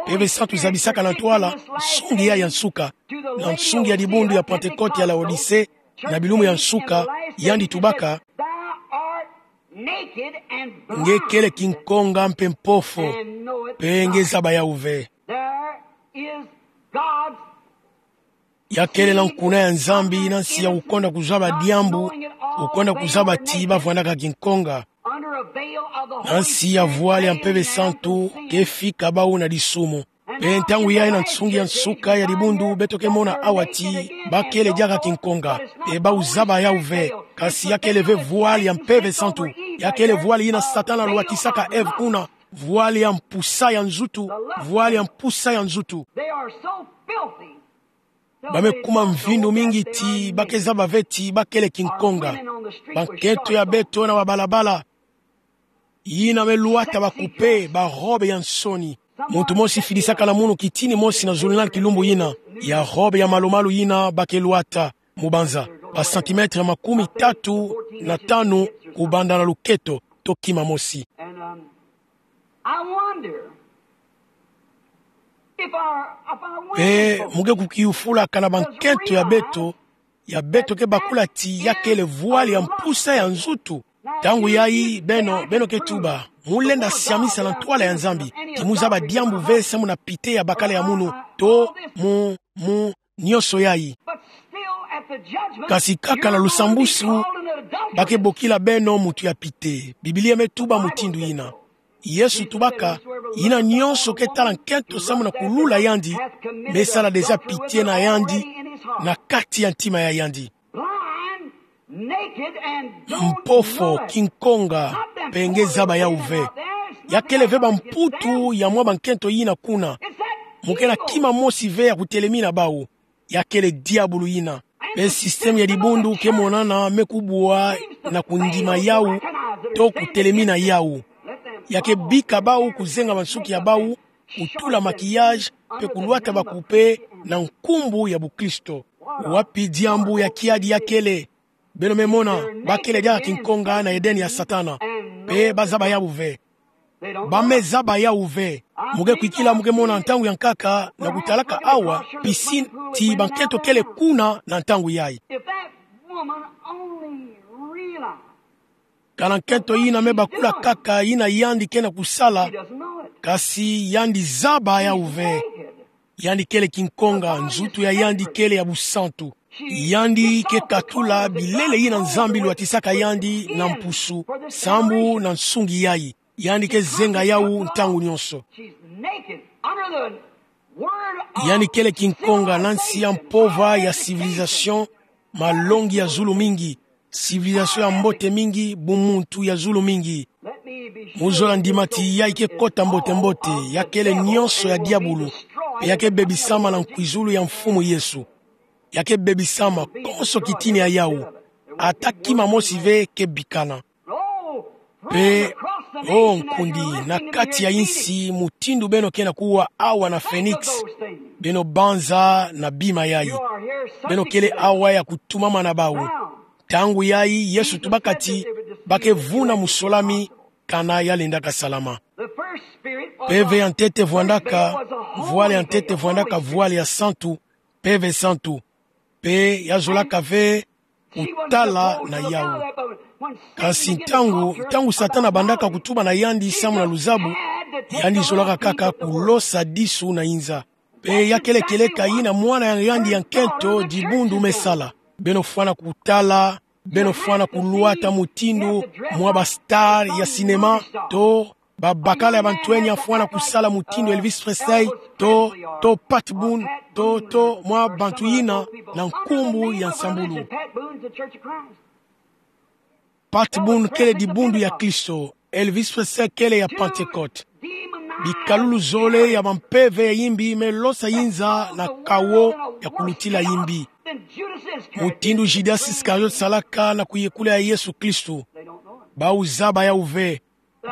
Mpeve Santu zabisaka na ntwala nsungi ya ya nsuka, na nsungi ya dibundu ya Pentecote ya Laodicée, na bilumbu ya nsuka, yandi tubaka: Thou art naked and blind. Nge kele kinkonga mpe mpofo, and knowest not. Pe nge zaba yau ve. There is God's Ya kele na nkuna ya Nzambi na nsi ya kukonda kuzaba diambu, kukonda kuzaba ti ba vwandaka kinkonga. Na nsi ya vwali ya Mpeve Santu ke fika bau na disumu. Mpe ntangu yayi na nsungi ya nsuka ya dibundu beto ke mona awa ti ba kele diaka kinkonga, mpe bau zaba yau ve, kasi ya kele ve vwali ya Mpeve Santu. Ya kele vwali yina Satana alwatisaka Ève kuna, vwali ya mpusa ya nzutu, vwali ya mpusa ya nzutu. They are so filthy. Ba me kuma mvindu mingi ti ba ke zaba ve ti ba kele kinkonga. Bankento ya beto na babalabala, yina me lwata ba couper ba robe ya nsoni. Muntu mosi fidisaka lamunu kitini mosi na zulunal kilumbu yina, ya robe ya malumalu yina ba ke lwata, mubanza ba centimètres makumi tatu na tanu kubanda na luketo, to kima mosi. And, um, I wonder if our, if our women Mpe folk mu ke kukiyufula kana bankento ya beto, ya beto ke bakula ti ya kele vwali ya mpusa ya nzutu. Ntangu yayi beno, beno ke tuba: Mu lenda siamisa na ntwala ya Nzambi, ti mu zaba diambu ve samu na pite ya bakala ya munu, to mu, mu nyonso yayi. But still at the judgment, Kasi kaka na lusambusu, ba ke bokila beno muntu ya pite. Biblia me tuba mutindu yina. Yesu tubaka: Yina nyonso ke tala nkento samu na kulula yandi, me sala déjà pitie na yandi na kati ya ntima ya yandi. Blind, naked, and don't know it. Mpofo, kinkonga, mpe nge zaba yau ve. Ya kele ve bamputu ya mwa bankento yina kuna. Mu ke na kima mosi ve ya kutelemina bau. Ya kele diabulu yina. Mpe système ya dibundu ke monana me kubwa na kundima yau, to kutelemina yau. Ya ke bika bau kuzenga bansuki ya bau, kutula maquillage, mpe kulwata ba couper na nkumbu ya bukristo. Wapi diambu ya kiadi ya kele? Beno me mona, ba kele diaka kinkonga na Eden ya Satana. Mpe ba zaba yau ve. Ba me zaba yau ve. Mu ke kwikila, mu ke mona ntangu ya nkaka, na kutalaka awa piscine, ti bankento kele kuna na ntangu yayi. If that woman only realized Kana nkento yina me bakula kaka yina yandi ke na kusala, kasi yandi zaba yau ve. Yandi kele kinkonga, nzutu ya yandi kele ya busantu. Yandi ke katula bilele yina Nzambi lwatisaka yandi na mpusu, sambu na nsungi yayi. Yandi ke zenga yau ntangu nyonso. Yandi kele kinkonga na nsi ya mpova ya civilisation, malongi ya zulu mingi, civilisation ya mbote mingi, bumuntu ya zulu mingi. Mu zola ndima ti yayi ke kota mbote-mbote, ya kele nyonso ya diabulu, mpe ya ke bebisama na nkwizulu ya Mfumu Yesu. Ya ke bebisama konso kitini ya yau. ata kima mosi ve ke bikana. Pe, o nkundi, na kati ya insi, mutindu beno ke na kuwa awa na Phoenix, beno banza na bima yayi. Beno kele awa ya kutumamana bawu. Ntangu yayi, Yesu tubaka ti, ba ke vuna musolami, kana ya lendaka salama. Mpeve ya ntete vwandaka, vwala ya ntete vwandaka vwala ya santu, mpeve santu. Pe ya zolaka ve kutala na yawu. Kasi ntangu, ntangu Satana abandaka kutuba na yandi samu na luzabu, yandi zolaka kaka kulosa disu na inza. Pe ya kele kieleka yina mwana ya yandi ya nkento dibundu me sala. Beno fwana kutala, beno fwana kulwata mutindu mwa ba star ya cinéma, to babakala ya bantu enya fwana kusala mutindu Elvis Presley, to, to Pat Boone, to, to mwa bantu yina na nkumbu ya nsambulu. Pat Boone kele dibundu ya Kristo, Elvis Presley kele ya Pentecôte. Bikalulu zole ya bampeve ya yimbi me losa inza na kawo ya kulutila yimbi. Mutindu Judas Iscariot salaka na kuyekula ya Yesu Kristo. Bawu zaba yawu ve.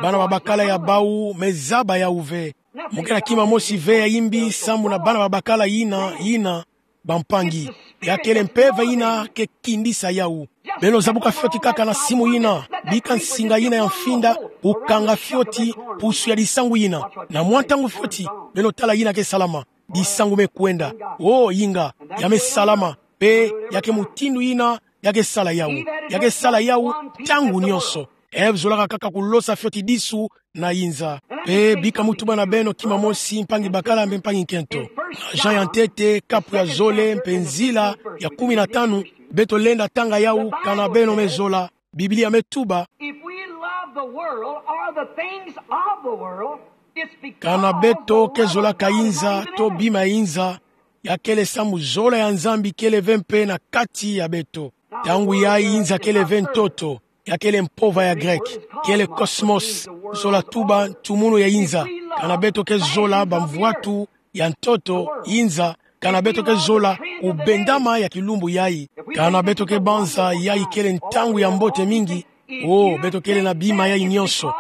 Bana babakala ya bawu me zaba yawu ve. Mu ke na kima mosi ve ya yimbi samu na bana babakala yina, yina, bampangi. Ya kele mpeve yina ke kindisa yawu. Beno zabuka fioti kaka na simu yina, bika nsinga yina ya mfinda, kukanga fioti pusu ya disangu yina. Na mwa ntangu fioti, beno tala yina ke salama. Disangu me kwenda. O, yinga, ya me salama. Pe, ya ke mutindu yina, ya ke sala yawu. Ya ke sala yawu, ntangu nyonso. Eve zolaka kaka kulosa fioti disu na inza. Pe bika mu tuba na beno kima mosi, mpangi bakala mpe mpangi nkento. Na Jean ya ntete, kapu ya zole mpe nzila ya kumi na tanu, beto lenda tanga yawu kana beno me zola. Biblia me tuba, If we love the world or the things of the world, it's because kana beto ke zolaka inza to bima ya inza, ya kele samu zola ya Nzambi kele ve mpe na kati ya beto. Ntangu yayi inza kele ve ntoto, ya kele mpova ya Greke, kele cosmos, zola tuba ntumunu ya inza. Kana beto ke zola bamvwatu ya ntoto, inza, kana beto ke zola kubendama ya kilumbu yayi. Kana beto ke banza yayi kele ntangu ya mbote mingi, o, beto kele na bima yayi nyonso.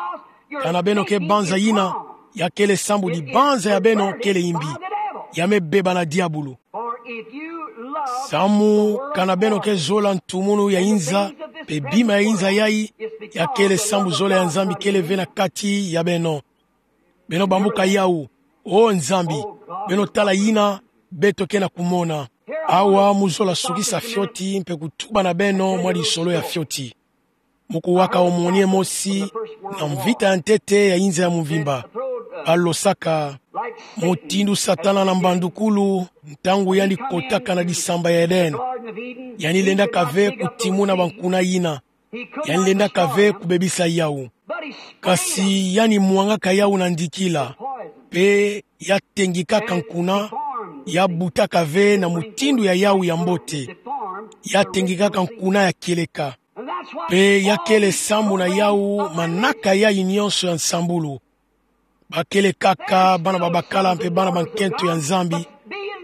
Kana beno ke banza yina, ya kele sambu dibanza ya beno kele yimbi. Ya me beba na diabulu. Samu kana beno ke zola ntumunu ya inza, mpe bima ya inza yayi, ya kele sambu zola ya Nzambi kele ve na kati ya beno. Beno bambuka yawu, o Nzambi, beno tala yina beto ke na kumona. Awa mu zola sukisa fioti mpe kutuba na beno mwa lisolo ya fioti. Mu kuwaka omoni mosi na mvita ya ntete ya inza ya mvimba. Balosaka, mutindu Satana na mbandukulu, ntangu yandi kotaka na disamba ya Eden, yandi lendaka ve kutimuna bankuna yina. Yandi lendaka ve kubebisa yawu. Kasi yandi mwangaka yawu na ndikila. Mpe ya tengikaka nkuna, ya butaka ve na mutindu ya yawu ya mbote. Ya tengikaka nkuna ya kieleka. Mpe ya kele sambu na yawu manaka yayi nyonso ya nsambulu. Ba kele kaka bana babakala mpe bana bankento ya Nzambi,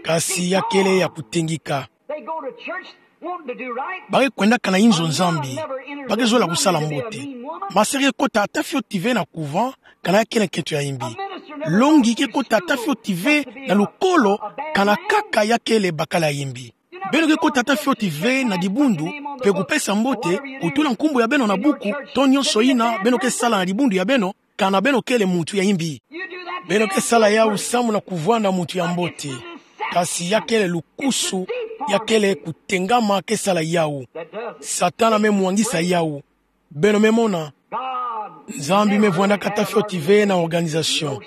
kasi ya kele ya kutengika. Ba ke kwendaka na inzo Nzambi, ba ke zola kusala mbote. Ma se ke kota ata fioti ve na couvent, kana ya kele nkento ya yimbi. Longi ke kota ata fioti ve na lukolo, kana kaka ya kele bakala ya yimbi. Beno ke kota ata fioti ve na dibundu, mpe kupesa mbote, kutula nkumbu ya beno na buku, to nyonso yina beno ke sala na dibundu ya beno, kana beno kele muntu ya yimbi. Beno ke sala yawu samu na kuvwanda muntu ya mbote. Kasi ya kele lukusu, ya kele kutengama ke sala yawu. Satana me mwangisa yawu. Beno me mona. Nzambi me vwandaka ata fioti ve na organisation.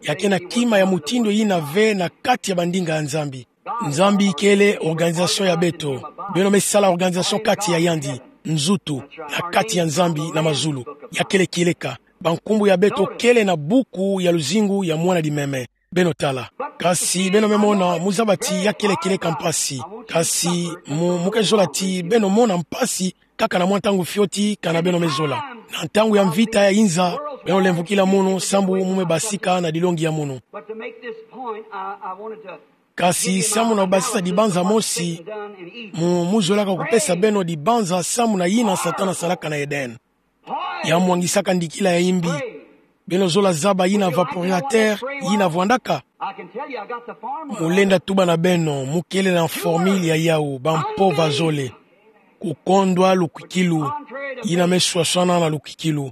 Ya ke na kima ya mutindu yina ve na kati ya bandinga ya Nzambi. Nzambi kele organisation ya beto. Beno me sala organisation kati ya yandi, nzutu, na kati ya Nzambi na mazulu. Ya kele kieleka. Bankumbu ya beto kele na buku ya luzingu ya mwana limeme. Beno tala. Kasi beno me mona, mu zaba ti ya kele kieleka mpasi. Kasi mu, mu ke zola ti beno mona mpasi, kaka na mwa ntangu fioti, kana beno me zola. Na ntangu ya mvita ya inza, beno lemvukila munu, sambu mu me basika na dilongi ya munu. But to make this point, I, I wanted to Kasi samu na basisa dibanza mosi, mu, mu zolaka kupesa beno dibanza samu na yina Satana salaka na Eden. Ya mwangisaka ndikila ya imbi. Beno zola zaba yina vaporiateur yina vwandaka. Mu lenda tuba na beno, mu kele na formule ya yawu, bampova zole. Kukondwa lukwikilu, yina me swaswana na lukwikilu.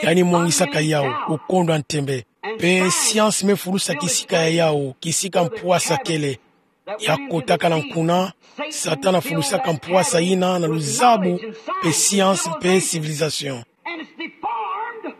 Yandi mwangisaka yawu, kukondwa ntembe. Mpe science me fulusa kisika ya yawu, kisika mpwasa kele. Ya kotaka na nkuna, Satana fulusaka mpwasa yina na luzabu, mpe science, mpe civilisation. And it's deformed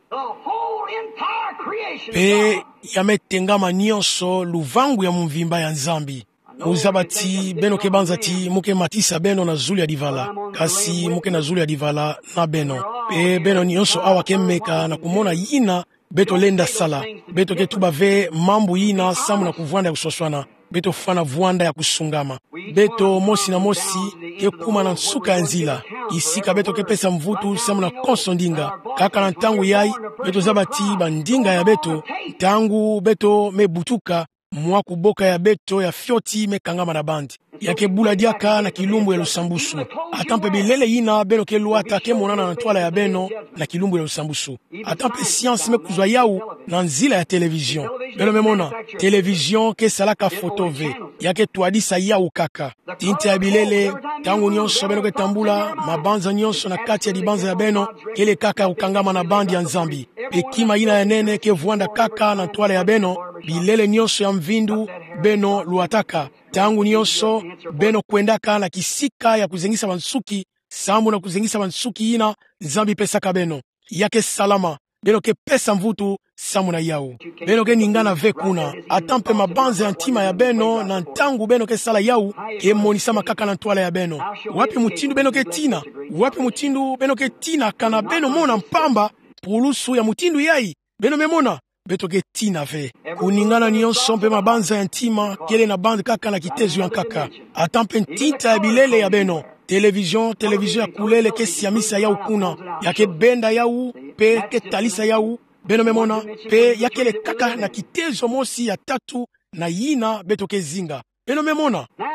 the whole entire creation of God. Mpe ya me tengama nyonso luvangu ya mvimba ya Nzambi. Mu zaba ti beno ke banza ti mu ke matisa beno na zulu ya divala, kasi mu ke na zulu ya divala na beno. Mpe beno nyonso awa ke meka na kumona yina beto lenda sala. Beto ke tuba ve mambu yina samu na kuvwanda ya kuswaswana. Beto fwana vwanda ya kusungama. Beto mosi na mosi ke kuma na nsuka ya nzila, kisika beto ke pesa mvutu samu na konso ndinga. Kaka na ntangu yayi, beto zaba ti bandinga ya beto, ntangu beto me butuka, mwa kuboka ya beto ya fioti me kangama na bandi. Ya ke bula diaka na kilumbu ya lusambusu. Ata mpe bilele yina beno ke lwata ke monana na ntwala ya beno na kilumbu ya lusambusu. Ata mpe science me kuzwa yawu na nzila ya télévision. Beno me mona, télévision ke salaka foto ve. Ya ke twadisa yawu kaka. Tinta ya bilele, ntangu nyonso beno ke tambula, mabanza nyonso na kati ya dibanza ya beno, kele kaka ya kukangama na bandi ya Nzambi. Mpe kima yina ya nene ke vwanda kaka na ntwala ya beno, bilele nyonso ya mvindu beno lwataka. Ntangu nyonso beno kwendaka na kisika ya kuzengisa bansuki, samu na kuzengisa bansuki yina Nzambi pesaka beno. Ya ke salama, beno ke pesa mvutu samu na yawu. Beno ke ningana ve kuna, ata mpe mabanza ya ntima ya beno na ntangu beno ke sala yawu, ke monisama kaka na ntwala ya beno. Wapi mutindu beno ke tina? Wapi mutindu beno ke tina kana beno mona mpamba pulusu ya mutindu yayi? Beno me mona, beto ke tina ve. Kuningana nyonso mpe mabanza ya ntima, kele na bandi kaka na kitezo ya nkaka. Ata mpe ntinta ya bilele ya beno. Télévision, télévision ya kulele ke siamisa yawu kuna. Ya ke benda yawu, mpe ke talisa yawu. Beno me mona, mpe ya kele kaka na kitezo mosi ya tatu na yina beto ke zinga. Beno me mona. Now,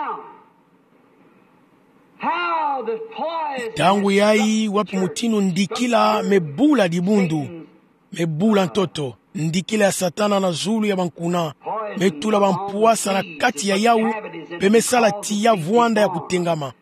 how the poison. Ntangu yayi wapi mutindu ndikila me bula dibundu, me bula ntoto, ndikila ya Satana na zulu ya bankuna, me tula bampwasa na kati ya yawu, mpe me sala ti ya vwanda ya kutengama.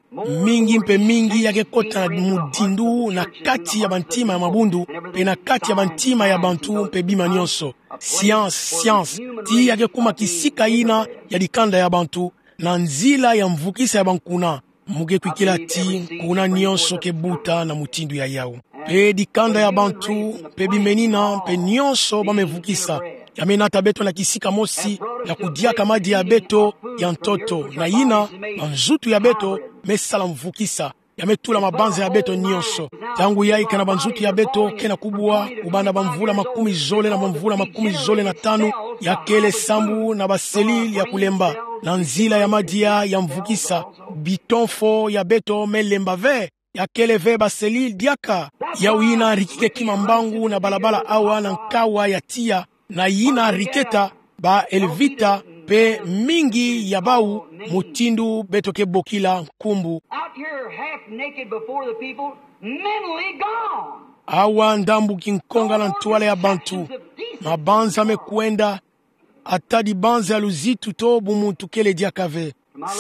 Mingi mpe mingi ya ke kota na mudindu na kati ya bantima ya mabundu, mpe na kati ya bantima ya bantu mpe bima nyonso. Science, science, ti ya ke kuma kisika yina ya dikanda ya bantu, na nzila ya mvukisa ya bankuna. Mu ke kwikila ti nkuna nyonso ke buta na mutindu ya yawu. Mpe dikanda ya bantu, mpe bimenina, mpe nyonso ba me vukisa. Ya me nata beto na kisika mosi, na kudiaka madia ya beto ya ntoto, na yina, banzutu ya beto, me sala mvukisa. Ya me tula mabanza ya beto nyonso. Ntangu yayi kana banzutu ya beto ke na kubwa, kubanda bamvula makumi zole na bamvula makumi zole na tanu, ya kele sambu na baselile ya kulemba. Na nzila ya madia ya mvukisa, bitonfo ya beto me lemba ve. Ya kele ve baselile diaka. Yawu yina rikike kima mbangu na balabala awa na nkawa ya tiya, na yina riketa ba Elvita mpe mingi ya bawu, mutindu beto ke bokila nkumbu. Out here half naked before the people, mentally gone. Awa ndambu kinkonga na ntwala ya bantu, mabanza me kwenda, ata dibanza ya luzitu to bumuntu kele diaka ve.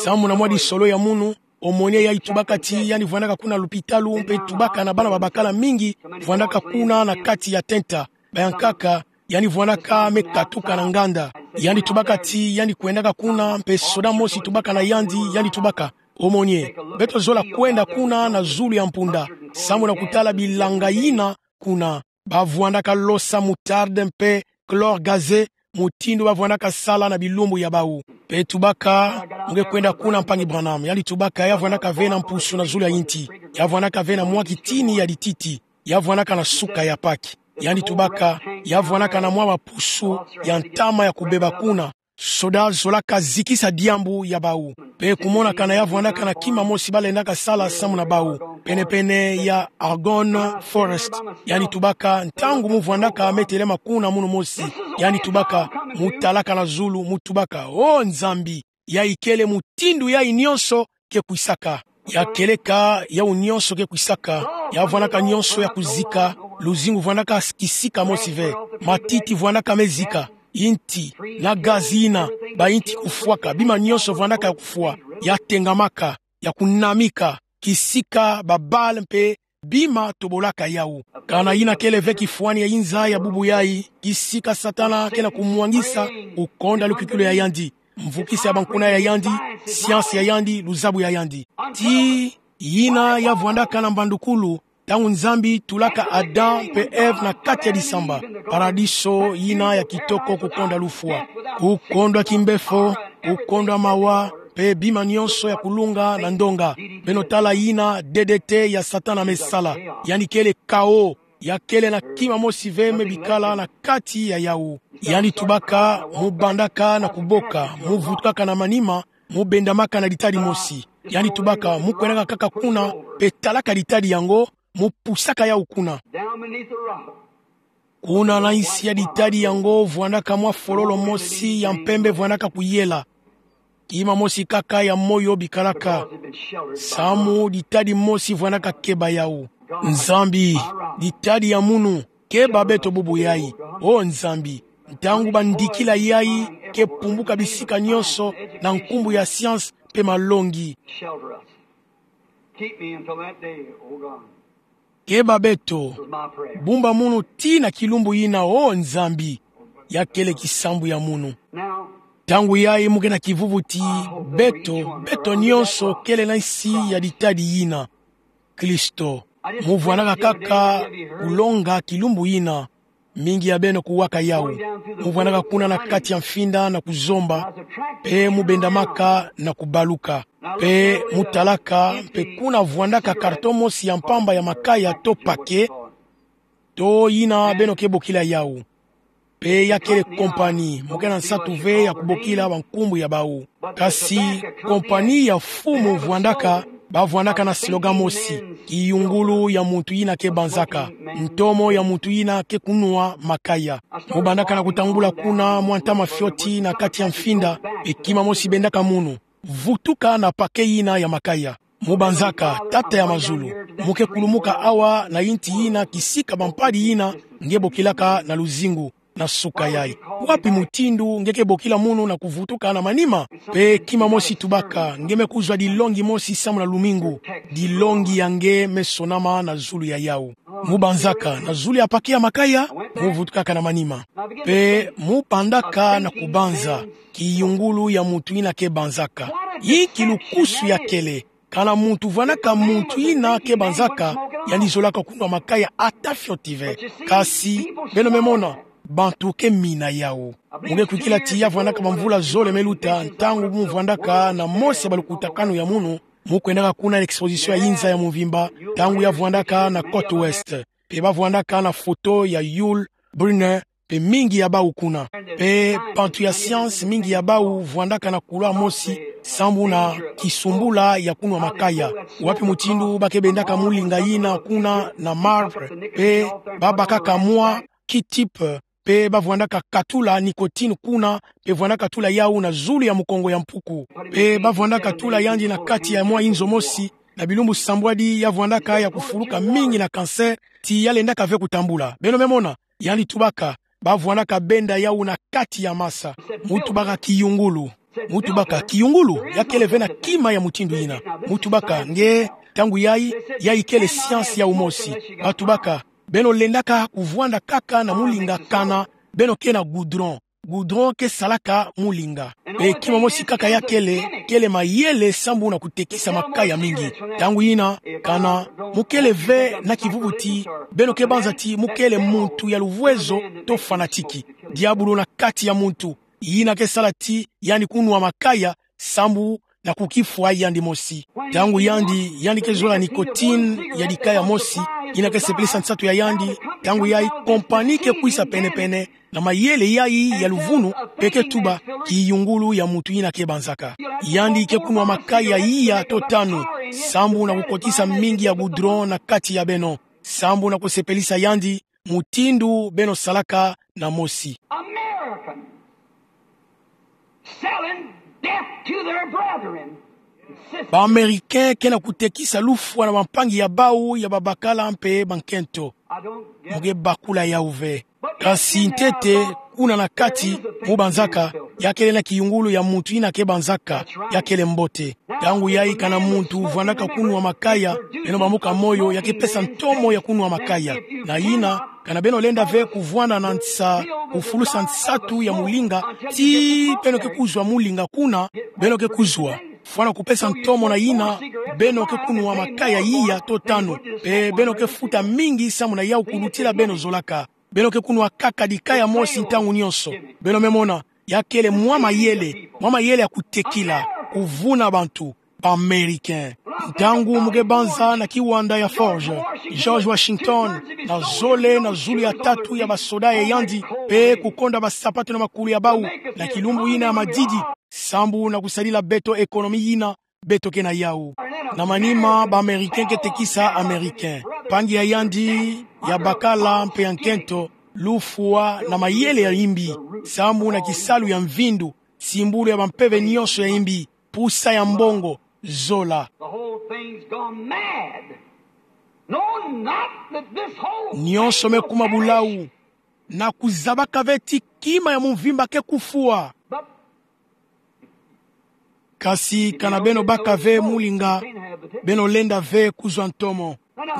Samu na mwa disolo ya munu, omoni yandi tubaka ti yandi vwandaka kuna lupitalu mpe tubaka na bana babakala mingi, vwandaka kuna na kati ya tenta. Bayankaka, yandi vwandaka me katuka na nganda. Yandi tubaka ti yandi kwendaka kuna mpe soda mosi tubaka na yandi, yandi tubaka: Omoni, beto zola kwenda kuna na zulu ya mpunda, samu na kutala bilanga yina kuna. Ba vwandaka losa moutarde mpe chlore gazé, mutindu ba vwandaka sala na bilumbu ya bawu. Mpe tubaka: Mu ke kwenda kuna, mpangi Branham? Yandi tubaka ya vwandaka ve na mpusu na zulu ya inti. Ya vwandaka ve na mwa kitini ya dititi. Ya vwandaka na suka ya paki. Yandi tubaka: Ya vwandaka na mwa bapusu ya ntama ya kubeba kuna. Soda zolaka zikisa diambu ya bawu. Mpe kumona kana ya vwandaka na kima mosi ba lendaka sala samu na bawu, penepene ya Argonne Forest. Yandi tubaka: Ntangu mu vwandaka me telema kuna munu mosi. Yandi tubaka: mu talaka na zulu, mu tubaka: O Nzambi, ya ikele mutindu yai nyonso ke kwisaka. Ya keleka yawu nyonso ke kwisaka. Ya vwandaka nyonso ya kuzika. Luzingu vwandaka kisika mosi ve. Matiti vwandaka mezika. Inti na gazi yina, ba inti kufwaka, bima nyonso vwandaka ya kufwa. Ya tengamaka, ya kunamika, kisika, ba balle mpe bima tobolaka yawu. Kana yina kele ve kifwani ya inza ya bubu yai, kisika Satana ke na kumwangisa, kukonda lukwikilu ya yandi, mvukisa ya bankuna ya yandi, science ya yandi, luzabu ya yandi. Tii yina ya vwandaka na mbandukulu, ntangu Nzambi tulaka Adam mpe Ève na kati ya disamba, paradiso yina ya kitoko kukonda lufwa, kukondwa kimbefo, kukondwa mawa, mpe bima nyonso ya kulunga na ndonga. Beno tala yina D D T ya Satana me sala. Yandi kele chaos. Ya kele na kima mosi ve me bikala na kati ya yawu. Yandi tubaka: Mu bandaka na kuboka, mu vutukaka na manima, mu bendamaka na ditadi mosi. Yandi tubaka: Mu kwendaka kaka kuna, mpe talaka ditadi yango, mu pusaka yawu kuna. Down beneath the rock. Kuna na nsi ya ditadi yango vwandaka mwa fololo mosi ya mpembe vwandaka kuyela. Kima mosi kaka ya moyo bikalaka. Samu ditadi mosi vwandaka keba yawu. Nzambi, ditadi ya munu, keba beto bubu yai. O Nzambi, ntangu bandikila yai ke pumbuka bisika nyonso na nkumbu ya science mpe malongi. Shelter us. Keep me until that day, O God. Keba beto, bumba munu tii na kilumbu yina, O Nzambi, ya kele kisambu ya munu. Ntangu yai mu ke na kivuvu ti beto, beto nyonso kele na nsi ya ditadi yina. Kristo, mu vwandaka kaka kulonga kilumbu yina, mingi ya beno kuwaka yawu. Mu vwandaka kuna na kati ya mfinda na kuzomba, mpe mu bendamaka na kubaluka. Mpe mu talaka, mpe kuna vwandaka carton mosi ya mpamba ya makaya to paquet, to yina beno ke bokila yawu. Mpe ya kele compagnie, mu ke na nsatu ve ya kubokila bankumbu ya bawu. Kasi compagnie ya mfumu vwandaka, ba vwandaka na slogan mosi: Kiyungulu ya muntu yina ke banzaka, ntomo ya muntu yina ke kunwa makaya. Mu bandaka na kutambula kuna mwa ntama fioti na kati ya mfinda, mpe kima mosi bendaka munu: Vutuka na paquet yina ya makaya. Mu banzaka: Tata ya mazulu, mu ke kulumuka awa na yinti yina kisika bampadi yina nge bokilaka na luzingu, na suka yai. Wapi mutindu nge ke bokila munu na kuvutuka na manima? Mpe kima mosi tubaka: Nge me kuzwa dilongi mosi samu na lumingu. Dilongi ya nge me sonama na zulu ya yawu. Mu banzaka: Na zulu ya paquet ya makaya, mu vutukaka na manima. Mpe mu bandaka na kubanza: Kiyungulu ya muntu yina ke banzaka. Inki lukusu ya kele? Kana muntu vwandaka muntu yina ke banzaka, yandi zolaka kunwa makaya ata fioti ve. Kasi, beno me mona, bantu ke mina yawu. Mu ke kwikila ti ya vwandaka bamvula zole me luta, ntangu mu vwandaka na mose balukutakanu ya munu, mu kwendaka kuna na exposition ya yinza ya mvimba, ntangu ya vwandaka na côte ouest. Mpe ba vwandaka na foto ya Yul Brynner, mpe mingi ya bawu kuna. Mpe bantu ya science mingi ya bawu vwandaka na couleur mosi, sambu na kisumbula ya kunwa makaya. Wapi mutindu ba ke bendaka mulinga yina kuna na marbre, mpe ba bakaka mwa Q-tip, mpe ba vwandaka katula nicotine kuna, mpe vwandaka tula yawu na zulu ya mukongo ya mpuku. Mpe ba vwandaka tula yandi na kati ya mwa inzo mosi, na bilumbu sambwadi ya vwandaka ya kufuluka mingi na cancer, ti ya lendaka ve kutambula. Beno me mona, yandi tubaka, ba vwandaka benda yawu na kati ya masa. Mu tubaka kiyungulu. Mu tubaka kiyungulu, ya kele ve na kima ya mutindu yina. Mu tubaka nge, ntangu yai, yai kele science yawu mosi. Ba tubaka, beno lendaka kuvwanda kaka na mulinga kana beno ke na goudron. Goudron ke salaka mulinga. Mpe kima mosi kaka ya kele, kele mayele sambu na kutekisa makaya mingi. Ntangu yina, kana mu kele ve na kivuvu ti beno ke banza ti mu kele muntu ya luvwezo to fanatique. Diabulu na kati ya muntu, yina ke sala ti yandi kunwa makaya, sambu na kukifwa yandi mosi. Ntangu yandi, yandi ke zola nicotine ya dikaya mosi, yina ke sepelisa nsatu ya yandi, ntangu yai compagnie ke kwisa pene-pene, na mayele yai ya luvunu, mpe ke tuba: Kiyungulu ya muntu yina ke banzaka. Yandi ke kunwa makaya iya to tanu, sambu na kukotisa mingi ya goudron na kati ya beno, sambu na kusepelisa yandi, mutindu beno salaka na mosi. American. Selling death to their brethren. Ba Américain ke na kutekisa lufwa na bampangi ya bau ya babakala mpe bankento. Mu ke bakula yawu ve. Kasi ntete, kuna na kati, mu banzaka, ya kele na kiyungulu ya muntu yina ke banzaka, ya kele mbote. Ntangu yayi kana muntu uvwandaka kunwa makaya, beno bambuka moyo, ya ke pesa ntomo ya kunwa makaya. Na yina, kana beno lenda ve kuvwanda na nsa, kufulusa nsatu ya mulinga, tii beno ke kuzwa mulinga kuna, beno ke kuzwa. Fwana kupesa ntomo na yina, beno ke kunwa makaya iya to tanu, mpe beno ke futa mingi samu na yawu kulutila beno zolaka. Beno ke kunwa kaka dikaya mosi ntangu nyonso. Beno me mona, ya kele mwa mayele, mwa mayele ya kutekila, kuvuna bantu, ba Américain. Ntangu mu ke banza na kiwanda ya Forge, George Washington, na zole na zulu ya tatu ya basoda ya yandi, mpe kukonda basapatu na makulu ya bau, na kilumbu yina ya madidi, sambu na kusadila beto économie yina, beto ke na yawu. Na manima ba Américain ke tekisa Américain. Mpangi ya yandi, ya bakala mpe ya nkento, lufwa na mayele ya yimbi, sambu na kisalu ya mvindu, simbulu ya bampeve nyonso ya yimbi, pusa ya mbongo, zola. The whole thing's gone mad. No, not that this whole Nyonso me kuma bulawu, na kuzabaka ve ti kima ya mvimba ke kufwa. But Kasi kana beno baka ve mulinga, beno lenda ve kuzwa ntomo.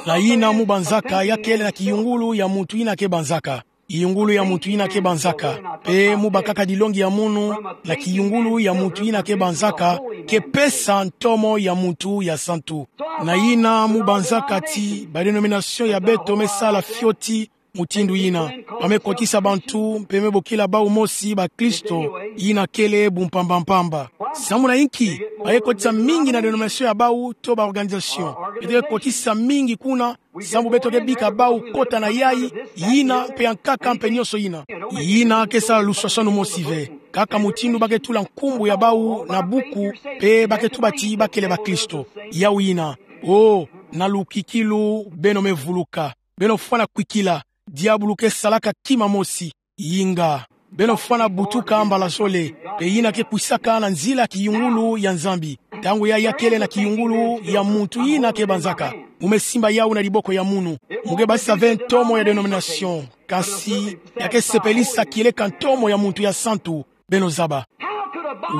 Na yina mu banzaka ya kele na kiyungulu ya muntu yina ke banzaka. Kiyungulu ya muntu yina ke banzaka. Mpe mu bakaka dilongi ya munu, na kiyungulu ya muntu yina ke banzaka, ke pesa ntomo ya muntu ya santu. Na yina mu banzaka ti, ba dénomination ya beto me sala fioti, mutindu yina. Ba me kotisa bantu, mpe me bokila bau mosi bakristo, yina kele bumpamba-mpamba. Samu na inki, ba ke kotisa mingi na dénomination ya bau to ba organisation. Beto ke kotisa mingi kuna, samu beto ke bika bau kota na yayi, yina, mpe ya nkaka mpe nyonso yina. Yina ke sala luswaswanu mosi ve. Kaka mutindu ba ke tula nkumbu ya bau na buku, mpe ba ke tuba ti ba kele bakristo. Yawu yina. O, na lukikilu, beno me vuluka. Beno fwana kwikila, diabulu ke salaka kima mosi, yinga. Beno fwana butuka mbala zole, mpe yina ke kwisaka na nzila kiyungulu ya Nzambi. Ntangu ya ya kele na kiyungulu ya muntu yina ke banzaka. Mu me simba yawu na diboko ya munu. Mu ke basisa ve ntomo ya dénomination. Kasi, ya ke sepelisa kieleka ntomo ya muntu ya santu, beno zaba.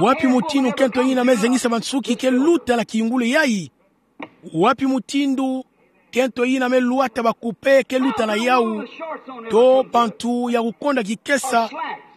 Wapi mutindu nkento yina me zengisa bansuki ke luta na kiyungulu yayi? Wapi mutindu nkento yina me lwata bakupe ke luta na yawu, to bantu ya kukonda kikesa,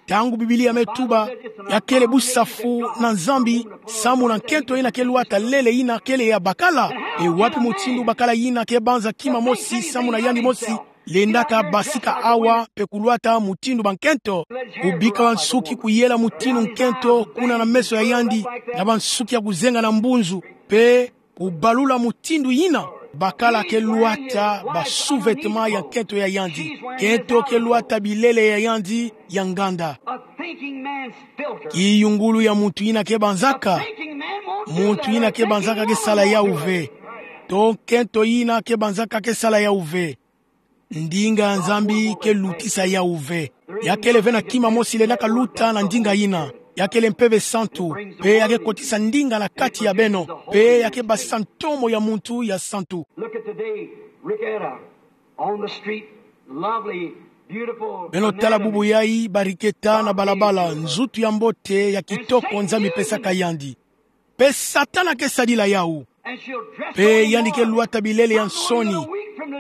ntangu Biblia me tuba, ya kele busafu na Nzambi, samu na nkento yina ke lwata lele yina kele ya bakala? E wapi mutindu bakala yina ke banza kima mosi, samu na yandi mosi, lendaka basika awa mpe kulwata mutindu bankento? Kubika bansuki kuyela mutindu nkento kuna na meso ya yandi, na bansuki ya kuzenga na mbunzu, mpe kubalula mutindu yina, bakala ke lwata ba sous-vêtements ya nkento ya yandi. Nkento ke lwata bilele ya yandi ya nganda. A thinking man's filter. Kiyungulu ya muntu yina ke banzaka. Muntu yina ke banzaka ke sala yawu ve. To nkento yina ke banzaka ke sala yawu ve. Ndinga ya Nzambi ke lutisa yawu ve. Ya kele ve na kima mosi lendaka luta na ndinga yina. Ya kele Mpeve Santu. Mpe ya ke kotisa ndinga na kati ya beno. Mpe ya ke basisa ntomo ya muntu ya santu. Look at today, Ricketta, on the street, lovely, beautiful. Beno tala bubu yayi, ba Ricketta na balabala, nzutu ya mbote, ya kitoko Nzambi pesaka yandi. Mpe Satana ke sadila yawu. Mpe yandi ke lwata bilele ya nsoni.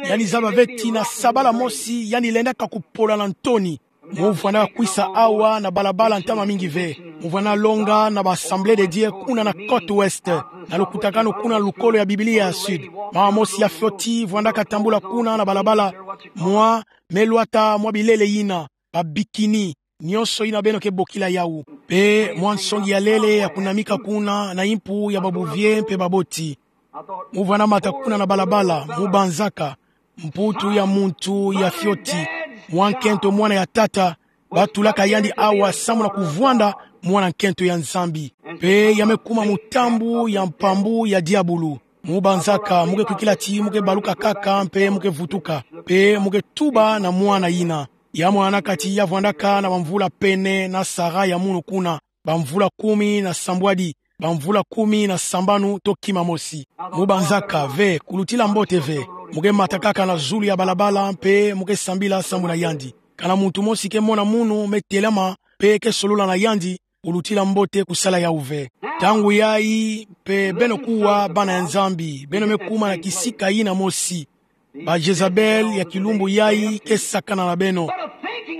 Yandi zaba ve ti na sabala mosi, yandi lendaka kupola na ntoni. Mu vwanda kwisa awa na balabala ntama mingi ve. Mu vwanda longa na ba Assemblée de Dieu kuna na côte ouest. Na lukutakanu kuna lukolo ya Biblia ya sud. Mama mosi ya fioti vwandaka tambula kuna na balabala. Mwa, me lwata mwa bilele yina. Ba bikini. Nyonso yina beno ke bokila yawu. Mpe mwa nsongi ya lele ya kunamika kuna na impu ya babuvier mpe baboti. Mu vwanda mata kuna na balabala, mu banzaka, mputu ya muntu ya fioti, mwa nkento mwana ya tata, ba tulaka yandi awa samu na kuvwanda mwana nkento ya Nzambi. Mpe ya me kuma mutambu ya mpambu ya diabulu. Mu banzaka, mu ke kwikila ti, mu ke baluka kaka, mpe mu ke vutuka. Mpe mu ke tuba na mwana yina. Ya mwana kati ya vwandaka na bamvula pene na Sarah ya munu kuna. bamvula kumi na sambwadi, bamvula kumi na sambanu to kima mosi. Mu banzaka ve, kulutila mbote ve. Mu ke mata kaka na zulu ya balabala mpe mu ke sambila sambu na yandi. Kana muntu mosi ke mona munu me telama mpe ke solola na yandi, kulutila mbote kusala yau ve. Ntangu yai mpe beno kuwa bana ya Nzambi, beno me kuma na kisika yina mosi. Ba Jezabel ya kilumbu yai ke sakana na beno.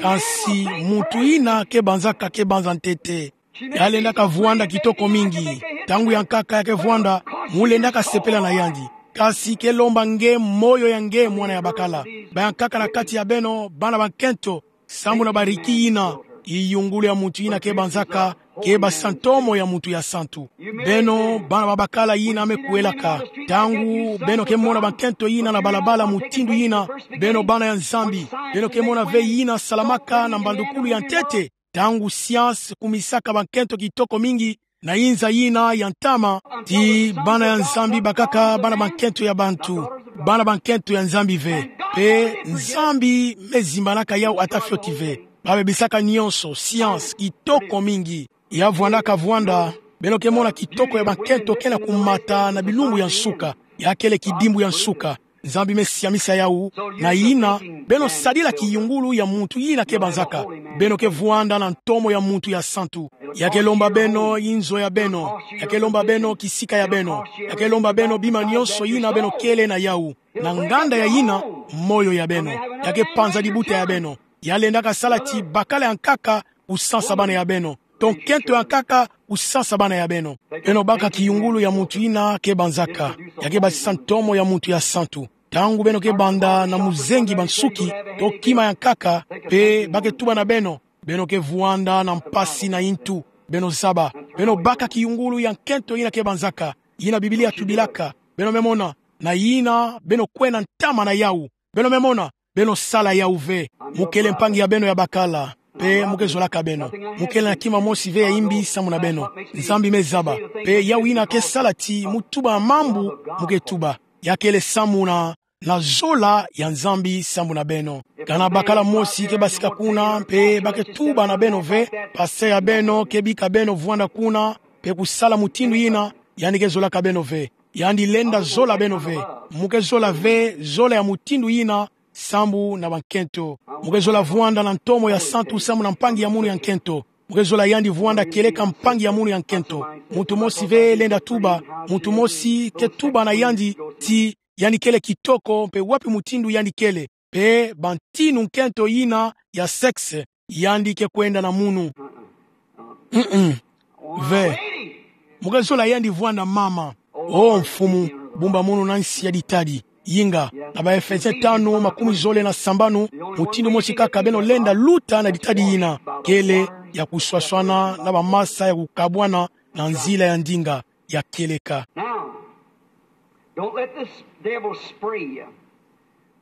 Kansi muntu yina ke banzaka ke banza ntete. Ya lendaka vwanda kitoko mingi. Ntangu ya nkaka ya ke vwanda, mu lendaka sepela na yandi. Kansi ke lomba nge moyo ya nge mwana ya bakala. Bayankaka na kati ya beno, bana bankento, sambu na bariki yina, kiyungulu ya muntu yina ke banzaka, ke basa ntomo ya muntu ya santu. Beno, bana babakala yina me kuelaka. Ntangu beno ke mona bankento yina na balabala mutindu yina, beno bana ya Nzambi, beno ke mona ve yina salamaka na mbandukulu ya ntete. Ntangu science kumisaka bankento kitoko mingi, na inza yina ya ntama, ti bana ya Nzambi bakaka bana bankento ya bantu, bana bankento ya Nzambi ve. Mpe Nzambi me zimbanaka yau ata fioti ve. Ba bebisaka nyonso, science, kitoko mingi. Ya vwandaka vwanda, beno ke mona kitoko ya bankento ke na kumata na bilumbu ya nsuka. Ya kele kidimbu ya nsuka. Nzambi me siamisa yau, na yina, beno sadila kiyungulu ya muntu yina ke banzaka. Beno ke vwanda na ntomo ya muntu ya santu. Ya ke lomba beno inzo ya beno. Ya ke lomba beno kisika ya beno. Ya ke lomba beno bima nyonso yina beno kele na yau. Na nganda ya yina, moyo ya beno. Ya ke panza dibuta ya beno. Ya lendaka sala ti bakala ya nkaka kusansa bana ya beno. To nkento ya nkaka kusansa bana ya beno. Beno baka kiyungulu ya muntu yina ke banzaka. Ya ke basisa ntomo ya muntu ya santu. Ntangu beno ke banda na muzengi bansuki, to kima ya nkaka, mpe ba ke tuba na beno, beno ke vwanda na mpasi na intu, beno zaba. Beno baka kiyungulu ya nkento yina ke banzaka, yina Biblia tubilaka, beno me mona, na yina, beno kwenda ntama na yau, beno me mona, beno sala yau ve. Mu kele mpangi ya beno ya bakala, mpe mu ke zolaka beno. Mu kele na kima mosi ve ya imbi sambu na beno. Nzambi me zaba. Mpe yau yina ke sala ti mu tuba mambu mu ke tuba. Ya kele samuna na zola ya Nzambi sambu na beno. Kana bakala mosi ke basika kuna, mpe ba ke tuba na beno ve, pasteur ya beno ke bika beno vwanda kuna, mpe kusala mutindu yina, yandi ke zolaka beno ve. Yandi lenda zola beno ve. Mu ke zola ve, zola ya mutindu yina, sambu na bankento. Mu ke zola vwanda na ntomo ya santu sambu na mpangi ya munu ya nkento. Mu ke zola yandi vwanda kieleka mpangi ya munu ya nkento. Muntu mosi ve lenda tuba, muntu mosi ke tuba na yandi ti yandi kele kitoko, mpe wapi mutindu yandi kele, mpe bantinu nkento yina ya sexe yandi ke kwenda na munu. Mm-mm. Ve. Mu ke zola yandi vwanda mama. O Mfumu, bumba munu na nsi ya ditadi. Yinga, na ba Efesien tanu, makumi zole na sambanu, mutindu mosi kaka beno lenda luta na ditadi yina. Kele ya kuswaswana na bamasa ya kukabwana na nzila ya ndinga ya kieleka. Now, don't let this devil spray you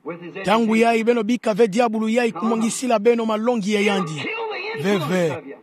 with his education. Ntangu yai beno bika ve diabulu yai kumwangisila beno malongi ya yandi. He'll kill the influence of you. Ve ve.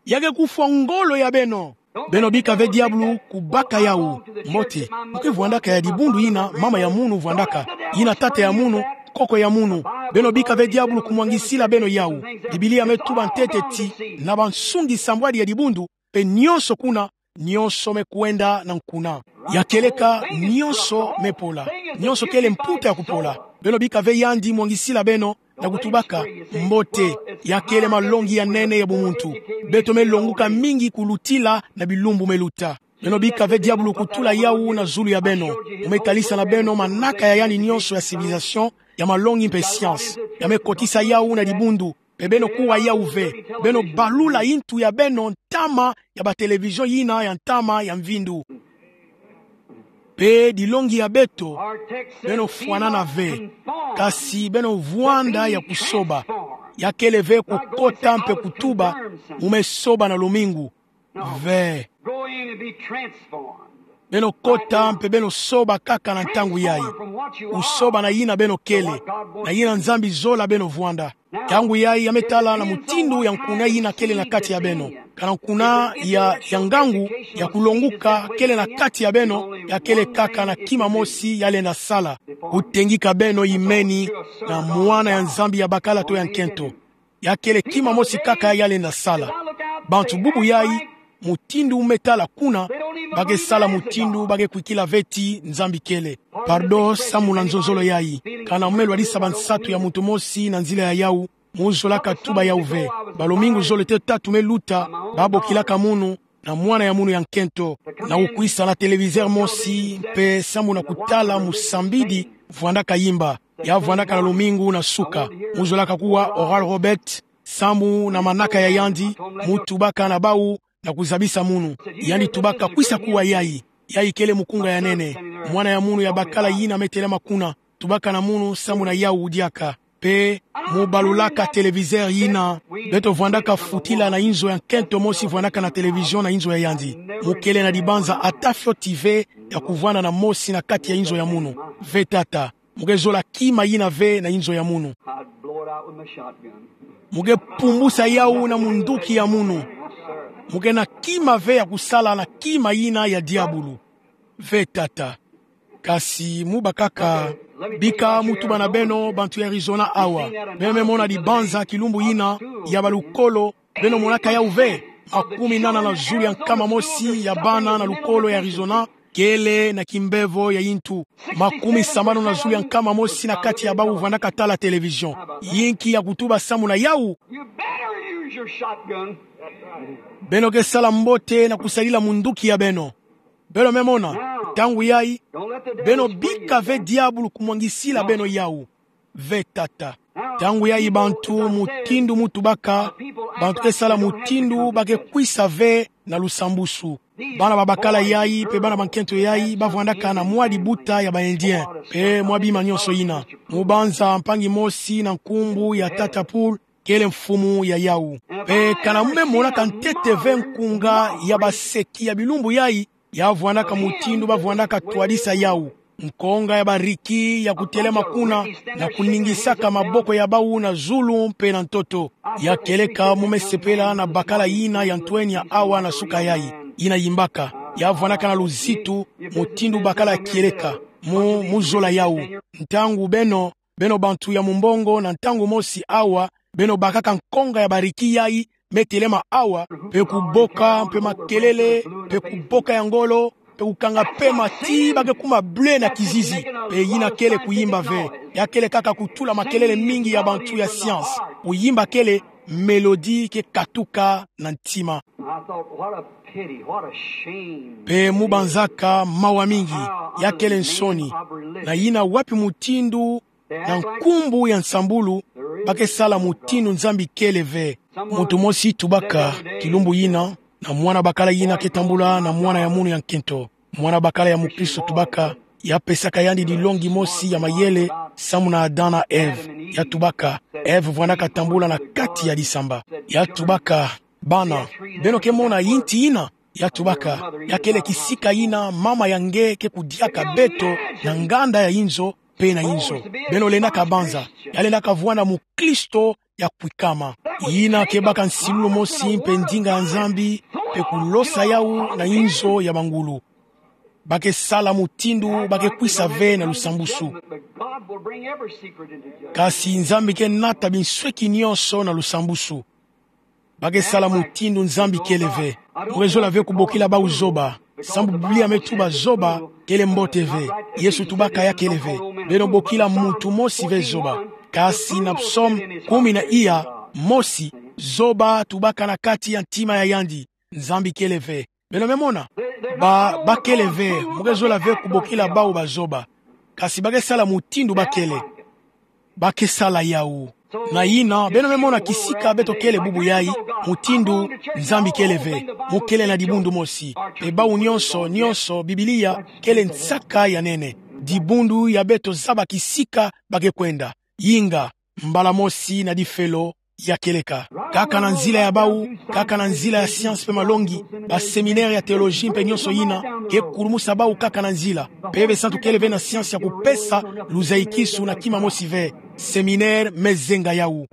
Ya ke kufwa ngolo ya beno. Beno bika ve diabulu kubaka yau. Mbote, mu ke vwandaka ya dibundu yina mama ya munu vwandaka, yina tata ya munu, koko ya munu. Beno bika ve diabulu kumwangisila beno yau. Biblia me tuba ntete ti, na bansungi sambwadi ya dibundu, mpe nyonso kuna, nyonso me kwenda na nkuna. Ya kieleka, nyonso me pola. Nyonso kele mputa ya kupola. Beno bika ve yandi mwangisila beno, na kutubaka, mbote, ya kele malongi ya nene ya bumuntu. Beto me longuka mingi kulutila na bilumbu me luta. Beno bika ve diabulu kutula yau na zulu ya beno. Mu me talisa na beno manaka ya yandi nyonso ya civilisation, ya malongi mpe science. Ya me kotisa yau na dibundu. Mpe beno kuwa yau ve. Beno balula intu ya beno ntama ya ba télévision yina ya ntama ya mvindu. Mpe dilongi ya beto, beno fwanana ve. Kasi beno vwanda ya kusoba. Ya kele ve kukota mpe kutuba, mu me soba na lumingu. Ve. Go in and be transformed. Beno kota mpe beno soba kaka na ntangu yai. Kusoba na yina beno kele, na yina Nzambi zola beno vwanda. Ntangu yai ya me tala na mutindu ya nkuna yina kele na kati ya beno. Kana nkuna ya, ya ngangu, ya kulonguka kele na kati ya beno, ya kele kaka na kima mosi ya lenda sala. Kutengika beno yimeni na mwana ya Nzambi ya bakala to ya nkento. Ya kele kima mosi kaka ya lenda sala. Bantu bubu yai, mutindu me tala kuna, ba ke sala mutindu ba ke kwikila ve ti Nzambi kele. Pardon samu na nzonzolo yayi. Kana me lwadisa bansatu ya muntu mosi na nzila ya yawu, mu zolaka tuba yawu ve. Balomingu zole te tatu me luta, ba bokilaka munu na mwana ya munu ya nkento, na kukwisa na téléviseur mosi, mpe samu na kutala musambidi vwandaka yimba. Ya vwandaka na lomingu na suka. Mu zolaka kuwa Oral Roberts, samu na manaka ya yandi, mu tubaka na bawu, na kuzabisa munu. Yandi tubaka kwisa kuwa yayi. Yayi kele mukunga ya nene. Mwana ya munu ya bakala yina me telama kuna, tubaka na munu samu na yawu diaka. Mpe mu balulaka téléviseur yina, beto vwandaka futila na inzo ya nkento mosi vwandaka na télévision na inzo ya yandi. Mu kele na dibanza ata fioti ve ya kuvwanda na mosi na kati ya inzo ya munu. Ve tata. Mu ke zola kima yina ve na inzo ya munu. I'd blow it out with my shotgun. Mu ke pumbusa yawu na munduki ya munu. Mu ke na kima ve ya kusala na kima yina ya diabulu. Ve tata. Kasi mu bakaka, bika mu tuba na beno bantu ya Arizona awa. Beno me mona dibanza kilumbu yina ya balukolo, beno monaka yawu ve, makumi nana na zulu ya nkama mosi ya bana na lukolo ya Arizona kele na kimbevo ya yintu. Makumi sambanu na zulu ya nkama mosi na kati ya bawu vwandaka tala télévision. Yinki ya kutuba samu na yawu? You better use your shotgun. Beno ke sala mbote na kusadila munduki ya beno. Beno me mona, ntangu yayi, beno bika ve diabulu kumwangisila beno yawu. Ve tata. Ntangu yayi bantu mutindu mu tubaka, bantu ke sala mutindu ba ke kwisa ve na lusambusu. Bana ba bakala yayi, mpe bana ba nkento yayi, ba vwandaka na mwa dibuta ya ba Indien, mpe mwa bima nyonso yina. Mu banza mpangi mosi na nkumbu ya Tata Pool, kele mfumu ya yawu. Mpe kana me monaka ntete ve nkunga ya baseki ya bilumbu yayi, ya vwandaka mutindu ba vwandaka twadisa yawu. Nkonga ya bariki ya kutelema kuna, na kuningisaka maboko ya bawu na zulu mpe na ntoto. Ya kieleka mu me sepela na bakala yina ya ntwenya awa na suka yayi. Yina yimbaka. Ya vwandaka na luzitu, mutindu bakala ya kieleka. Mu, mu zola yawu. Ntangu beno, beno bantu ya mumbongo na ntangu mosi awa, beno bakaka nkonga ya bariki yayi, me telema awa, mpe kuboka, mpe makelele, mpe kuboka ya ngolo, mpe kukanga pema ti ba ke kuma bleu na kizizi, mpe yina kele kuyimba ve. Ya kele kaka kutula makelele mingi ya bantu ya science. Kuyimba kele mélodie ke katuka na ntima. I thought, what a pity, what a shame. Mpe mu banzaka mawa mingi, ya kele nsoni. Na yina wapi mutindu na nkumbu ya nsambulu, ba ke sala mutindu Nzambi kele ve. Muntu mosi tubaka, kilumbu yina, na mwana bakala yina ke tambula na mwana ya munu ya nkento. Mwana bakala ya mukristo tubaka, ya pesaka yandi dilongi mosi ya mayele, samu na Adam na Ève. Ya tubaka, Ève vwandaka tambula na kati ya disamba. Ya tubaka, bana, beno ke mona yinti yina? Ya tubaka, ya kele kisika yina mama ya nge ke kudiaka beto na nganda ya inzo, mpe na inzo. Beno lendaka banza, ya lendaka vwanda mukristo ya kwikama. Yina ke baka nsilulu mosi mpe ndinga ya Nzambi, mpe kulosa yawu na inzo ya bangulu. Ba ke sala mutindu ba ke kwisa ve na lusambusu. But God will bring every secret into judgment. Kasi Nzambi ke nata binsweki nyonso na lusambusu. Ba ke sala mutindu Nzambi kele ve. Mu ke zola ve kubokila bawu zoba. Sambu Biblia me tuba zoba kele mbote ve. Yesu tubaka ya kele ve. Beno bokila muntu mosi ve zoba. Kasi na Psaume kumi na iya mosi, zoba tubaka na kati ya ntima ya yandi: Nzambi kele ve. Beno me mona? Ba, ba kele ve, mu ke zola ve kubokila bawu bazoba. Kasi ba ke sala mutindu ba kele. Ba ke sala yawu. Na yina, beno me mona kisika beto kele bubu yayi, mutindu Nzambi kele ve, mu kele na dibundu mosi. Mpe bawu nyonso, nyonso, Biblia kele nsaka ya nene. Dibundu ya beto zaba kisika ba ke kwenda. Inga, mbala mosi na difelo, ya kieleka. Kaka na nzila ya bawu, kaka na nzila ya science mpe malongi, ba séminaire ya théologie mpe nyonso yina, ke kulumusa bawu kaka na nzila. Mpeve santu kele ve na science ya kupesa luzayikisu na kima mosi ve. Séminaire me zenga yawu.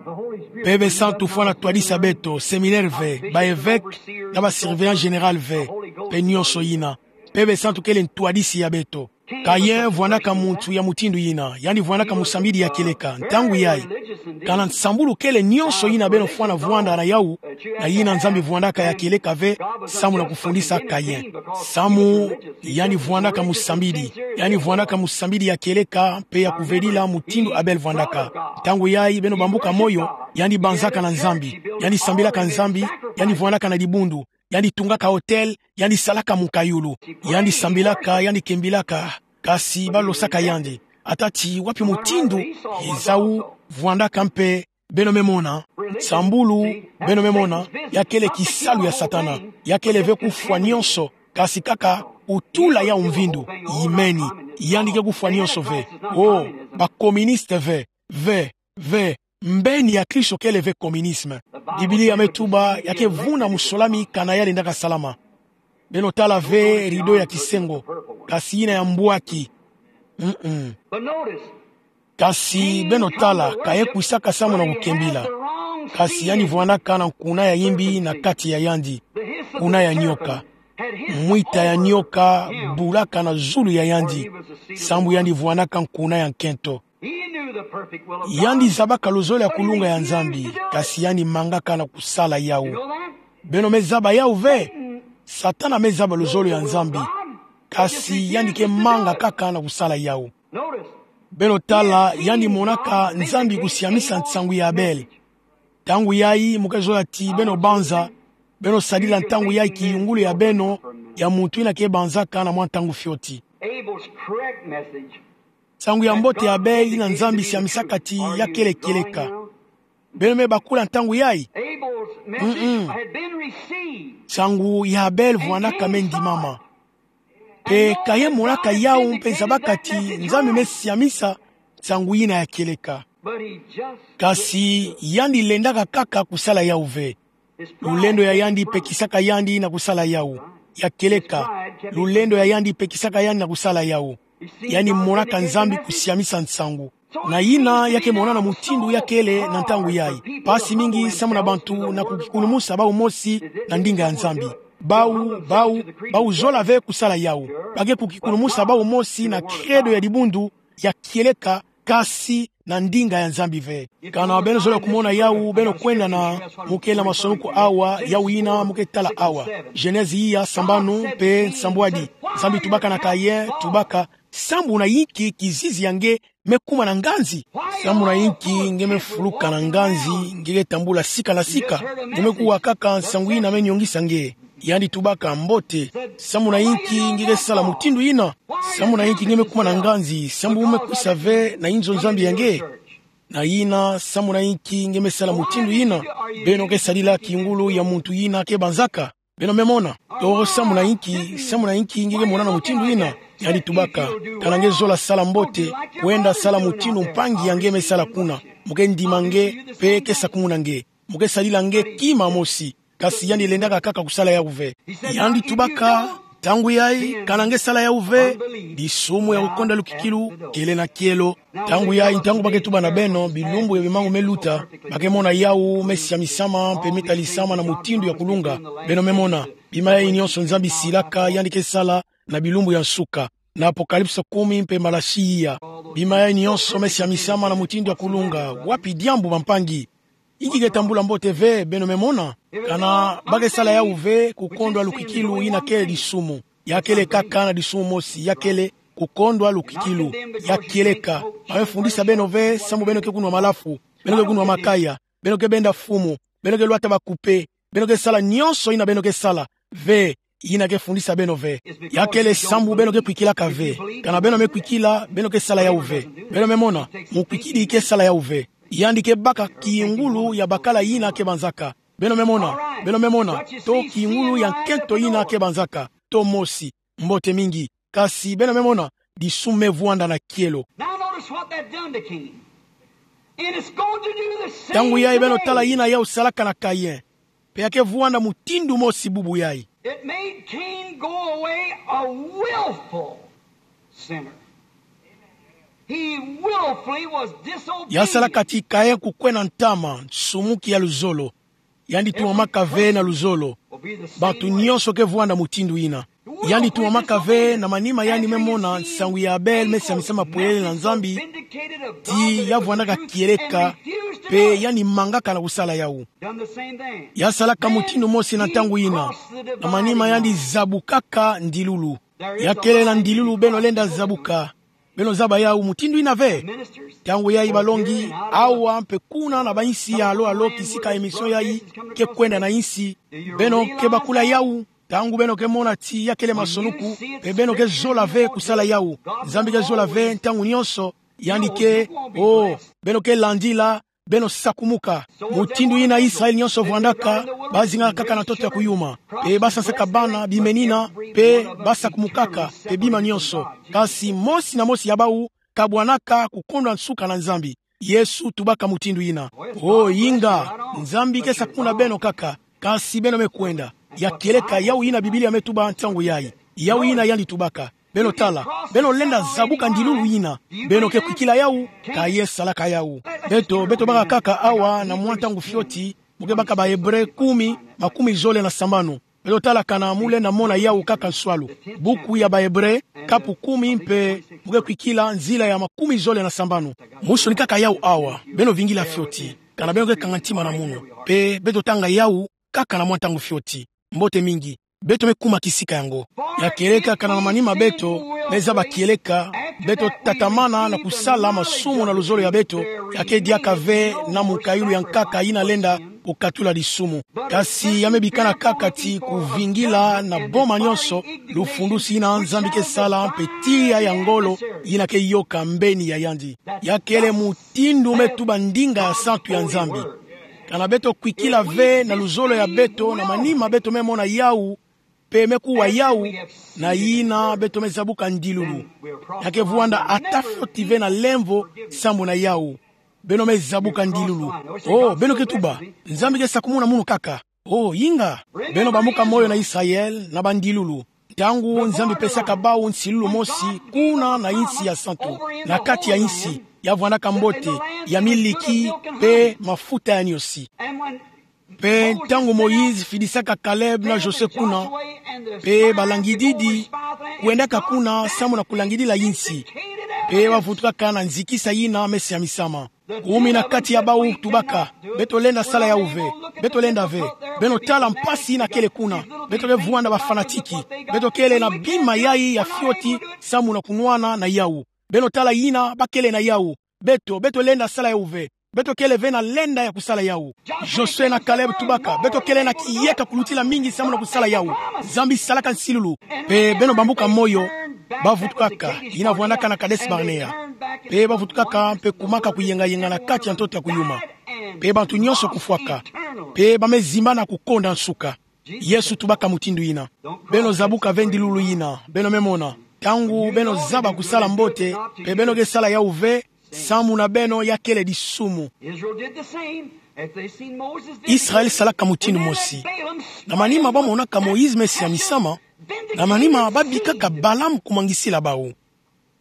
Mpeve santu fwana twadisa beto, séminaire ve, ba évêque, na ba surveillant général ve, mpe nyonso yina. Mpeve santu kele ntwadisi ya beto. Kayin vwandaka muntu ya mutindu yina, yandi vwandaka musambidi ya kieleka. Ntangu yayi, kana nsambulu kele nyonso yina beno fwana vwanda na yawu, na yina Nzambi vwandaka ya kieleka ve, samu na kufundisa Kayin. Samu yandi vwandaka musambidi, yandi vwandaka musambidi ya kieleka, mpe ya kuvedila mutindu Abel vwandaka. Ntangu yayi beno bambuka moyo, yandi banzaka na Nzambi, yandi sambilaka Nzambi, yandi vwandaka na dibundu, yandi tungaka hotel, yandi salaka mukayulu, yandi sambilaka, yandi kembilaka, kasi balosaka yandi. Ata ti wapi mutindu, ezawu, vwandaka mpe, beno me mona, nsambulu, beno me mona, ya kele kisalu ya Satana, ya kele ve kufwa nyonso, kasi kaka kutula yawu mvindu, imeni, yandi ke kufwa nyonso ve. Oh, ba communiste ve, ve, ve, mbeni ya Kristo kele ve communisme. Biblia me tuba ya ke vuna musolami kana ya lendaka salama. Beno tala ve rideau ya kisengo, kasi yina ya mbwaki. Mm-mm. Kasi beno tala, Kayin kwisaka samu na kukembila. Kasi yandi vwandaka na nkuna ya yimbi na kati ya yandi. Nkuna ya nyoka. Mwita ya nyoka bulaka na zulu ya yandi. Sambu yandi vwandaka nkuna ya nkento. Yandi zabaka luzolo ya kulunga ya Nzambi, kasi yandi mangaka na kusala yawu. Beno me zaba yawu ve? Satana me zaba luzolo ya Nzambi, kasi yandi ke manga kaka na kusala yawu. Beno tala, yandi monaka Nzambi kusiamisa nsangu ya Abel. Ntangu yayi, mu ke zola ti beno banza, beno sadila ntangu yayi kiyungulu ya beno, ya muntu yina ke banzaka na mwa ntangu fioti. Abel's correct message. Nsangu ya mbote ya Abel yina Nzambi siamisaka ti ya kele kieleka. Beno me bakula ntangu yayi? Abel's message Mm-mm. had been received. Nsangu ya Abel vwandaka me ndimama. Mpe Kayin monaka yawu mpe zabaka ti Nzambi me siamisa nsangu yina ya kieleka. But he just Kasi yandi lendaka kaka kusala yawu ve. Lulendo ya yandi pekisaka yandi na kusala yawu. Ya kieleka, lulendo ya yandi pekisaka yandi na kusala yawu. Yandi monaka Nzambi kusiamisa nsangu. Na yina ya ke mona na mutindu ya kele na ntangu yayi. Mpasi mingi samu na bantu na kukikulumusa bawu mosi na ndinga ya Nzambi. Bawu, bawu, bawu zola ve kusala yawu. Ba ke kukikulumusa bawu mosi na credo ya dibundu, ya kieleka, kasi na ndinga ya Nzambi ve. Kana beno zola kumona yawu, beno kwenda na mu ke na masolo ko awa, yawu yina mu ke tala awa. Genèse iya sambanu mpe nsambwadi. Nzambi tubaka na Kayin, tubaka, sambu na inki kizizi ya nge me kuma na nganzi? Sambu na inki nge me fuluka na nganzi, nge ke tambula sika na sika? Nge me kuwa kaka nsangu yina me nyongisa nge. Yandi tubaka mbote. Sambu na inki nge ke sala mutindu yina? Sambu na inki nge me kuma na nganzi? Sambu me kwisa ve na inzo Nzambi ya nge? Na yina, sambu na inki nge me sala mutindu yina? Beno ke sadila kingulu ya muntu yina ke banzaka. Beno me mona. To sambu na inki, sambu na inki nge ke mona na mutindu yina? Yandi tubaka, kana nge zola sala mbote, kwenda sala mutindu mpangi ya nge me sala kuna. Mu ke ndima nge, mpe ke sakumuna nge. Mu ke sadila nge kima mosi. Kasi yandi lendaka kaka kusala yawu ve. Yandi tubaka, ntangu yayi, kana nge sala yawu ve, disumu ya kukonda lukikilu kele na kielo. Ntangu yayi, ntangu ba ke tuba na beno bilumbu ya bimangu me luta, ba ke mona yawu me siamisama mpe me talisama na mutindu ya kulunga. Beno me mona, bima yayi nyonso Nzambi silaka yandi ke sala na bilumbu ya nsuka, na Apokalipse kumi mpe Malaki iya. Bima yayi nyonso me siamisama na mutindu ya kulunga. Wapi diambu, bampangi? Inki ke tambula mbote ve? Beno me mona, kana ba ke sala yawu ve, kukondwa lukikilu yina kele disumu. Ya kele kaka na disumu mosi, ya kele kukondwa lukikilu. Ya kieleka. Ba me fundisa beno ve, sambu beno ke kunwa malafu, beno ke kunwa makaya, beno ke benda fumu, beno ke lwata bakupe, beno ke sala nyonso yina beno ke sala ve. Yina ke fundisa beno ve. Ya kele sambu beno ke kwikilaka ve. Kana beno me kwikila, beno ke sala yawu ve. Beno me mona, mukwikidi ke sala yawu ve. Yandi ke baka kingulu ya bakala yina ke banzaka. Beno me mona, beno me mona, to kingulu ya nkento yina ke banzaka. To mosi. Mbote mingi. Kasi beno me mona, disumu me vwanda na kielo. Now notice what that done to Cain. And it's going to do the same Ntangu yayi beno tala thing. Yina yawu salaka na Kayin. Mpe ya ke vwanda mutindu mosi bubu yayi. It made Cain go away a willful sinner. He willfully was disobedient. Ya salaka ti Kayin kukwenda ntama, nsumuki ya luzolo. Yandi tumamaka ve na luzolo. Bantu nyonso ke vwanda mutindu yina. Yandi tumamaka ve na manima yandi me mona nsangu ya Abel me siamisama pwelele na Nzambi, ti ya vwandaka kieleka, pe yandi mangaka na kusala yawu. Ya salaka mutindu mosi na ntangu yina, na manima yandi zabukaka ndilulu. Ya kele na ndilulu beno lenda zabuka. Beno zaba yawu mutindu yina ve? Ntangu yayi balongi, awa mpe kuna na bainsi ya alo alo kisika émission yayi ke kwenda na insi, beno ke bakula yawu, ntangu beno ke mona ti ya kele masonuku, pe beno ke zola ve kusala yawu. Nzambi ke zola ve ntangu nyonso, yandi ke, oh, beno ke landila, beno sakumuka. Mutindu yina Israel nyonso vwandaka, bazingaka kaka na ntoto ya kuyuma. Pe basansaka bana, bimenina, pe basakumukaka, pe bima nyonso. Kasi mosi na mosi ya bawu, kabwanaka kukondwa nsuka na Nzambi. Yesu tubaka mutindu yina. Oh, inga, Nzambi ke sakumuna beno kaka, kasi beno me kwenda. Ya kieleka yawu yina Biblia me tuba ntangu yayi. Yawu yina yandi tubaka. Beno tala, beno lenda zabuka ndilulu yina. Beno ke kwikila yawu, ka ye salaka yawu. Beto, beto baka kaka awa na mwa ntangu fioti, mu ke baka ba Hébreux kumi, makumi zole na sambanu. Beto tala kana mu lenda mona yawu kaka nswalu. Buku ya ba Hébreux, kapu kumi mpe, mu ke kwikila nzila ya makumi zole na sambanu. Musoni kaka yawu awa, beno vingila fioti, kana beno ke kanga ntima na munu. Pe, beto tanga yawu, kaka na mwa ntangu fioti. Mbote mingi. Beto me kuma kisika yango. Ya kieleka kana na manima beto me zaba kieleka, beto tatamana na kusala masumu na luzolo ya beto, ya ke diaka ve na mukayulu ya nkaka yina lenda kukatula disumu. Kasi ya me bikana kaka ti kuvingila na boma nyonso lufundusi yina Nzambi ke sala mpe tiya ya ngolo yina ke yoka mbeni ya yandi. Ya kele mutindu me tuba ndinga ya santu ya Nzambi. Kana beto kwikila ve na luzolo ya beto na manima beto me mona yawu, pe me kuwa yawu, na yina beto me zabuka ndilulu. Ya ke vwanda ata fioti ve na lemvo sambu na yawu. Beno me zabuka ndilulu. Oh, beno ke tuba, Nzambi ke sakumuna munu kaka. Oh, inga. Beno bambuka moyo na Israel na bandilulu. Ntangu Nzambi pesaka bawu nsilulu mosi, kuna na insi ya santu, na kati ya insi, ya vwandaka mbote, ya miliki, pe mafuta ya niosi. Pe ntangu Moïse fidisaka Caleb na Josué kuna, pe balangididi kwendaka kuna sambu na kulangidila insi, pe bavutukaka na nzikisa yina me siamisama. Kumi na kati ya bawu tubaka, beto lenda sala yawu ve, beto lenda ve. Beno tala mpasi yina kele kuna, beto ke vwanda ba fanatique, beto kele na bima yayi ya fioti sambu na kunwana na yawu. Beno tala yina bakele na yawu. Beto, beto lenda sala yawu ve. Beto kele ve na lenda ya kusala yawu. Josué na Caleb tubaka, beto kele na kiyeka kulutila mingi sambu na kusala yawu. Nzambi salaka nsilulu. Pe beno bambuka moyo, bavutukaka, yina vwandaka na Kadès Barnéa. Pe bavutukaka, mpe kumaka kuyengayenga na kati ya ntoto ya kuyuma. Pe bantu nyonso kufwaka. Pe ba me zimbana kukonda nsuka. Yesu tubaka mutindu yina. Beno zabuka ve ndilulu yina, beno me mona. Ntangu beno zaba kusala mbote, pe beno ke sala yawu ve, sambu na beno ya kele disumu. Israel salaka mutindu mosi. Na manima ba monaka Moïse me siamisama, na manima ba bikaka Balaam kumwangisila bawu.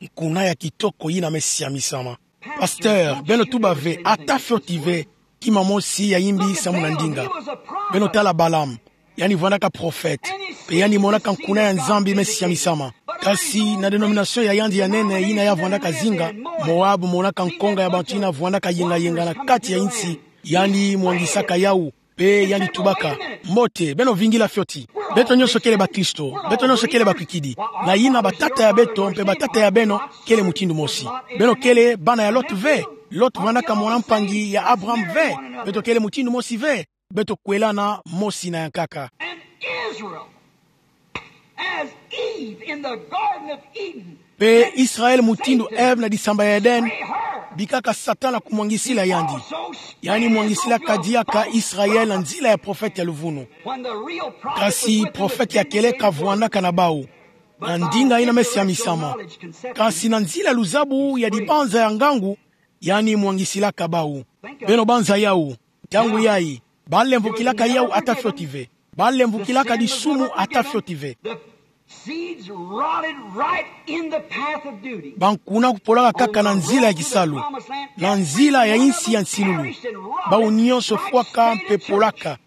Nkuna ya kitoko yina me siamisama. Pasteur, beno tuba ve, ata fioti ve, kima mosi ya yimbi sambu na ndinga. Beno tala Balaam, yandi vwandaka prophète, pe yandi monaka nkuna ya Nzambi me siamisama. Kasi na dénomination ya yandi ya nene yina ya vwandaka zinga, Moab monaka nkonga ya bantu yina vwandaka yengayenga na kati ya insi, yandi mwangisaka yawu, pe yandi tubaka. Mbote, beno vingila fioti. Beto nyonso kele bakristo, beto nyonso kele bakwikidi. Na yina batata ya beto, mpe batata ya beno, kele mutindu mosi. Beno kele bana ya Lot ve. Lot vwandaka mwana mpangi ya Abraham ve. Beto kele mutindu mosi ve. Beto kwelana mosi na ya nkaka. And Israel, as Eve in the Garden of Eden, pe Israel mutindu Eve na disamba ya Eden, bikaka Satana kumwangisila yandi. Yandi mwangisilaka diaka Israel na nzila ya prophète ya luvunu. Kasi prophète ya kieleka vwandaka na bawu, na ndinga yina me siamisama. Kasi na nzila luzabu ya dibanza ya ngangu, yandi mwangisilaka bawu. Beno banza yawu, ntangu yayi, ba lemvokilaka yawu ata fioti ve. Ba lemvokilaka disumu ata fioti ve. Seeds rotted right in the path of duty. Bankuna kupolaka kaka na nzila ya kisalu, na nzila ya insi ya nsilulu. Bawu nyonso fwaka mpe polaka,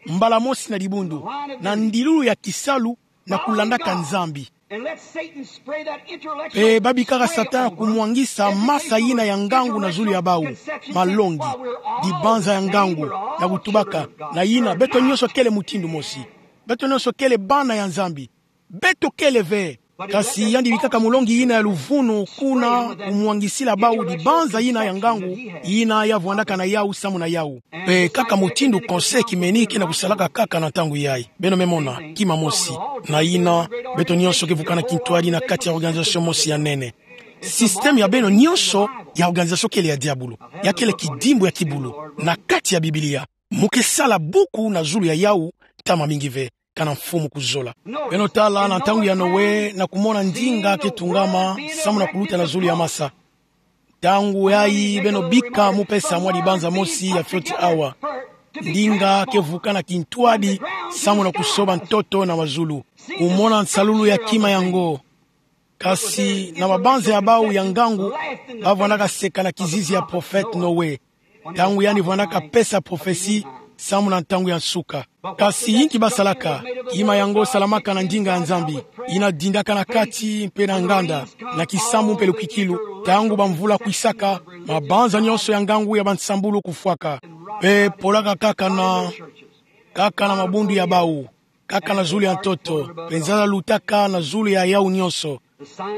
mbala mosi na dibundu, na ndilulu ya kisalu, na kulandaka Nzambi. Pe babikaka Satana kumwangisa masa yina ya ngangu na zulu ya bau, malongi, dibanza ya ngangu, na kutubaka, na yina, beto nyonso kele mutindu mosi. Beto nyonso kele bana ya Nzambi. Beto kele ve. Kasi yandi bikaka mulongi yina ya luvunu kuna kumwangisila bau dibanza yina ya ngangu, yina ya vwandaka na yau samu na yau. Pe kaka mutindu conseil kimeni ke na kusalaka kaka na ntangu yayi. Beno me mona, kima mosi. Na yina, beto nyonso ke vukana kintwadi na kati ya organisation mosi ya nene. Système ya beno nyonso ya organisation kele ya diabulu. Ya kele kidimbu ya kibulu. Na kati ya Biblia, mu ke sala buku na zulu ya yau, ntama mingi ve, kana mfumu kuzola. Beno tala na ntangu ya Noe na kumona ndinga ke tungama, samu na kuluta na zulu ya masa. Ntangu yayi beno bika mu pesa mwa dibanza mosi ya fioti awa. Ndinga ke vukana kintwadi, samu na kusoba ntoto na mazulu. Kumona nsalulu ya kima yango. Kasi na mabanza ya bau ya ngangu, ba vwandaka seka na kizizi ya prophète Noe. Ntangu yandi vwandaka pesa prophetie, samu na ntangu ya nsuka. Kasi inki ba salaka, kima yango salamaka na ndinga ya Nzambi, yina dindaka na kati mpe na nganda, na kisambu mpe lukikilu, ntangu bamvula kwisaka, mabanza nyonso ya ngangu ya bansambulu kufwaka. Mpe polaka kaka na, kaka na mabundu ya bau, kaka na zulu ya ntoto, mpe nzala lutaka na zulu ya yau nyonso.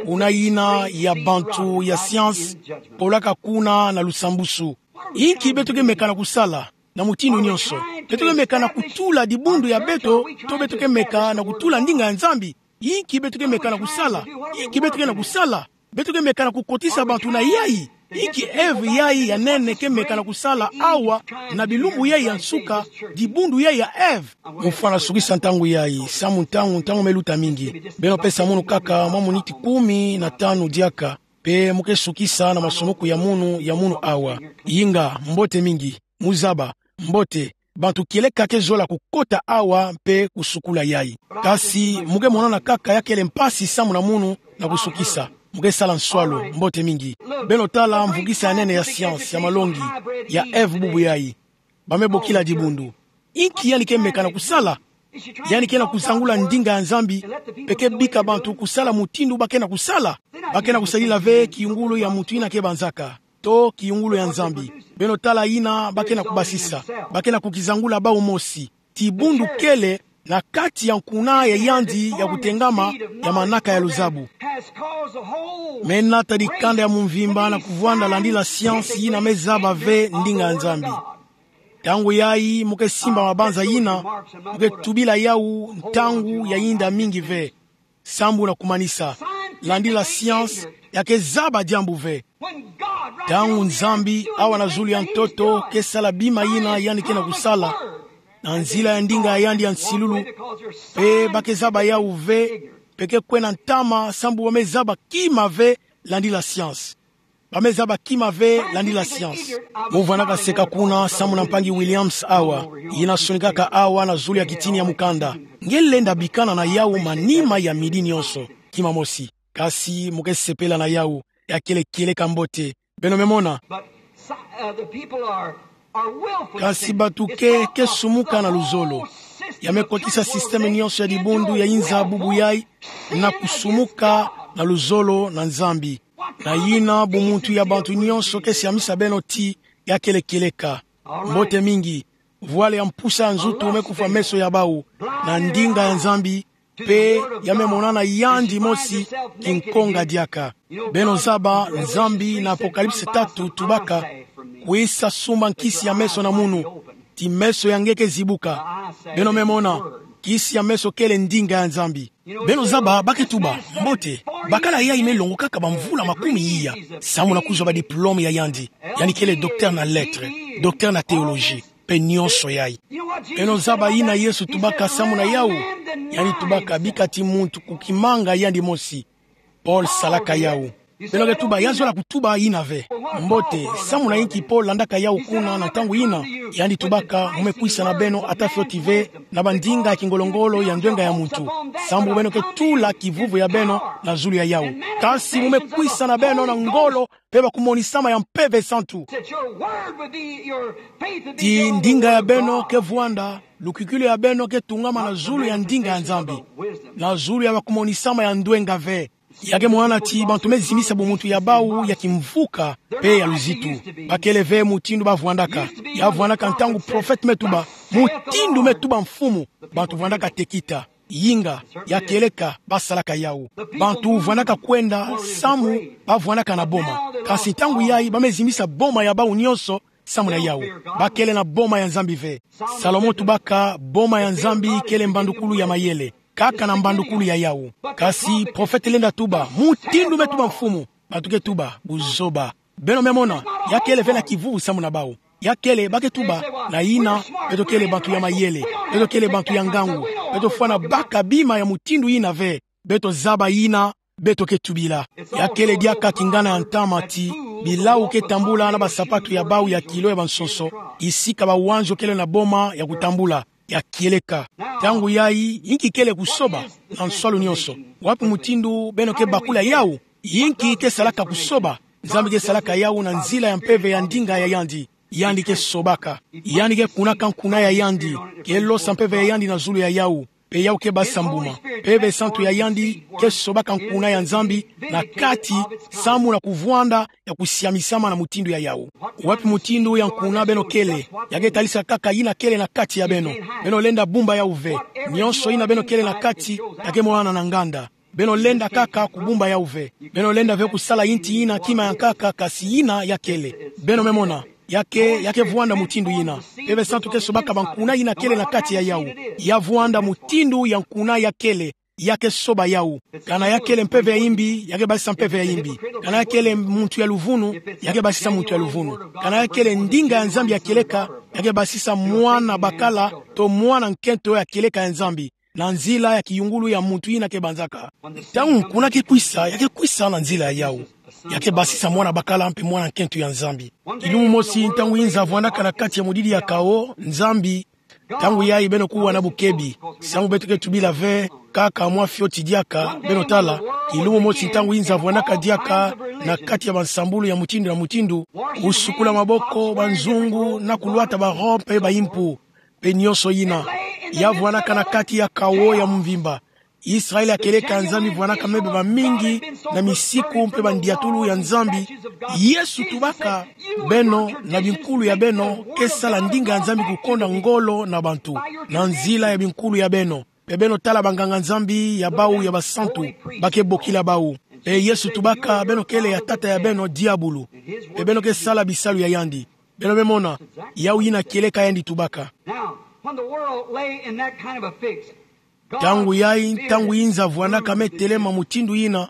Kuna yina ya bantu ya science, polaka kuna na lusambusu. Inki beto ke meka na kusala, na mutindu nyonso? Beto ke meka na kutula dibundu ya beto, to beto ke meka na kutula ndinga ya Nzambi? Inki beto ke meka na kusala? Inki beto ke na kusala? Beto ke meka na kukotisa bantu na yayi? Inki Ève yayi ya nene ke meka na kusala awa, na bilumbu yayi ya nsuka, dibundu yayi ya Ève? Mu fwana sukisa ntangu yayi, samu ntangu, ntangu me luta mingi. Beno pesa munu kaka mwa miniti kumi na tanu diaka, mpe mu ke sukisa na masumuku ya munu, ya munu awa. Inga, mbote mingi, mu zaba, mbote, bantu kieleka ke zola kukota awa mpe kusukula yayi. Kasi mu ke mona na kaka ya kele mpasi samu na munu na kusukisa. Mu ke sala nswalu, mbote mingi. Beno tala mvukisa ya nene ya science, ya malongi, ya Ève bubu yayi. Ba me bokila dibundu. Inki yandi ke meka na kusala? Yandi ke na kuzangula ndinga ya Nzambi, mpe ke bika bantu kusala mutindu ba ke na kusala. Ba ke na kusadila ve kiyungulu ya muntu yina ke banzaka, to kiyungulu ya Nzambi. Beno tala yina ba ke na kubasisa. Ba ke na kukizangula bau mosi. Dibundu kele na kati ya nkuna ya yandi ya kutengama ya manaka ya luzabu. Me nata dikanda ya mumvimba na kuvwanda landila science yina me zaba ve ndinga ya Nzambi. Ntangu yayi mu ke simba mabanza yina, mu ke tubila yau ntangu ya yinda mingi ve. Sambu na kumanisa, landila science ya ke zaba diambu ve. Ntangu Nzambi, awa na zulu ya ntoto, ke sala bima yina yandi ke na kusala, na nzila ya ndinga ya yandi ya nsilulu, mpe ba ke zaba yau ve, mpe ke kwena ntama, sambu ba me zaba kima ve landila science. Ba me zaba kima ve landila science. Mu vwanaka seka kuna samu na mpangi Williams awa, yina sonikaka awa na zulu ya kitini ya mukanda. Nge lenda bikana na yau manima ya midi nyonso, kima mosi. Kasi mu ke sepela na yau, ya kele kieleka mbote. Beno me mona. Kasi bantu ke, ke sumuka na luzolo. Ya me kotisa système nyonso ya dibundu ya inza bubu yayi, na kusumuka na luzolo na Nzambi. Na yina bumuntu ya bantu nyonso ke siamisa beno ti ya kele kieleka. Mbote mingi, vwale ya mpusa ya nzutu me kufwa meso ya bau, na ndinga ya Nzambi, mpe ya me monana yandi mosi kinkonga diaka. Beno zaba, Nzambi na Apocalypse tatu tubaka, kwisa sumba nkisi ya meso na munu, ti meso ya nge ke zibuka. Beno me mona, nkisi ya meso kele ndinga ya Nzambi. Beno zaba, ba ke tuba, mbote, bakala yayi me longo kaka bamvula makumi iya, samu na kuzwa ba diplôme ya yandi. Yandi kele docteur na lettres, docteur na théologie, mpe nyonso yayi. Beno zaba yina Yesu tubaka samu na yau. Yandi tubaka bika ti muntu kukimanga yandi mosi. Paul salaka yau. Beno ke tuba, ya zola kutuba yina ve. Mbote, samu na inki po landaka yawu kuna na ntangu yina? Yandi tubaka, mu me kwisa na beno ata fioti ve na bandinga ya kingolo-ngolo ya ndwenga ya muntu, sambu beno ke tula kivuvu ya beno na zulu ya yawu. Kasi mu me kwisa na beno na ngolo mpe bakumonisama ya Mpeve Santu. Ti ndinga ya beno ke vwanda, lukwikilu ya beno ke tungama na zulu ya ndinga ya Nzambi, na zulu ya bakumonisama ya ndwenga ve. Ya ke mona ti bantu me zimisa bumuntu ya bawu ya kimvuka mpe ya luzitu. Bakele ve mutindu ba vwandaka. Ya vwandaka ntangu profete me tuba, mutindu me tuba mfumu, bantu vwandaka tekita, yinga, ya kieleka, ba salaka yawu. Bantu vwandaka kwenda samu ba vwandaka na boma. Kasi ntangu yayi ba me zimisa boma ya bawu nionso samu na yawu. Bakele na boma ya Nzambi ve. Salomo tubaka, boma ya Nzambi kele mbandukulu ya mayele, kaka na mbandukulu ya yawu. Kasi profete lenda tuba, mutindu me tuba mfumu, bantu ke tuba, buzoba. Beno me mona, ya kele ve na kivuvu samu na bawu. Ya kele, ba ke tuba, na yina, beto kele bantu ya mayele, beto kele bantu ya ngangu, beto fwana baka bima ya mutindu yina ve. Beto zaba yina beto ke tubila. Ya kele diaka kingana ya ntama ti bilawu ke tambula na basapatu ya bawu ya kilo ya bansonso, isika bawanzo kele na boma ya kutambula, ya kieleka. Ntangu yayi, inki kele kusoba na nswalu nionso? Wapi mutindu beno ke bakula yawu? Inki ke salaka kusoba? Nzambi ke salaka yawu na nzila ya mpeve ya ndinga ya yandi. Yandi ke sobaka. Yandi ke kunaka nkuna ya yandi, ke losa mpeve ya yandi na zulu ya yawu. Mpe yawu ke basisa mbuma. Mpeve Santu ya yandi ke sobaka nkuna ya Nzambi na kati, samu na kuvwanda ya kusiamisama na mutindu ya yawu. Wapi mutindu ya nkuna beno kele? Ya ke talisa kaka yina kele na kati ya beno. Beno lenda bumba yawu ve. Nionso yina beno kele na kati, ya ke monana na nganda. Beno lenda kaka kubumba yawu ve. Beno lenda ve kusala inti yina kima ya nkaka, kasi yina ya kele. Beno me mona, ya ke, ya ke vwanda mutindu yina. Mpeve Santu ke sobaka bankuna yina kele na kati ya yawu. Ya vwanda mutindu ya nkuna ya kele. Ya ke soba yawu. Kana ya kele mpeve ya imbi, ya ke basisa mpeve ya imbi. Kana ya kele muntu ya luvunu, ya ke basisa muntu ya luvunu. Kana ya kele ndinga ya Nzambi ya kieleka, ya ke basisa mwana bakala, to mwana nkento ya kieleka ya Nzambi, na nzila ya kiyungulu ya muntu yina ke banzaka. Ntangu nkuna ke kwisa, ya ke kwisa na nzila ya yawu. Ya ke basisa mwana bakala mpe mwana nkento ya Nzambi. Kilumbu mosi, ntangu Inza vwandaka na kati ya mudidi ya kawo, Nzambi, ntangu yayi beno kuwa na bukebi, samu beto ke tubila ve, kaka mwa fioti diaka, beno tala. Kilumbu mosi, ntangu Inza vwandaka diaka na kati ya bansambulu ya mutindu na mutindu, kusukula maboko, banzungu, na kulwata barobe mpe baimpu, mpe nionso yina. Ya vwandaka na kati ya kawo ya mvimba. Israel ya kieleka ya Nzambi vwandaka mebe mamingi na misiku mpe bandiatulu ya Nzambi. Yesu tubaka, beno na binkulu ya beno ke sala ndinga ya Nzambi kukonda ngolo na bantu, na nzila ya binkulu ya beno. Mpe beno tala banganga-Nzambi ya bawu ya basantu, ba ke bokila bawu. Mpe Yesu tubaka, beno kele ya tata ya beno, diabulu. Mpe beno ke sala bisalu ya yandi. Beno me mona, yawu yina kieleka yandi tubaka. Now, when the world lay in that kind of a fix, God Ntangu yayi, ntangu Inza vwandaka me telema mutindu yina,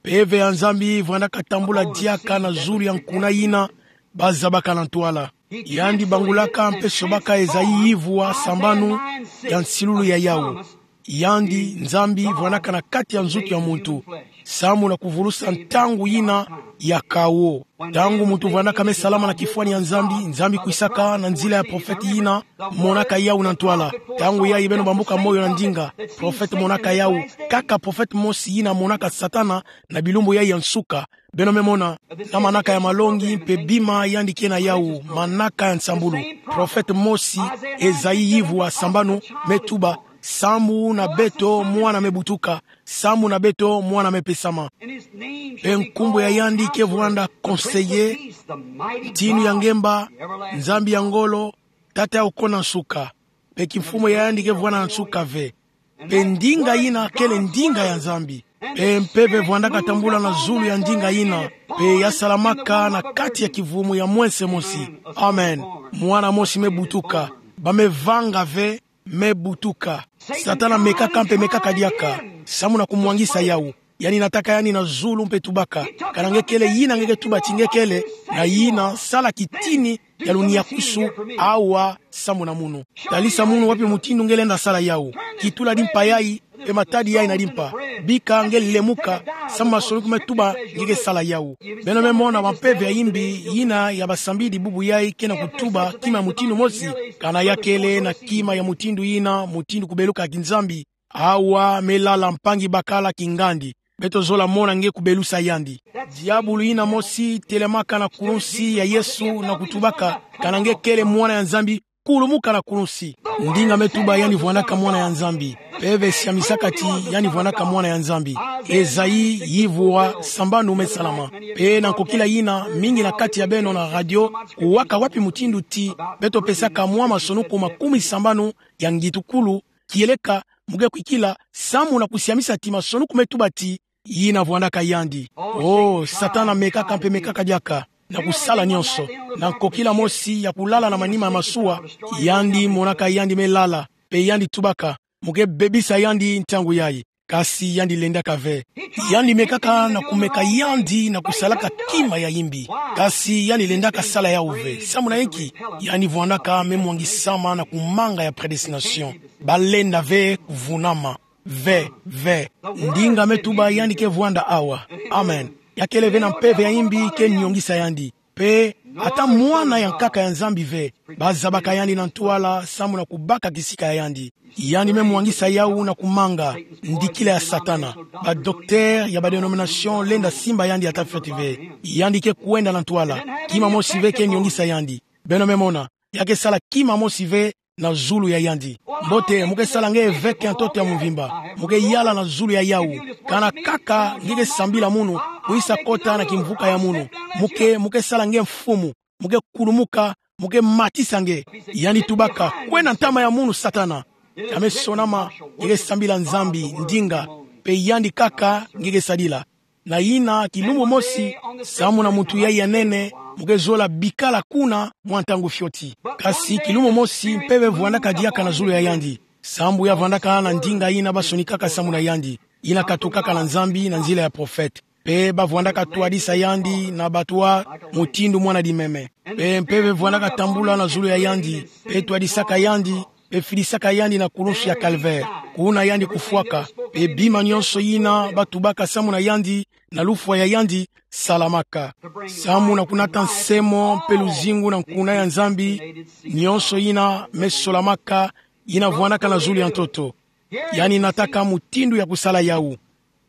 mpeve ya Nzambi vwandaka tambula diaka na zulu ya nkuna yina ba zabaka na ntwala. Yandi bangulaka mpe sobaka Esaïe yivwa sambanu ya nsilulu ya yawu. Yandi, Nzambi, vwandaka na kati ya nzutu ya muntu, samu na kuvulusa ntangu yina ya kawo. Ntangu muntu vwandaka me salama na kifwani ya Nzambi, Nzambi kwisaka na nzila ya profete yina monaka yawu na ntwala. Ntangu yayi beno bambuka moyo na ndinga, profete monaka yawu. Kaka profete mosi yina monaka Satana na bilumbu yayi ya nsuka. Beno me mona, na manaka ya malongi mpe bima yandi ke na yawu, manaka ya nsambulu. Profete mosi, Esaïe yivwa sambanu, me tuba, samu na beto mwana me butuka, samu na beto mwana me pesama. Mpe nkumbu ya yandi ke vwanda Conseiller, Ntinu ya Ngemba, Nzambi ya Ngolo, Tata ya Okona Nsuka. Mpe kimfumu ya yandi ke vwanda na nsuka ve. Mpe ndinga yina kele ndinga ya Nzambi. Mpe mpeve vwandaka tambula na zulu ya ndinga yina, mpe ya salamaka na kati ya kivumu ya mwense mosi. Amen. Mwana mosi me butuka. Ba me vanga ve, me butuka. Satana mekaka mpe mekaka diaka, samu na kumwangisa yawu. Yandi nataka yandi na zulu mpe tubaka: Kana nge kele yina nge ke tuba ti nge kele, na yina, sala kitini ya luniakusu awa samu na munu. Talisa munu wapi mutindu nge lenda sala yawu. Kitula di mpayayi, Mpe matadi yai na limpa. Bika nge lemuka, samu masonoko me tuba nge ke sala yawu. Beno me mona bampeve ya imbi, yina ya basambidi bubu yai ke na kutuba kima mutindu mosi, kana ya kele na kima ya mutindu yina, mutindu kubeluka ki Nzambi. Awa me lala mpangi bakala kingandi. Beto zola mona nge kubelusa yandi. Diabulu yina mosi telamaka na kulunsi ya Yesu na kutubaka, kana nge kele mwana ya Nzambi, kulumuka na kulunsi. Ndinga me tuba yandi vwandaka mwana ya Nzambi. Mpeve siamisaka ti yandi vwandaka mwana ya Nzambi. Esaïe yivwa sambanu me salama. Mpe na nkokila yina, mingi na kati ya beno na radio, kuwaka wapi mutindu ti beto pesaka mwa masonoko makumi sambanu ya ngitukulu, kieleka, mu ke kwikila, samu na kusiamisa ti masonoko me tuba ti, yina vwandaka yandi. Oh, Satana mekaka mpe mekaka diaka, na kusala nyonso. Na nkokila mosi ya kulala na manima ya masuwa, yandi monaka yandi me lala, mpe yandi tubaka, mu ke bebisa yandi ntangu yai. Kasi yandi lendaka ve. Yandi mekaka na kumeka yandi na kusalaka kima ya imbi. Kasi yandi lendaka sala yawu ve. Samu na inki? Yandi vwandaka me mwangisama na kumanga ya prédestination. Balenda ve kuvunama. Ve, ve. Ndinga me tuba yandi ke vwanda awa. Amen. Ya kele ve na mpeve ya imbi ke nyongisa yandi. Mpe ata mwana ya nkaka ya Nzambi ve. Bazabaka yandi na ntwala samu na kubaka kisika ya yandi. Yandi me mwangisa yawu na kumanga ndikila ya Satana. Ba docteur ya ba dénomination lenda simba yandi ata fioti ve. Yandi ke kwenda na ntwala. Kima mosi ve ke nyongisa yandi. Beno me mona. Ya ke sala kima mosi ve na zulu ya yandi. Mbote, mu ke sala nge eveke ya ntoto ya mvimba. Mu ke yala na zulu ya yawu. Kana kaka nge ke sambila munu, kwisa kota na kimvuka ya munu. Mu ke, mu ke sala nge mfumu. Mu ke kulumuka, mu ke matisa nge. Yandi tubaka, kwenda ntama ya munu Satana. Ka me sonama, nge ke sambila Nzambi, ndinga. Mpe yandi kaka nge ke sadila. Na yina kilumbu mosi, samu na mutu yai ya nene, mu ke zola bikala kuna mwa ntangu fioti. Kasi kilumbu mosi, mpeve vwandaka diaka na zulu ya yandi. Sambu ya vwandaka na ndinga yina basonikaka samu na yandi. Yina katukaka na Nzambi na nzila ya prophète. Mpe bavwandaka twadisa yandi na batwa mutindu mwana dimeme. Mpe mpeve vwandaka tambula na zulu ya yandi. Mpe twadisaka yandi, mpe fidisaka yandi na kulunsu ya Calvaire. Kuna yandi kufwaka. Mpe bima nyonso yina batubaka samu na yandi, na lufwa ya yandi, salamaka. Samu na kunata nsemo mpe luzingu na nkuna ya Nzambi, nyonso yina me solamaka, yina vwandaka na zulu ya ntoto. Yandi nataka mutindu ya kusala yawu.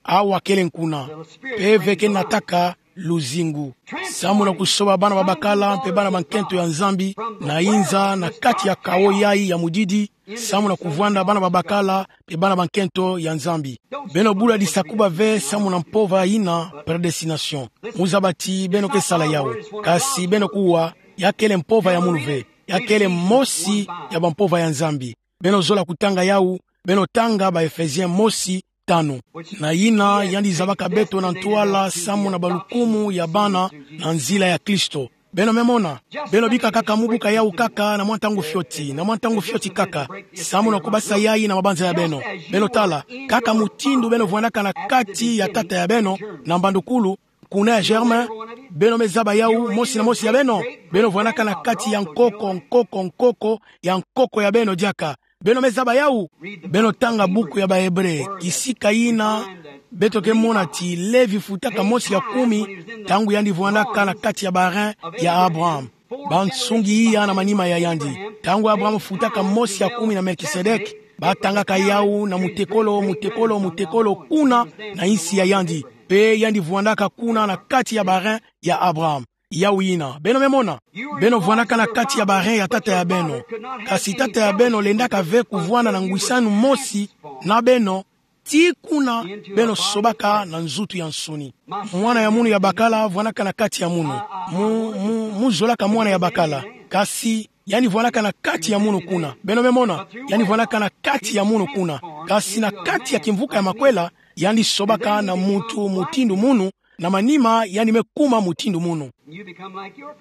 Awa kele nkuna. Mpeve ke nataka luzingu. Samu na kusoba bana babakala mpe bana bankento ya Nzambi, na inza na kati ya kawo yai ya mudidi, samu na kuvwanda bana babakala mpe bana bankento ya Nzambi. Beno bula disakuba ve samu na mpova yina prédestination. Mu zaba ti beno ke sala yawu. Kasi beno kuwa, ya kele mpova ya munu ve. Ya kele mosi ya bampova ya Nzambi. Beno zola kutanga yawu, beno tanga ba Ephésiens mosi, tanu. Na yina yandi zabaka beto na ntwala samu na balukumu ya bana na nzila ya Kristo. Beno me mona, beno bika kaka mu buka yawu kaka na mwa ntangu fioti, na mwa ntangu fioti kaka, samu na kubasa yai na mabanza ya beno. Beno tala, kaka mutindu beno vwandaka na kati ya tata ya beno, na mbandukulu, kuna ya germe, beno me zaba yawu mosi na mosi ya beno. Beno vwandaka na kati ya nkoko, nkoko, nkoko, ya nkoko ya beno diaka. Beno me zaba yawu. Beno tanga buku ya ba Hébreux, kisika yina beto ke mona ti Lévi futaka mosi ya kumi, ntangu yandi vwandaka na kati ya ba reins ya Abraham. Bansungi iya na manima ya yandi. Ntangu Abraham futaka mosi ya kumi na Melkisedek, batangaka yawu na mutekolo, mutekolo, mutekolo kuna na insi ya yandi. Mpe yandi vwandaka kuna na kati ya ba reins ya Abraham. Yawu yina. Beno me mona. Beno vwandaka na kati ya ba reins ya tata ya beno. Kasi tata ya beno lendaka ve kuvwanda na ngwisanu mosi na beno, tii kuna beno sobaka na nzutu ya nsuni. Mwana ya munu ya bakala vwandaka na kati ya munu. Mu, mu, mu zolaka mwana ya bakala. Kasi yandi vwandaka na kati ya munu kuna. Beno me mona, yandi vwandaka na kati ya munu kuna. Kasi na kati ya kimvuka ya makwela, yandi sobaka na mutu mutindu munu, na manima yandi me kuma mutindu munu.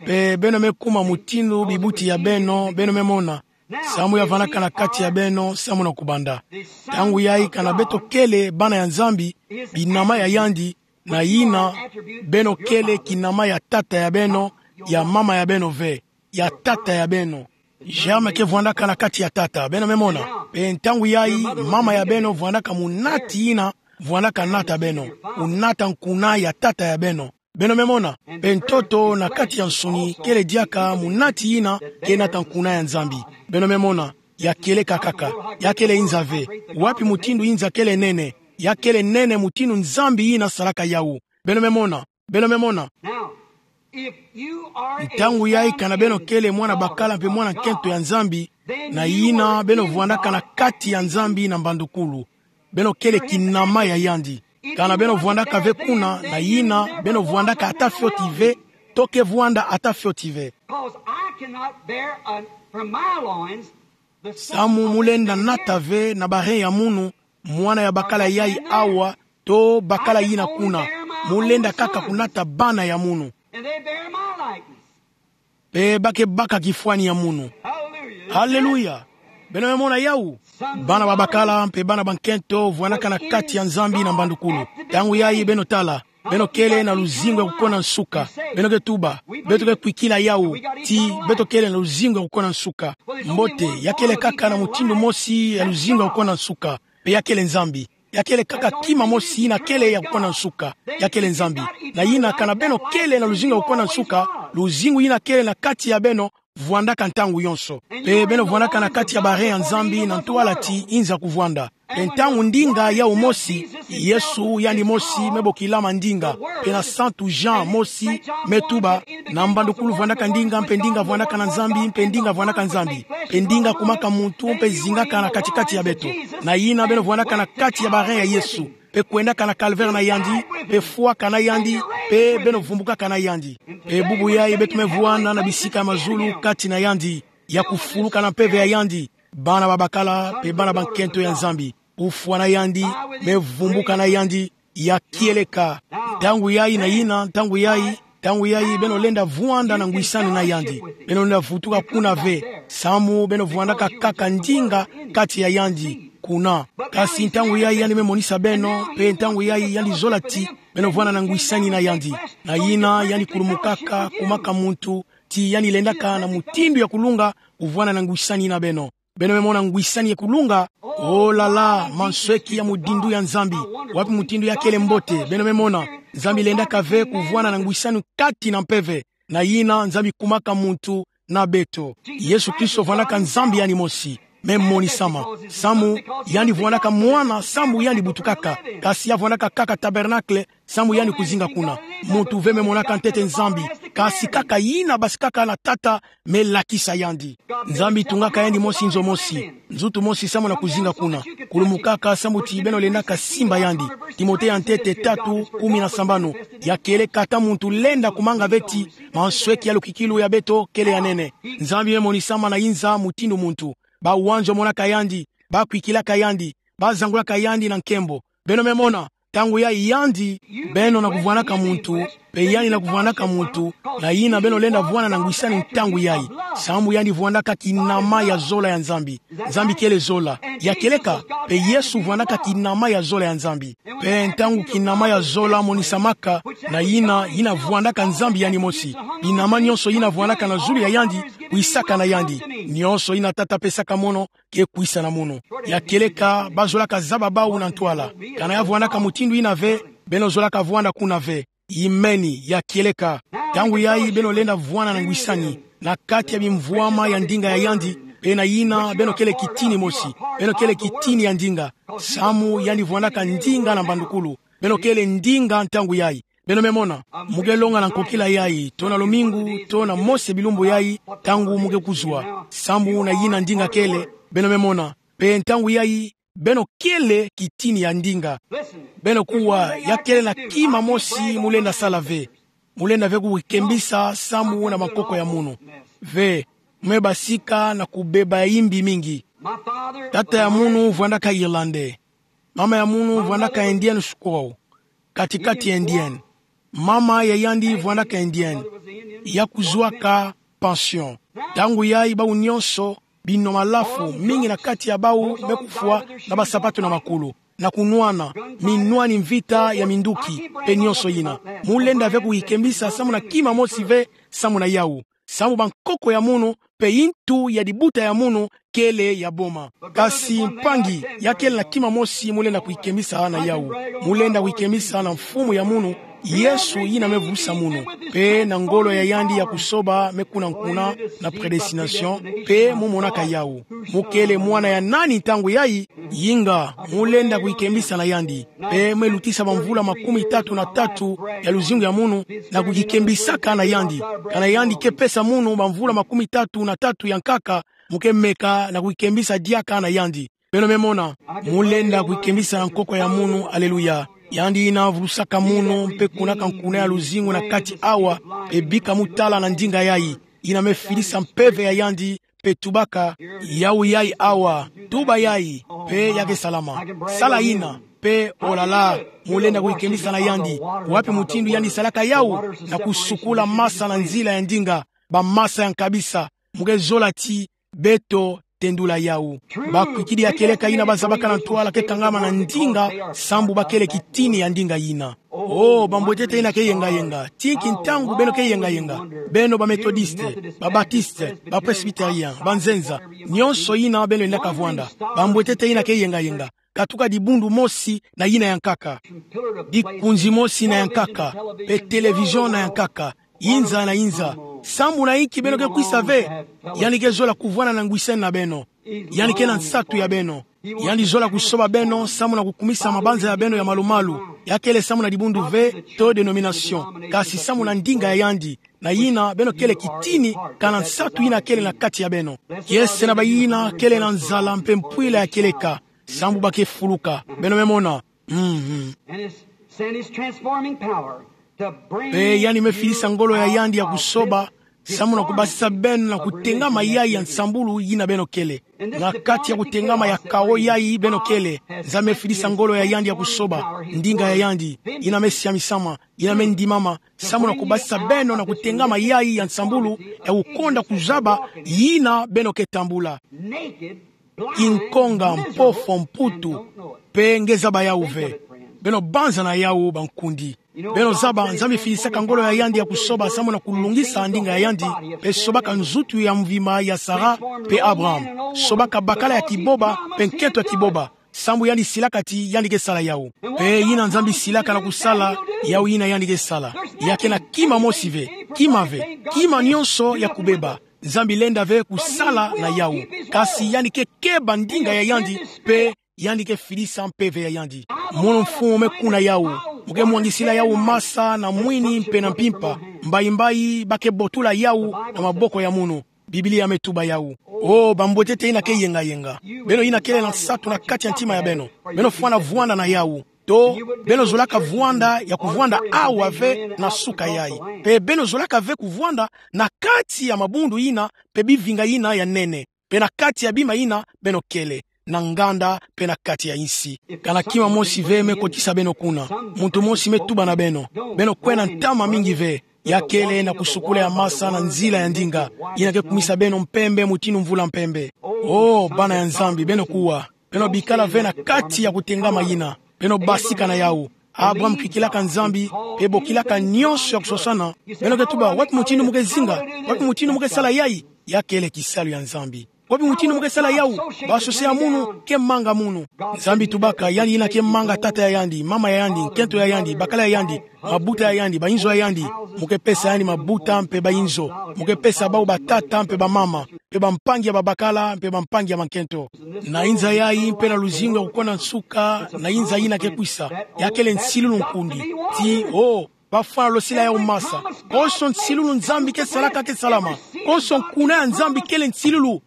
Mpe beno me kuma mutindu bibuti ya beno, beno me mona. Samu ya vandaka na kati ya beno, samu na kubanda. Ntangu yayi kana beto kele bana ya Nzambi, binama ya yandi, na yina, beno kele kinama ya tata ya beno, ya mama ya beno ve, ya tata ya beno. Germe ke vwandaka na kati ya tata. Beno me mona. Pe ntangu yai, mama ya beno vwandaka munati yina vwandaka nata beno. Munata nkuna ya tata ya beno. Beno me mona. Pe ntoto na kati ya nsuni kele diaka munati yina ke nata nkuna ya Nzambi. Beno me mona. Ya kieleka kaka. Ya kele inza ve. Wapi mutindu inza kele nene? Ya kele nene mutindu Nzambi yina salaka yawu. Beno me mona. Beno me mona. Now, if you are a Ntangu yai, son kana beno and kele mwana daughter bakala mpe of mwana nkento ya God, Nzambi, then na you yina are beno in vwandaka na God kati ya Nzambi na mbandukulu. Beno kele kinama ya yandi. Kana beno vwandaka ve kuna, na yina beno vwandaka ata fioti ve, to ke vwanda ata fioti ve. 'Cause I cannot bear a, from my loins the son Samu of mulenda a nata dead ve na ba rein ya munu, mwana ya bakala yai awa, to bakala yina kuna. Mulenda kaka kunata bana ya munu. And they bear my likeness. Pe ba ke baka kifwani ya munu. Hallelujah. Haleluya. Beno me mona yawu. Bana babakala mpe bana bankento vwandaka na kati ya Nzambi na mbandukulu. Ntangu yai beno tala. Beno kele na luzingu ya kukona nsuka. Beno ke tuba. Beto ke kwikila yawu. Ti beto kele na luzingu ya kukona nsuka. Mbote, ya kele kaka na mutindu mosi ya luzingu ya kukona nsuka. Pe ya kele Nzambi. Ya kele kaka kima mosi yina kele ya kukona nsuka. Ya kele Nzambi. Na yina kana beno kele na luzingu ya kukona nsuka, luzingu yina kele na kati ya beno vwandaka ntangu yonso. Pe beno vwandaka na kati ya ba rein ya Nzambi na ntwala ti inza kuvwanda. Pe ntangu ndinga yawu mosi, Yesu yandi mosi me bokilama ndinga. Pe na Santu Jean mosi me tuba, na mbandukulu vwandaka ndinga, mpe ndinga vwandaka na Nzambi, mpe ndinga vwandaka Nzambi. Mpe ndinga kumaka muntu, mpe zingaka na kati-kati ya beto. Na yina beno vwandaka na kati ya ba rein ya Yesu. Mpe kwendaka na calvaire na yandi, mpe fwaka na yandi, mpe beno vumbukaka na yandi. Mpe bubu yai beto me vwanda na bisika ya mazulu kati na yandi, ya kufuluka na mpeve ya yandi. Bana babakala, mpe bana bankento ya Nzambi. Kufwa na yandi, me vumbuka na yandi, ya kieleka. Ntangu yai na yina, ntangu yai, ntangu yai, beno lenda vwanda na ngwisani na yandi. Beno lenda vutuka kuna ve. Samu beno vwandaka kaka ndinga kati ya yandi. Kuna. Kasi ntangu yai yandi me monisa beno, mpe ntangu yai yandi zola ti, beno vwanda na ngwisani na yandi. Na yina yandi kulumukaka, kumaka muntu, ti yandi lendaka na mutindu ya kulunga, kuvwanda na ngwisani na beno. Beno me mona ngwisani ya kulunga. Oh là là, mansweki ya mudindu ya Nzambi. Wapi mutindu ya kele mbote, beno me mona. Nzambi lendaka ve kuvwanda na ngwisani kati na mpeve. Na yina Nzambi kumaka muntu na beto. Yesu Kristo vwandaka Nzambi yandi mosi. Me monisama. Samu, yandi vwandaka mwana, samu yandi butukaka. Kasi ya vwandaka kaka tabernacle, samu yandi kuzinga kuna. Muntu ve me monaka ntete Nzambi. Kasi kaka yina basikaka na Tata, me lakisa yandi. Nzambi tungaka yandi mosi nzo mosi, nzutu mosi samu na kuzinga kuna. Kulumukaka samu ti beno lendaka simba yandi. Timote ya ntete tatu, kumi na sambanu. Ya kieleka, ata muntu lenda kumanga ve ti mansweki ya lukikilu ya beto kele ya nene. Nzambi me monisama na inza mutindu muntu. Bawanzo monaka yandi, bakwikilaka yandi, bazangulaka yandi na nkembo. Beno me mona, ntangu yai yandi, beno na kuvwandaka muntu, mpe yandi na kuvwandaka muntu, na yina beno lenda vwanda na ngwisani ntangu yai. Samu yandi vwandaka kinama ya zola ya Nzambi. Nzambi kele zola. Ya kieleka, mpe Yesu vwandaka kinama ya zola ya Nzambi. Mpe ntangu kinama ya zola monisamaka, na yina, yina vwandaka Nzambi yandi mosi. Binama nyonso yina vwandaka na zulu ya yandi, kwisaka na yandi. Nyonso yina Tata pesaka mono, ke kwisa na mono. Ya kieleka, bazolaka zaba bawu na ntwala. Kana ya vwandaka mutindu yina ve, beno zolaka vwanda kuna ve. Imeni, ya kieleka. Ntangu yai beno lenda vwanda na ngwisani, na kati ya bimvwama ya ndinga ya yandi, mpe na yina beno kele kitini mosi, beno kele kitini ya ndinga. Samu yandi vwandaka ndinga na mbandukulu. Beno kele ndinga ntangu yai. Beno me mona, mu ke longa na nkokila yai, to na lumingu, to na mosi ya bilumbu yai, ntangu mu ke kuzwa. Samu na yina ndinga kele, beno me mona. Mpe ntangu yai, beno kele kitini ya ndinga. Beno kuwa, ya kele na kima mosi mu lenda sala ve. Mu lenda ve kukembisa samu na mankoko ya munu. Ve, mu me basika na kubeba imbi mingi. Tata ya munu vwandaka Irlandais. Mama ya munu vwandaka Indienne, je crois. Kati-kati Indienne. Mama ya yandi vwandaka Indienne. Ya kuzwaka pension. Ntangu yai bawu nyonso, bino malafu, mingi na kati ya bawu me kufwa na basapatu na makulu, na kunwana, minwani mvita ya minduki, mpe nyonso yina. Mu lenda ve kuyikembisa samu na kima mosi ve, samu na yawu. sambu bankoko ya munu, mpe yintu ya dibuta ya munu kele ya boma. Kasi mpangi, ya kele na kima mosi mu lenda kuikembisa na yawu. Mu lenda kuikembisa na mfumu ya munu, Yesu yina me vusa munu. Mpe na ngolo ya yandi ya kusoba me kuna nkuna na prédestination, mpe mu monaka yawu. Mu kele mwana ya nani ntangu yayi? Yinga, mu lenda kuikembisa na yandi. Mpe me lutisa bamvula makumi tatu na tatu ya luzingu ya munu na kukikembisaka na yandi. Kana yandi ke pesa munu bamvula makumi tatu na tatu ya nkaka, mu ke meka na kuikembisa diaka na yandi. Beno me mona, mu lenda kuikembisa na nkoko ya munu, aleluya. Yandi yina vulusaka munu, mpe kunaka nkuna ya luzingu na kati awa, mpe bika mu tala na ndinga yayi. Yina me filisa mpeve ya yandi, mpe tubaka: Yawu yayi awa, tuba yayi, mpe ya ke salama. Sala yina, mpe, olala, mu lenda kuikembisa na yandi. Wapi mutindu yandi salaka yawu? Na kusukula masa na nzila ya ndinga, bamasa ya nkabisa. Mu ke zola ti beto tendula yawu. Bakwikidi ya kieleka yina bazabaka na ntwala ke kangama na ndinga, sambu ba kele kitini ya ndinga yina. Oh, bambwetete yina ke yengayenga, tinki ntangu beno ke yengayenga. Beno ba Methodiste, ba Batiste, ba Presbyterien, ba nzenza, nionso yina beno lenda kavwanda. Bambwetete yina ke yengayenga, katuka dibundu mosi na yina ya nkaka, dikunzi mosi na ya nkaka, mpe télévision na ya nkaka, inza na inza. Sambu na inki beno ke kwisa ve? Yandi ke zola kuvwanda na ngwiseni na beno. Yandi ke na nsatu ya beno. Yandi zola kusoba beno sambu na kukumisa mabanza ya beno ya malumalu. Ya kele sambu na dibundu ve to dénomination, kasi sambu na ndinga ya yandi, na yina beno kele kitini, kana nsatu yina kele na kati ya beno. Kiese na bayina kele na nzala mpe mpwila ya kieleka, sambu ba ke fuluka. Beno me mona. Mhm. And his, send his transforming power to bring Mpe yandi me filisa ngolo ya yandi ya kusoba, sambu na kubasisa beno na kutengama yayi ya nsambulu yina beno kele. Na kati ya kutengama ya kawo yayi beno kele, Nzambi me filisa ngolo ya yandi ya kusoba, ndinga ya yandi, yina me siamisama, yina me ndimama, sambu na kubasisa beno na kutengama yayi ya nsambulu, ya kukonda kuzaba yina beno ke tambula. Kinkonga, mpofo, mputu, mpe nge zaba yawu ve. Beno banza na yawu, bankundi. Beno zaba, Nzambi filisaka ngolo ya yandi ya kusoba sambu na kulungisa ndinga ya yandi, mpe sobaka nzutu ya mvimba ya Sara mpe Abraham. Sobaka bakala ya kiboba mpe nkento ya kiboba, sambu yandi silaka ti yandi ke sala yawu. Mpe yina Nzambi silaka na kusala, yawu yina yandi ke sala. Ya ke na kima mosi ve, kima ve, kima nionso ya kubeba. Nzambi lenda ve kusala na yawu. Kasi yandi ke keba ndinga ya yandi, mpe yandi ke filisa mpeve ya yandi. Mono mfumu me kuna yawu. Mu ke mwangisila yawu masa na mwini mpe na mpimpa. Mbayi mbayi ba ke botula yawu na maboko ya mono. Biblia me tuba yawu. Oh, bambwetete yina ke yengayenga, beno yina kele na nsatu na kati ya ntima ya beno, beno fwana vwanda na yawu. To, beno zolaka vwanda ya kuvwanda awa ve na suka yayi. Mpe beno zolaka ve kuvwanda na kati ya mabundu yina, mpe bivinga yina ya nene, mpe na kati ya bima yina beno kele, na nganda, mpe na kati ya insi. Kana kima mosi ve me kotisa beno kuna. Muntu mosi me tuba na beno: Beno kwena ntama mingi ve. Ya kele na kusukula ya masa na nzila ya ndinga, yina ke kumisa beno mpembe mutindu mvula mpembe. Oh, bana ya Nzambi, beno kuwa. Beno bikala ve na kati ya kutengama yina. Beno basika na yawu. Abraham kikilaka Nzambi, mpe bokilaka nionso ya kusosana. Beno ke tuba: Wapi mutindu mu ke zinga? Wapi mutindu mu ke sala yayi? Ya kele kisalu ya Nzambi. Wapi mutindu mu ke sala yawu? Ba sose ya mono ke manga mono. Nzambi tubaka: Yandi yina ke manga tata ya yandi, mama ya yandi, nkento ya yandi, bakala ya yandi, mabuta ya yandi, bayinzo ya yandi. Mu ke pesa yandi mabuta mpe bayinzo. Mu ke pesa bawu batata mpe bamama, mpe bampangi ya babakala, mpe bampangi ya bankento. Na inza yayi mpe na luzingu ya kukonda nsuka, na inza yina ke kwisa, ya kele nsilulu, nkundi. Ti, oh, ba fwana losila yawu masa. Konso nsilulu Nzambi ke salaka ke salama. Konso nkuna ya Nzambi kele nsilulu.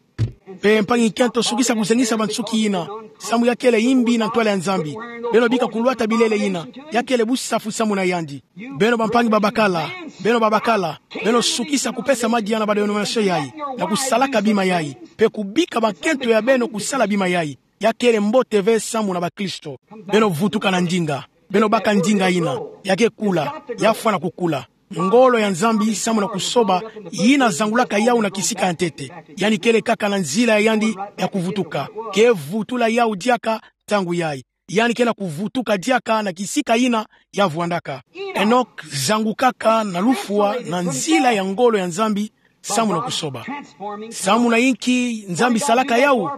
Mpe mpangi nkento, sukisa kuzengisa bansuki yina, sambu ya kele imbi na ntwala ya Nzambi. Beno bika kulwata bilele yina, ya kele busafu sambu na yandi. Beno bampangi babakala, beno babakala, beno sukisa kupesa madia na ba dénomination yayi, na kusalaka bima yayi, mpe kubika bankento ya beno kusala bima yayi. Ya kele mbote ve sambu na bakristo. Beno vutuka na ndinga. Beno baka ndinga yina. Ya ke kula. Ya fwana kukula. Ngolo ya Nzambi sambu na kusoba, yina zangulaka yawu na kisika ya ntete. Yandi kele kaka na nzila ya yandi ya kuvutuka. Ke vutula yawu diaka ntangu yayi. Yandi ke na kuvutuka diaka na kisika yina ya vwandaka. Enok zangukaka na lufwa na nzila ya ngolo ya Nzambi, samu na kusoba. Samu na inki Nzambi salaka yawu?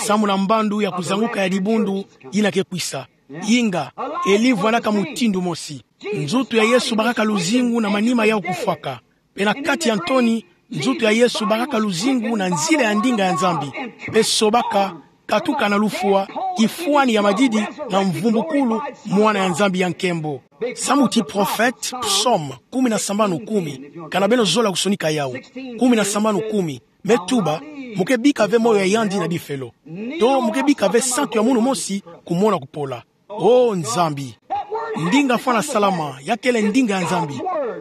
Samu na mbandu ya kuzanguka ya dibundu yina ke kwisa. Inga, eli vwandaka mutindu mosi. Nzutu ya Yesu bakaka luzingu na manima yawu kufwaka. Pe na kati ya ntoni, nzutu ya Yesu bakaka luzingu na nzila ya ndinga ya Nzambi. Pe sobaka, katuka na lufwa, kifwani ya madidi na mvumbukulu, Mwana ya Nzambi ya nkembo. Samu ti prophète, Psaume kumi na sambanu kumi, kana beno zola kusonika yawu. Kumi na sambanu kumi. Me tuba, mu ke bika ve moyo ya yandi na bifelo. To mu ke bika ve santu ya munu mosi kumona kupola. O Nzambi. Ndinga fwana salama, ya kele ndinga ya Nzambi.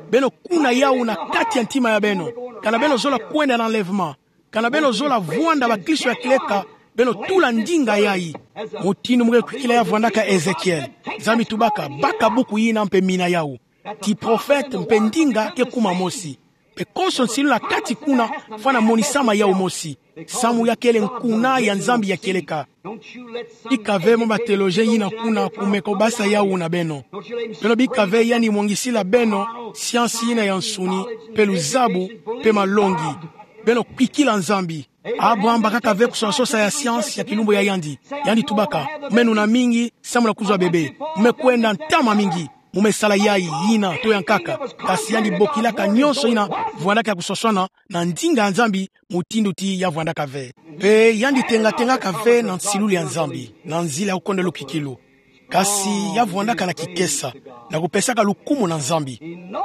Beno kuna yawu na kati ya ntima ya beno. Kana beno zola kwenda na enlèvement. Kana beno zola vwanda bakristo ya kieleka, beno tula ndinga yayi. Mutindu mu ke kwikila ya vwandaka Ezekiel. Nzambi tubaka, baka buku yina mpe mina yawu. Ti prophète mpe ndinga ke kuma mosi. Mpe konso nsilu na kati kuna, fwana monisama yawu mosi. Samu ya kele nkuna ya Nzambi ya kieleka. Bika ve mwa ba théologiens yina kuna kumeka basa yawu na beno. Beno bika ve yandi mwangisila beno science yina ya nsuni, mpe luzabu, mpe malongi. Beno kwikila Nzambi. Abraham bakaka ve kusosasosa ya science ya kilumbu ya yandi. Yandi tubaka, mu me nuna mingi, samu na kuzwa bébé. Mu me kwenda ntama mingi. Mu me sala yayi, yina, to ya nkaka. Kasi yandi bokilaka nyonso yina vwandaka ya kuswaswana na ndinga ya Nzambi, mutindu ti ya vwandaka ve. Mpe yandi tengatengaka ve na nsilulu ya Nzambi, na nzila ya kukondolo kikilu. Kasi ya vwandaka na kikesa, na kupesaka lukumu na Nzambi.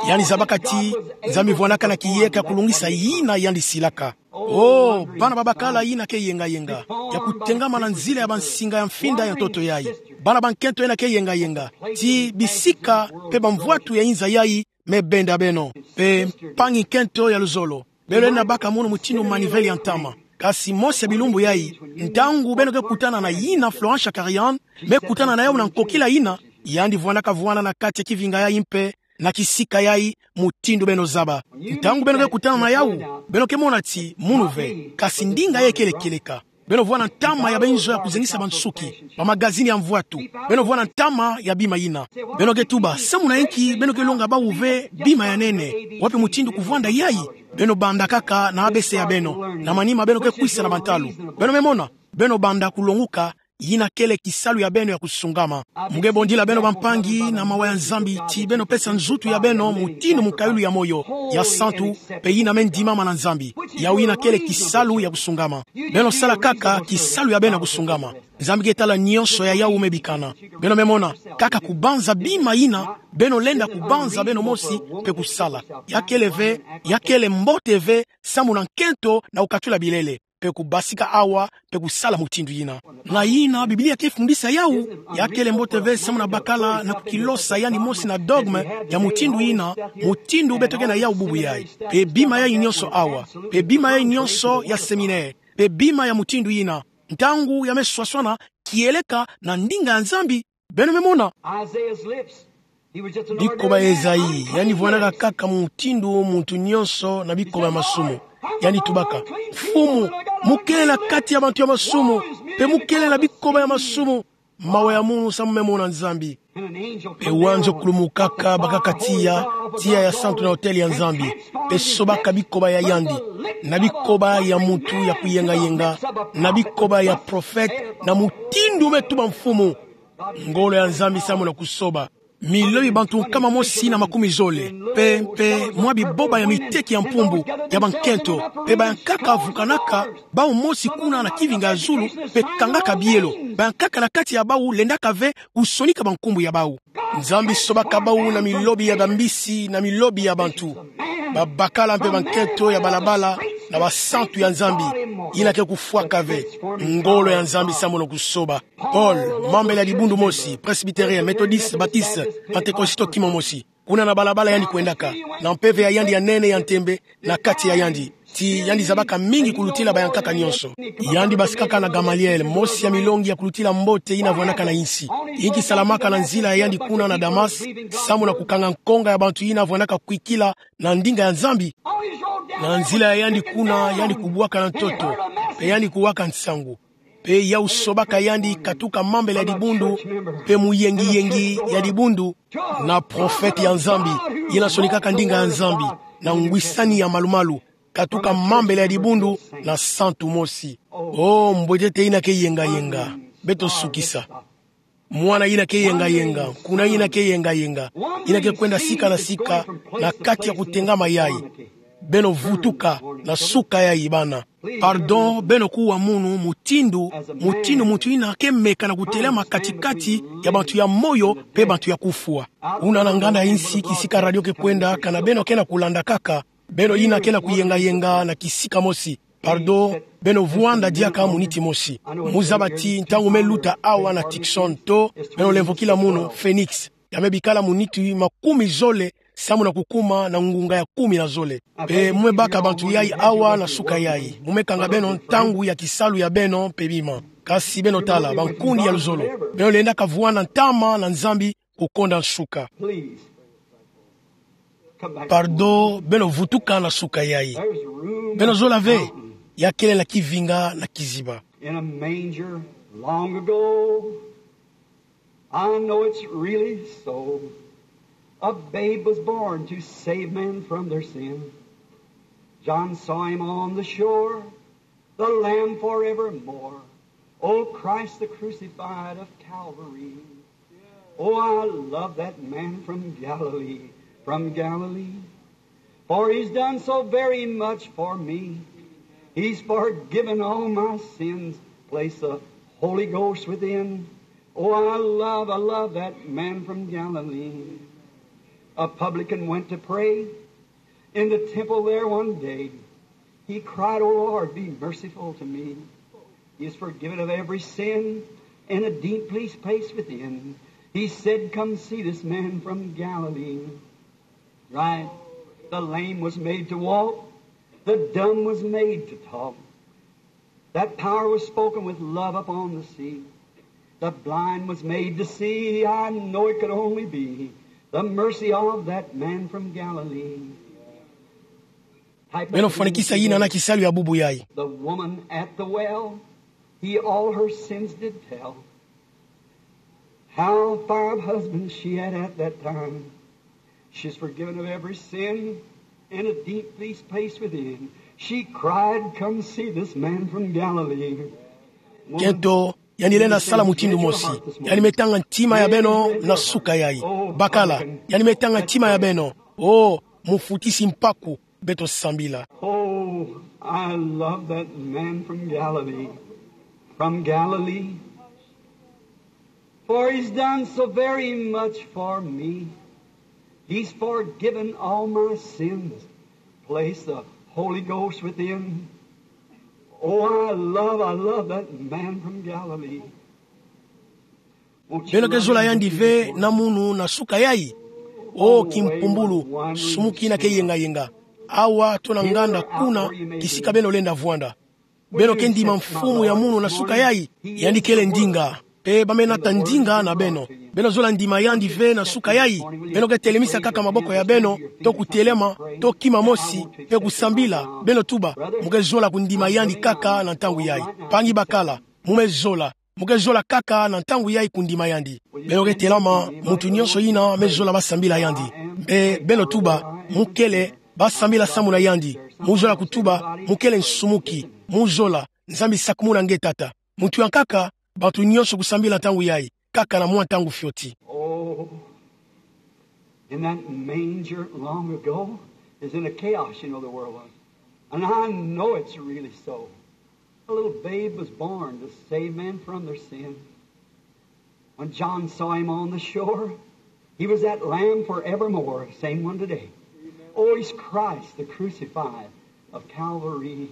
Yandi zabaka ti Nzambi vwandaka na kiyeka ya kulungisa yina yandi silaka. O, bana ba bakala yina ke yengayenga, ya kutengama na nzila ya bansinga ya mfinda ya ntoto yayi. Bana ba nkento yina ke yengayenga, ti bisika mpe bamvwatu ya inza yayi me benda beno. Mpe mpangi nkento ya luzolo, beno lenda baka munu mutindu manivelle ya ntama. Kasi mosi ya bilumbu yayi, ntangu beno ke kutana na yina Florent Tchakarian, me kutana na yawu na nkokila yina, yandi vwandaka vwanda na kati ya kivinga yayi mpe na kisika yayi, mutindu beno zaba. Ntangu beno ke kutana na yawu, beno ke mona ti munu ve, kasi ndinga yayi kele kieleka. Beno vwanda ntama ya binzo ya kuzengisa bansuki, bamagazini ya mvwatu. Beno vwanda ntama ya bima yina. Beno ke tuba, samu na inki beno ke longa bawu ve bima ya nene? Wapi mutindu kuvwanda yayi? Beno banda kaka na A B C ya beno, na manima beno ke kwisa na bantalu. Beno me mona, beno banda kulonguka, yina kele kisalu ya beno ya kusungama. Mu ke bondila beno bampangi na mawa ya Nzambi ti beno pesa nzutu ya beno mutindu mukayulu ya moyo, ya santu, mpe yina me ndimama na Nzambi. Yawu yina kele kisalu ya kusungama. Beno sala kaka kisalu ya beno ya kusungama. Nzambi ke tala nyonso ya yawu me bikana. Beno me mona, kaka kubanza bima yina beno lenda kubanza beno mosi mpe kusala. Ya kele ve, ya kele mbote ve, samu na nkento na kukatula bilele, mpe kubasika awa, mpe kusala mutindu yina. Na yina Biblia ke fundisa yawu, ya kele mbote ve samu na bakala na kukilosa yandi mosi na dogme ya mutindu yina, mutindu beto ke na yawu bubu yayi. Mpe bima yayi nyonso awa, mpe bima yayi nyonso ya séminaire, mpe bima ya mutindu yina, ntangu ya me swaswana kieleka na ndinga ya Nzambi. Beno me mona. Isaiah's lips. He was just an ordinary man. Bikoba ya Esaïe, yandi vwandaka kaka mutindu muntu nyonso na bikoba ya masumu. Yandi tubaka, Mfumu, mu kele na kati ya bantu ya masumu, mpe mu kele na bikoba ya masumu. Mawa ya munu samu me mona Nzambi. Mpe wanzo kulumukaka bakaka tiya, tiya ya santu na autel ya Nzambi. Mpe sobaka bikoba ya yandi, na bikoba ya muntu ya kuyengayenga, na bikoba ya prophète, na mutindu me tuba Mfumu. Ngolo ya Nzambi samu na kusoba. Milobi bantu nkama mosi na makumi zole, mpe, mpe mwa biboba ya miteki ya mpumbu, ya bankento, mpe bayankaka vukanaka bawu mosi kuna na kivinga ya zulu, mpe kangaka bielo. Bayankaka na kati ya bawu lendaka ve kusonika bankumbu ya bawu. Nzambi sobaka bawu na milobi ya bambisi, na milobi ya bantu. Babakala mpe bankento ya balabala, na basantu ya Nzambi, yina ke kufwaka ve. Ngolo ya Nzambi samu na kusoba. Paul, mambele ya dibundu mosi, presbytérien, méthodiste, baptiste, pentecôtiste kima mosi. Kuna na balabala yandi kwendaka, na mpeve ya yandi ya nene ya ntembe, na kati ya yandi. Ti yandi zabaka mingi kulutila bayankaka nyonso. Yandi basikaka na Gamaliel, mosi ya milongi ya kulutila mbote yina vwandaka na insi. Inki salamaka na nzila ya yandi kuna na Damas, samu na kukanga nkonga ya bantu yina vwandaka kwikila na ndinga ya Nzambi? Na nzila ya yandi kuna, yandi kubwaka na ntoto, mpe yandi kuwaka nsangu. Mpe yawu sobaka yandi katuka mambele ya dibundu, mpe muyengiyengi ya dibundu, na prophète ya Nzambi, yina sonikaka ndinga ya Nzambi, na ngwisani ya malumalu. tatuka mambela ya dibundu na santu mosi. O mbwetete ina ke yengayenga, beto sukisa. Mwana ina ke yengayenga, kuna ina ke yengayenga, ina ke kwenda sika na sika na kati ya kutengama yayi. Beno vutuka na suka yayi, bana. Pardon, beno kuwa munu mutindu, mutindu muntu ina ke meka na kutelama kati-kati ya bantu ya moyo mpe bantu ya kufwa. Kuna na nganda ya insi, kisika radio ke kwenda, kana beno ke na kulanda kaka, beno ina ke na kuyengayenga na kisika mosi. Pardon, beno vwanda diaka muniti mosi. Mu zaba ti ntangu me luta awa na Tucson to, beno lemvokila munu Phoenix, ya me bikala muniti makumi zole samu na kukuma na ngunga ya kumi na zole. Mpe mu me baka bantu yayi awa na suka yayi. Mu me kanga beno ntangu ya kisalu ya beno mpe bima. Kasi beno tala, bankundi ya luzolo, beno lenda kavwanda ntama na Nzambi kukonda nsuka. Pardon, beno vutuka na suka yayi. Beno zola ve, ya kele na kivinga na kiziba. In a manger long ago, I know it's really so. A babe was born to save men from their sin. John saw him on the shore, the Lamb forevermore. Oh, Christ the crucified of Calvary. Oh, I love that man from Galilee, from Galilee. For he's done so very much for me. He's forgiven all my sins. Place the Holy Ghost within. Oh, I love, I love that man from Galilee. A publican went to pray in the temple there one day. He cried, "O Lord, be merciful to me." He is forgiven of every sin, and a deep peace place within. He said, "Come see this man from Galilee." Right? The lame was made to walk, the dumb was made to talk. That power was spoken with love upon the sea. The blind was made to see. I know it could only be the mercy of that man from Galilee. Beno fwanikisa yina na kisalu ya bubu yayi. The woman at the well, he all her sins did tell. How five husbands she had at that time. She's forgiven of every sin, and a deep peace place within. She cried, "Come see this man from Galilee." Kento, yandi lenda sala mutindu mosi. Yandi me tanga ntima ya beno na suka yayi. Bakala, yandi me tanga ntima ya beno. O, mufutisi mpaku, beto sambila. Oh, I love that man from Galilee. From Galilee. For he's done so very much for me. He's forgiven all my sins. Place the Holy Ghost within. Oh, I love, I love that man from Galilee. Beno ke zola yandi ve na munu na suka yayi? O kimpumbulu, sumuki ina ke yengayenga. Awa to na nganda kuna, kisika beno lenda vwanda. Beno ke ndima mfumu ya munu na suka yayi? Yandi kele ndinga. Mpe ba me nata ndinga na beno. Beno zola ndima yandi ve na suka yayi? Beno ke telemisa kaka maboko ya beno, to kutelema, to kima mosi, mpe kusambila, beno tuba, mu ke zola kundima yandi kaka na ntangu yayi? Mpangi bakala, mu me zola. Mu ke zola kaka na ntangu yayi kundima yandi? Beno ke telama, muntu nyonso yina me zola ba sambila yandi. Mpe beno tuba, mu kele ba sambila samu na yandi. Mu zola kutuba, mu kele nsumuki. Mu zola, Nzambi sakumuna nge tata. Muntu yankaka, bantu nyonso kusambila ntangu yayi, kaka na mwa ntangu fioti. Oh, in that manger long ago, is in a chaos, you know, the world was. And I know it's really so. A little babe was born to save men from their sin. When John saw him on the shore, he was that Lamb forevermore, same one today. Oh, he's Christ, the crucified of Calvary.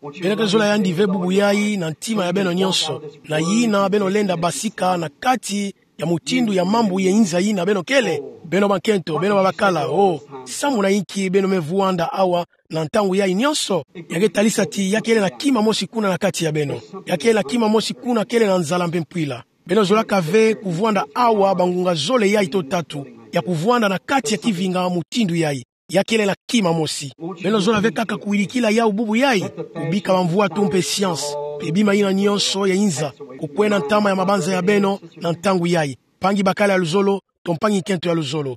Beno ke zola yandi ve bubu yayi na ntima ya beno nyonso, na yina beno lenda basika na kati ya mutindu ya mambu ya inza yina beno kele? Beno bankento, beno babakala, o, samu na inki beno me vwanda awa na ntangu yayi nyonso? Ya ke talisa ti ya kele na kima mosi kuna na kati ya beno. Ya kele na kima mosi kuna kele na nzala mpe mpwila. Beno zolaka ve kuvwanda awa bangunga zole yayi to tatu, ya kuvwanda na kati ya kivinga mutindu yayi. Ya kele na kima mosi. Beno zola ve kaka kuwirikila yawu bubu yayi, kubika bamvwatu mpe science, mpe bima yina nyonso ya inza, kukwena ntama ya mabanza ya beno na ntangu yayi. Mpangi bakala ya luzolo, to mpangi nkento ya luzolo.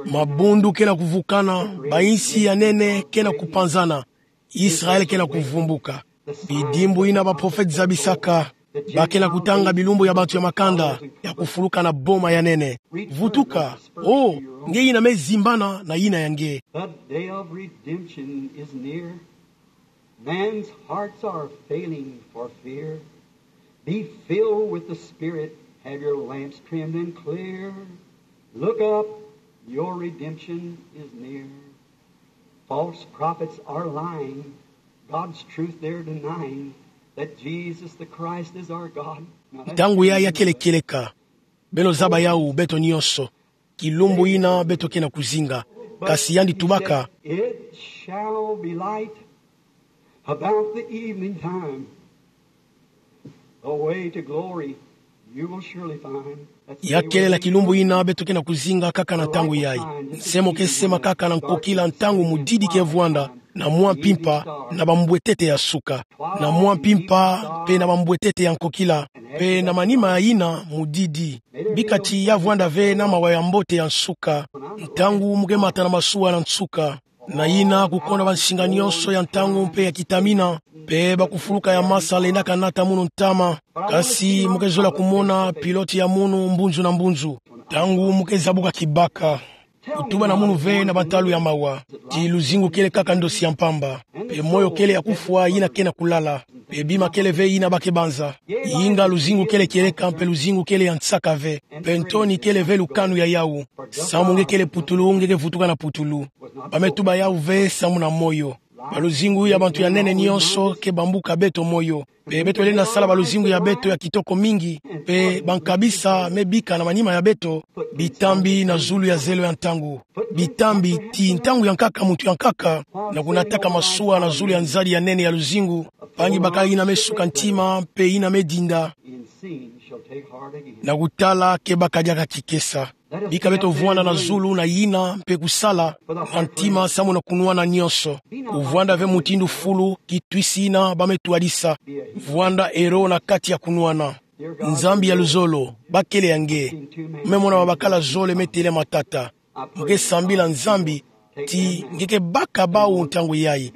Mabundu ke na kuvukana, ba-insi ya nene ke na kupanzana. Israele ke na kuvumbuka. Bidimbu yina baprofete zabisaka, ba ke na kutanga bilumbu ya bantu ya makanda, ya kufuluka na boma ya nene. Vutuka, oh, nge yina me zimbana na yina ya nge. The day of redemption is near. Man's hearts are failing for fear. Be filled with the Spirit, have your lamps trimmed and clear. Look up, your redemption is near. False prophets are lying, God's truth they're denying, that Jesus the Christ is our God. Now, that's Ntangu yayi ya kele kieleka. Beno zaba yawu, beto nyonso. Kilumbu yina beto ke na kuzinga. Kasi yandi tubaka. It shall be light about the evening time. The way to glory you will surely find. Ya kelela kilumbu yina beto ke na kuzinga kaka na ntangu yayi. Nse mo ke sema kaka na nkokila ntangu mudidi ke vwanda, na mwa mpimpa, na bambwetete ya suka. Na mwa mpimpa, mpe na bambwetete ya nkokila, mpe na manima yina mudidi. Bika ti ya vwanda ve na mawa ya mbote ya nsuka. Ntangu mu ke mata na masuwa na nsuka. Na yina kukonda bansinga nyonso ya ntangu mpe ya kitamina. Mpe bakufuluka ya masa lendaka nata munu ntama. Kasi mu ke zola kumona pilote ya munu mbunzu na mbunzu. Ntangu mu ke zabuka kibaka. Kutuba na munu ve na bantalu ya mawa. Ti luzingu kele kaka ndosi ya mpamba. Mpe moyo kele ya kufwa yina ke na kulala. Mpe bima kele ve yina ba ke banza. Inga luzingu kele kieleka mpe luzingu kele ya nsaka ve. Mpe ntoni kele ve lukanu ya yawu. Samu nge kele putulu, nge ke vutuka na putulu. Ba me tuba yawu ve samu na moyo. Baluzingu ya bantu ya nene nyonso ke bambuka beto moyo. Mpe beto lenda sala baluzingu ya beto ya kitoko mingi. Mpe bankabisa me bika na manima ya beto. Bitambi na zulu ya zelo ya ntangu. Bitambi ti ntangu ya nkaka muntu ya nkaka na kunataka masuwa na zulu ya nzadi ya nene ya luzingu. Mpangi bakala yina me suka ntima mpe yina me dinda. Na kutala ke baka diaka kikesa. Bika beto vwanda na zulu na yina mpe kusala na ntima samu na kunwana nyonso. Kuvwanda ve mutindu fulu, kitwisi yina ba me twadisa. Vwanda ero na kati ya kunwana. Nzambi ya luzolo, bakele ya nge. Me mona babakala zole me tele matata. Mu ke sambila Nzambi, ti nge ke baka bawu ntangu yayi.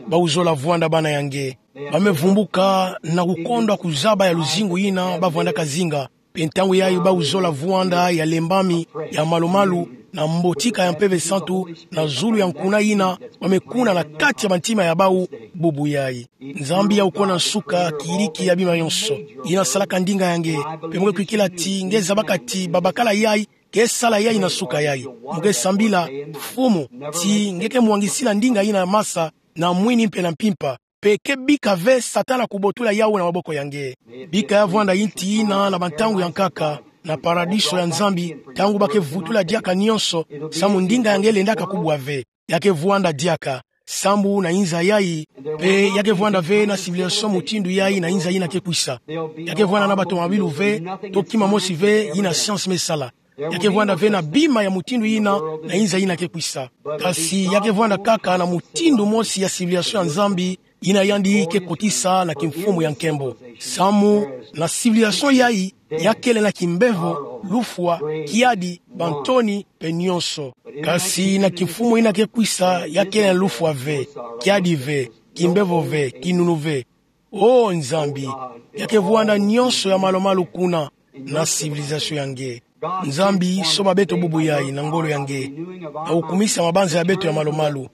Bawu zola vwanda bana ya nge. Ba me vumbuka na kukondwa kuzaba ya luzingu yina ba vwandaka zinga. Mpe ntangu yayi bawu zola vwanda ya lembami, ya malumalu, na mbotika ya Mpeve Santu, na zulu ya nkuna yina ba me kuna na kati ya bantima ya bawu, bubu yayi. Nzambi ya wukona nsuka, kiyiriki ya bima nyonso. Yina salaka ndinga ya nge, mpe mu ke kwikila ti nge zabaka ti babakala yayi ke sala yayi na nsuka yayi. Mu ke sambila, Mfumu, ti nge ke mwangisila ndinga yina masa, na mwini mpe na mpimpa. Mpe ke bika ve Satana kubotula yawu na maboko ya nge. Bika ya vwanda yinti yina na bantangu ya nkaka, na paradiso ya Nzambi, ntangu ba ke vutula diaka nyonso, samu ndinga ya nge lendaka kubwa ve. Ya ke vwanda diaka, sambu na inza yayi, mpe ya ke vwanda ve na civilisation mutindu yayi na inza yina ke kwisa. Ya ke vwanda na batomabilu ve, to kima mosi ve yina science me sala. Ya ke vwanda ve na bima ya mutindu yina na inza yina ke kwisa. Kasi ya ke vwanda kaka na mutindu mosi ya civilisation ya Nzambi, yina yandi ke kotisa na kimfumu ya nkembo. Samu na civilisation yayi, ya kele na kimbevo, lufwa, kiadi, bantoni, mpe nyonso. Kasi na kimfumu yina ke kwisa, ya kele na lufwa ve, kiadi ve, kimbevo ve, kinunu ve. O Nzambi, ya ke vwanda nyonso ya malumalu kuna na civilisation ya nge. Nzambi, soba beto bubu yayi na ngolo ya nge, na kukumisa mabanza ya beto ya malumalu,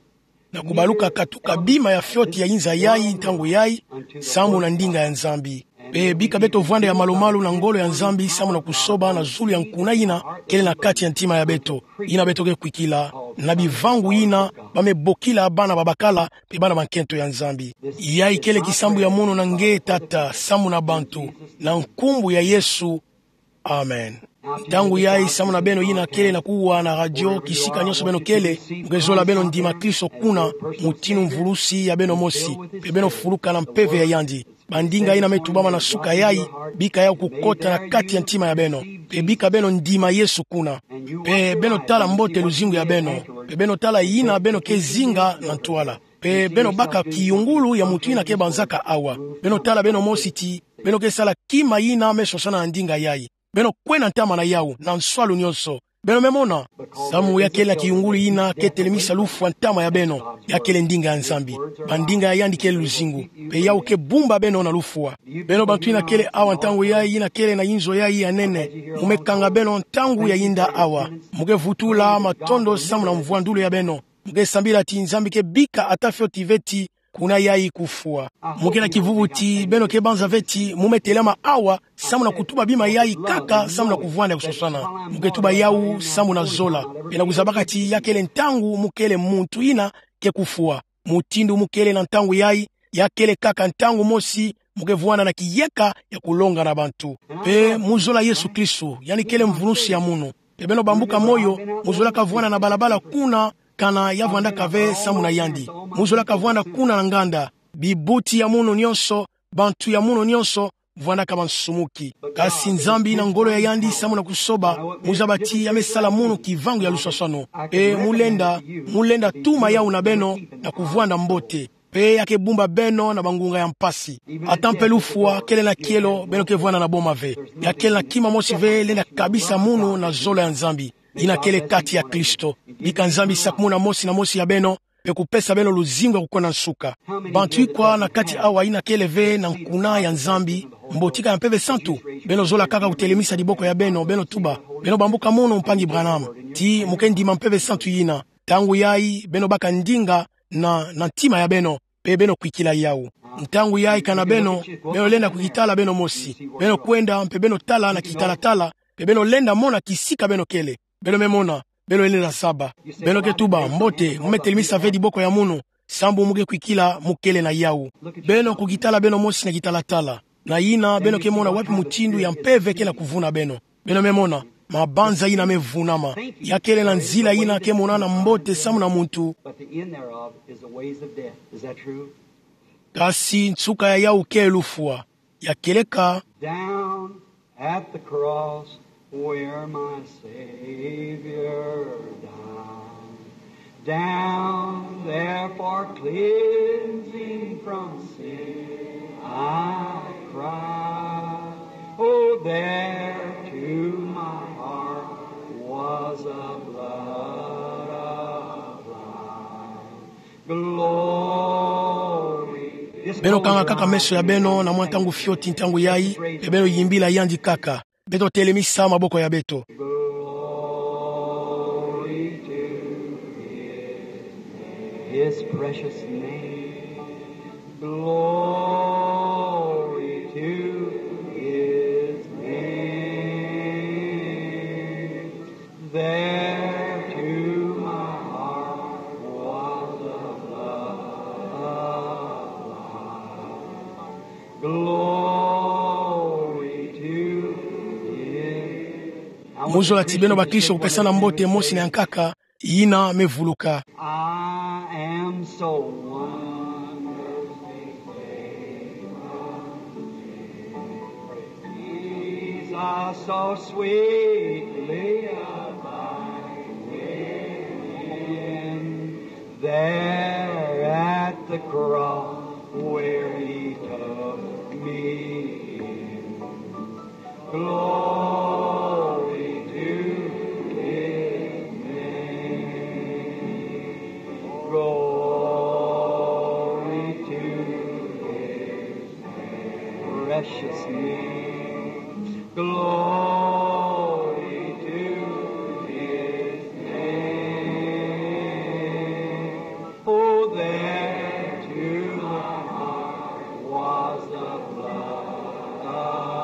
na kubaluka katuka bima ya fioti ya inza yayi ntangu yayi, samu na ndinga ya Nzambi. Mpe bika beto vwanda ya malumalu na ngolo ya Nzambi samu na kusoba na zulu ya nkuna yina kele na kati ya ntima ya beto, yina beto ke kwikila, na bivangu yina ba me bokila bana babakala mpe bana ba nkento ya Nzambi. Yayi kele kisambu ya munu na nge, Tata, samu na bantu, na nkumbu ya Yesu. Amen. Ntangu yayi samu na beno yina kele na kuwa na radio, kisika nyonso beno kele, mu ke zola beno ndima Kristo kuna, mutindu mvulusi ya beno mosi, mpe beno fuluka na mpeve ya yandi. Bandinga yina me tubama na suka yayi, bika yawu kukota na kati ya ntima ya beno, mpe bika beno ndima Yesu kuna. Mpe beno tala mbote luzingu ya beno, mpe beno tala yina beno ke zinga na ntwala. Mpe beno baka kiyungulu ya mutu yina ke banzaka awa. Beno tala beno mosi ti beno ke sala kima yina me sosana na ndinga yayi. Beno kwena ntama na yawu na nswalu nyonso. Beno me mona. Samu ya kele na kiyungulu yina ke telemisa lufwa ntama ya beno, ya kele ndinga ya Nzambi. Bandinga ya yandi kele luzingu. Mpe yawu ke bumba beno na lufwa. Beno bantu yina kele awa ntangu yayi, yina kele na inzo yayi ya nene, mu me kanga beno ntangu ya yinda awa. Mu ke vutula matondo samu na mvwandulu ya beno. Mu ke sambila ti Nzambi ke bika ata fioti veti kuna yayi kufwa. Mu ke na kivuvu ti beno ke banza veti mu me telama awa samu na kutuba bima yayi kaka samu na kuvwanda ya kusosana. Mu ke tuba yawu samu na zola. Mpe na kuzabaka ti ya kele ntangu mu kele muntu yina ke kufwa. Mutindu mu kele na ntangu yayi, ya kele kaka ntangu mosi mu ke vwanda na kiyeka ya kulonga na bantu. Mpe mu zola Yesu Kristo, yandi kele mvunusi ya munu. Mpe beno bambuka moyo, mu zolaka vwanda na balabala kuna, kana ya vwandaka ve samu na yandi. Mu zolaka vwanda kuna na nganda. Bibuti ya munu nyonso, bantu ya munu nyonso, vwandaka bansumuki. Kasi Nzambi na ngolo ya yandi samu na kusoba, mu zaba ti ya me sala munu kivangu ya luswaswanu. Mpe mu lenda, mu lenda tuma yawu na beno, na kuvwanda mbote. Mpe ya ke bumba beno na bangunga ya mpasi. Ata mpe lufwa kele na kielo, beno ke vwanda na boma ve. Ya kele na kima mosi ve lenda kabisa munu na zola ya Nzambi. Yina kele kati ya Kristo. Bika Nzambi sakumuna mosi na mosi ya beno, mpe kupesa beno luzingu ya kukwenda nsuka. Bantu ikwa na kati awa yina kele ve na nkuna ya Nzambi, mbotika ya Mpeve Santu? Beno zola kaka kutelemisa diboko ya beno, beno tuba. Beno bambuka munu, mpangi Branham. Ti mu ke ndima Mpeve Santu yina. Ntangu yayi, beno baka ndinga na, na ntima ya beno, mpe beno kwikila yawu. Ntangu yayi kana beno, beno lenda kukitala beno mosi. Beno kwenda, mpe beno tala na kitalatala, mpe beno lenda mona kisika beno kele. Beno me mona, beno lenda zaba. Beno ke tuba, mbote, mu me telemisa ve diboko ya munu, sambu mu ke kwikila mu kele na yawu. Beno kukitala beno mosi na kitalatala. Na yina, beno ke mona wapi mutindu ya mpeve ke na kuvuna beno. Beno me mona, mabanza yina me vunama. Ya kele na nzila yina ke monana mbote samu na muntu. But the end thereof is the ways of death. Is that true? Kasi nsuka ya yawu ke lufwa. Ya kele ka? Down at the cross where my Savior died. Down there for cleansing from sin I cried. Oh, there to my heart was a blood applied. Glory. Beno kanga kaka meso ya beno na mwa ntangu fioti ntangu yayi, mpe beno yimbila yandi kaka. Beto telemisa maboko ya beto. Glory to his name. His precious name. Glory to his name. There to my heart was a blood applied. Glory to his. Mu zola ti beno bakristo kupesana mbote mosi na ya nkaka, yina me vuluka. I am so wonderfully saved. Jesus so sweetly abiding in. There at the cross where he took me in. Glory to his name. Glory to his precious name. Glory to his name. Oh, there to my heart was the blood applied.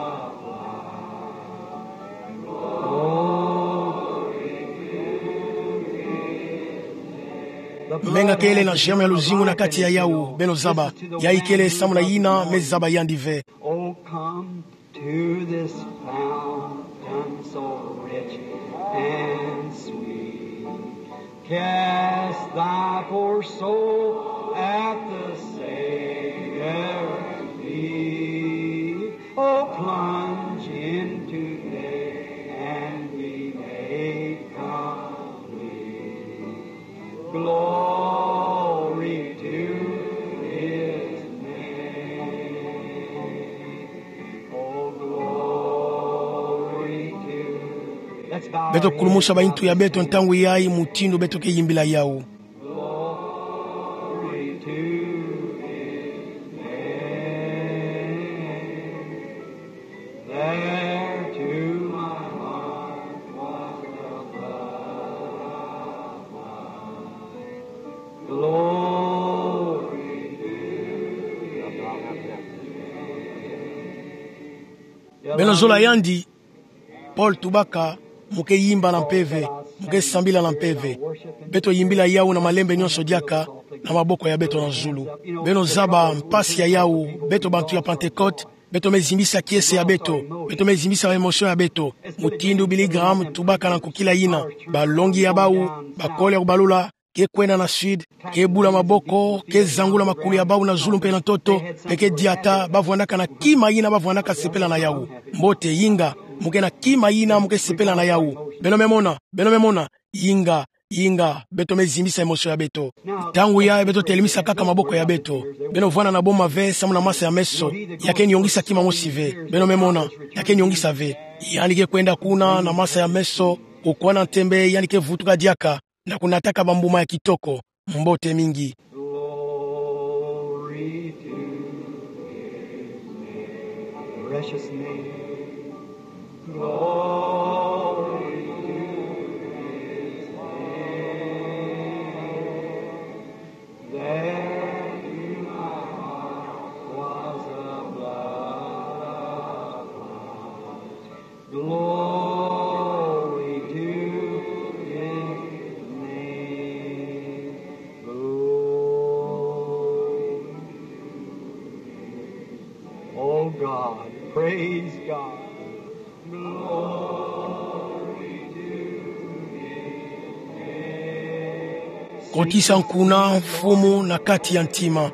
Menga kele na jema ya luzingu na kati ya yawu, beno zaba. Yayi kele samu na yina me zaba yandi ve. Oh, come to this fountain so rich and sweet. Cast thy poor soul at the Savior's feet. Oh, plunge in today and be made complete. Glory to his name. Oh, glory to. Let's Beto kulumusa baintu ya beto ntangu yayi mutindu beto ke yimbila yawu. Beno zola yandi, Paul Tubaka, mu ke yimba na mpeve, mu ke sambila na mpeve. Beto yimbila yawu na malembe nyonso diaka, na maboko ya beto na zulu. Beno zaba mpasi ya yawu, beto bantu ya Pentecôte, beto me zimbisa kiese ya beto, beto me zimbisa émotion ya beto. Mutindu Billy Graham Tubaka na nkokila yina, balongi ya bawu, bakole ya kubalula, ke kwenda na sud, ke bula maboko, ke zangula makulu ya bawu na zulu mpe na ntoto, mpe ke diata, bavwandaka na kima yina bavwandaka sepela na yawu. Mbote, yinga, mu ke na kima yina mu ke sepela na yawu. Beno me mona, beno me mona, yinga, yinga, beto me zimbisa émotion ya beto. Ntangu yayi beto telemisa kaka maboko ya beto. Beno vwanda na boma ve, samu na masa ya meso, ya ke niongisa kima mosi ve. Beno me mona, ya ke niongisa ve. Yandi ke kwenda kuna na masa ya meso, kukwa na ntembe, yandi ke vutuka diaka, na kunataka bambuma ya kitoko. Mbote mingi. Glory to his name. Precious name. Glory to his name. There in my heart was a blood. Glory to his name. Glory. Oh God, praise God. Glory to his name. Kotisa nkuna Mfumu na kati ya ntima.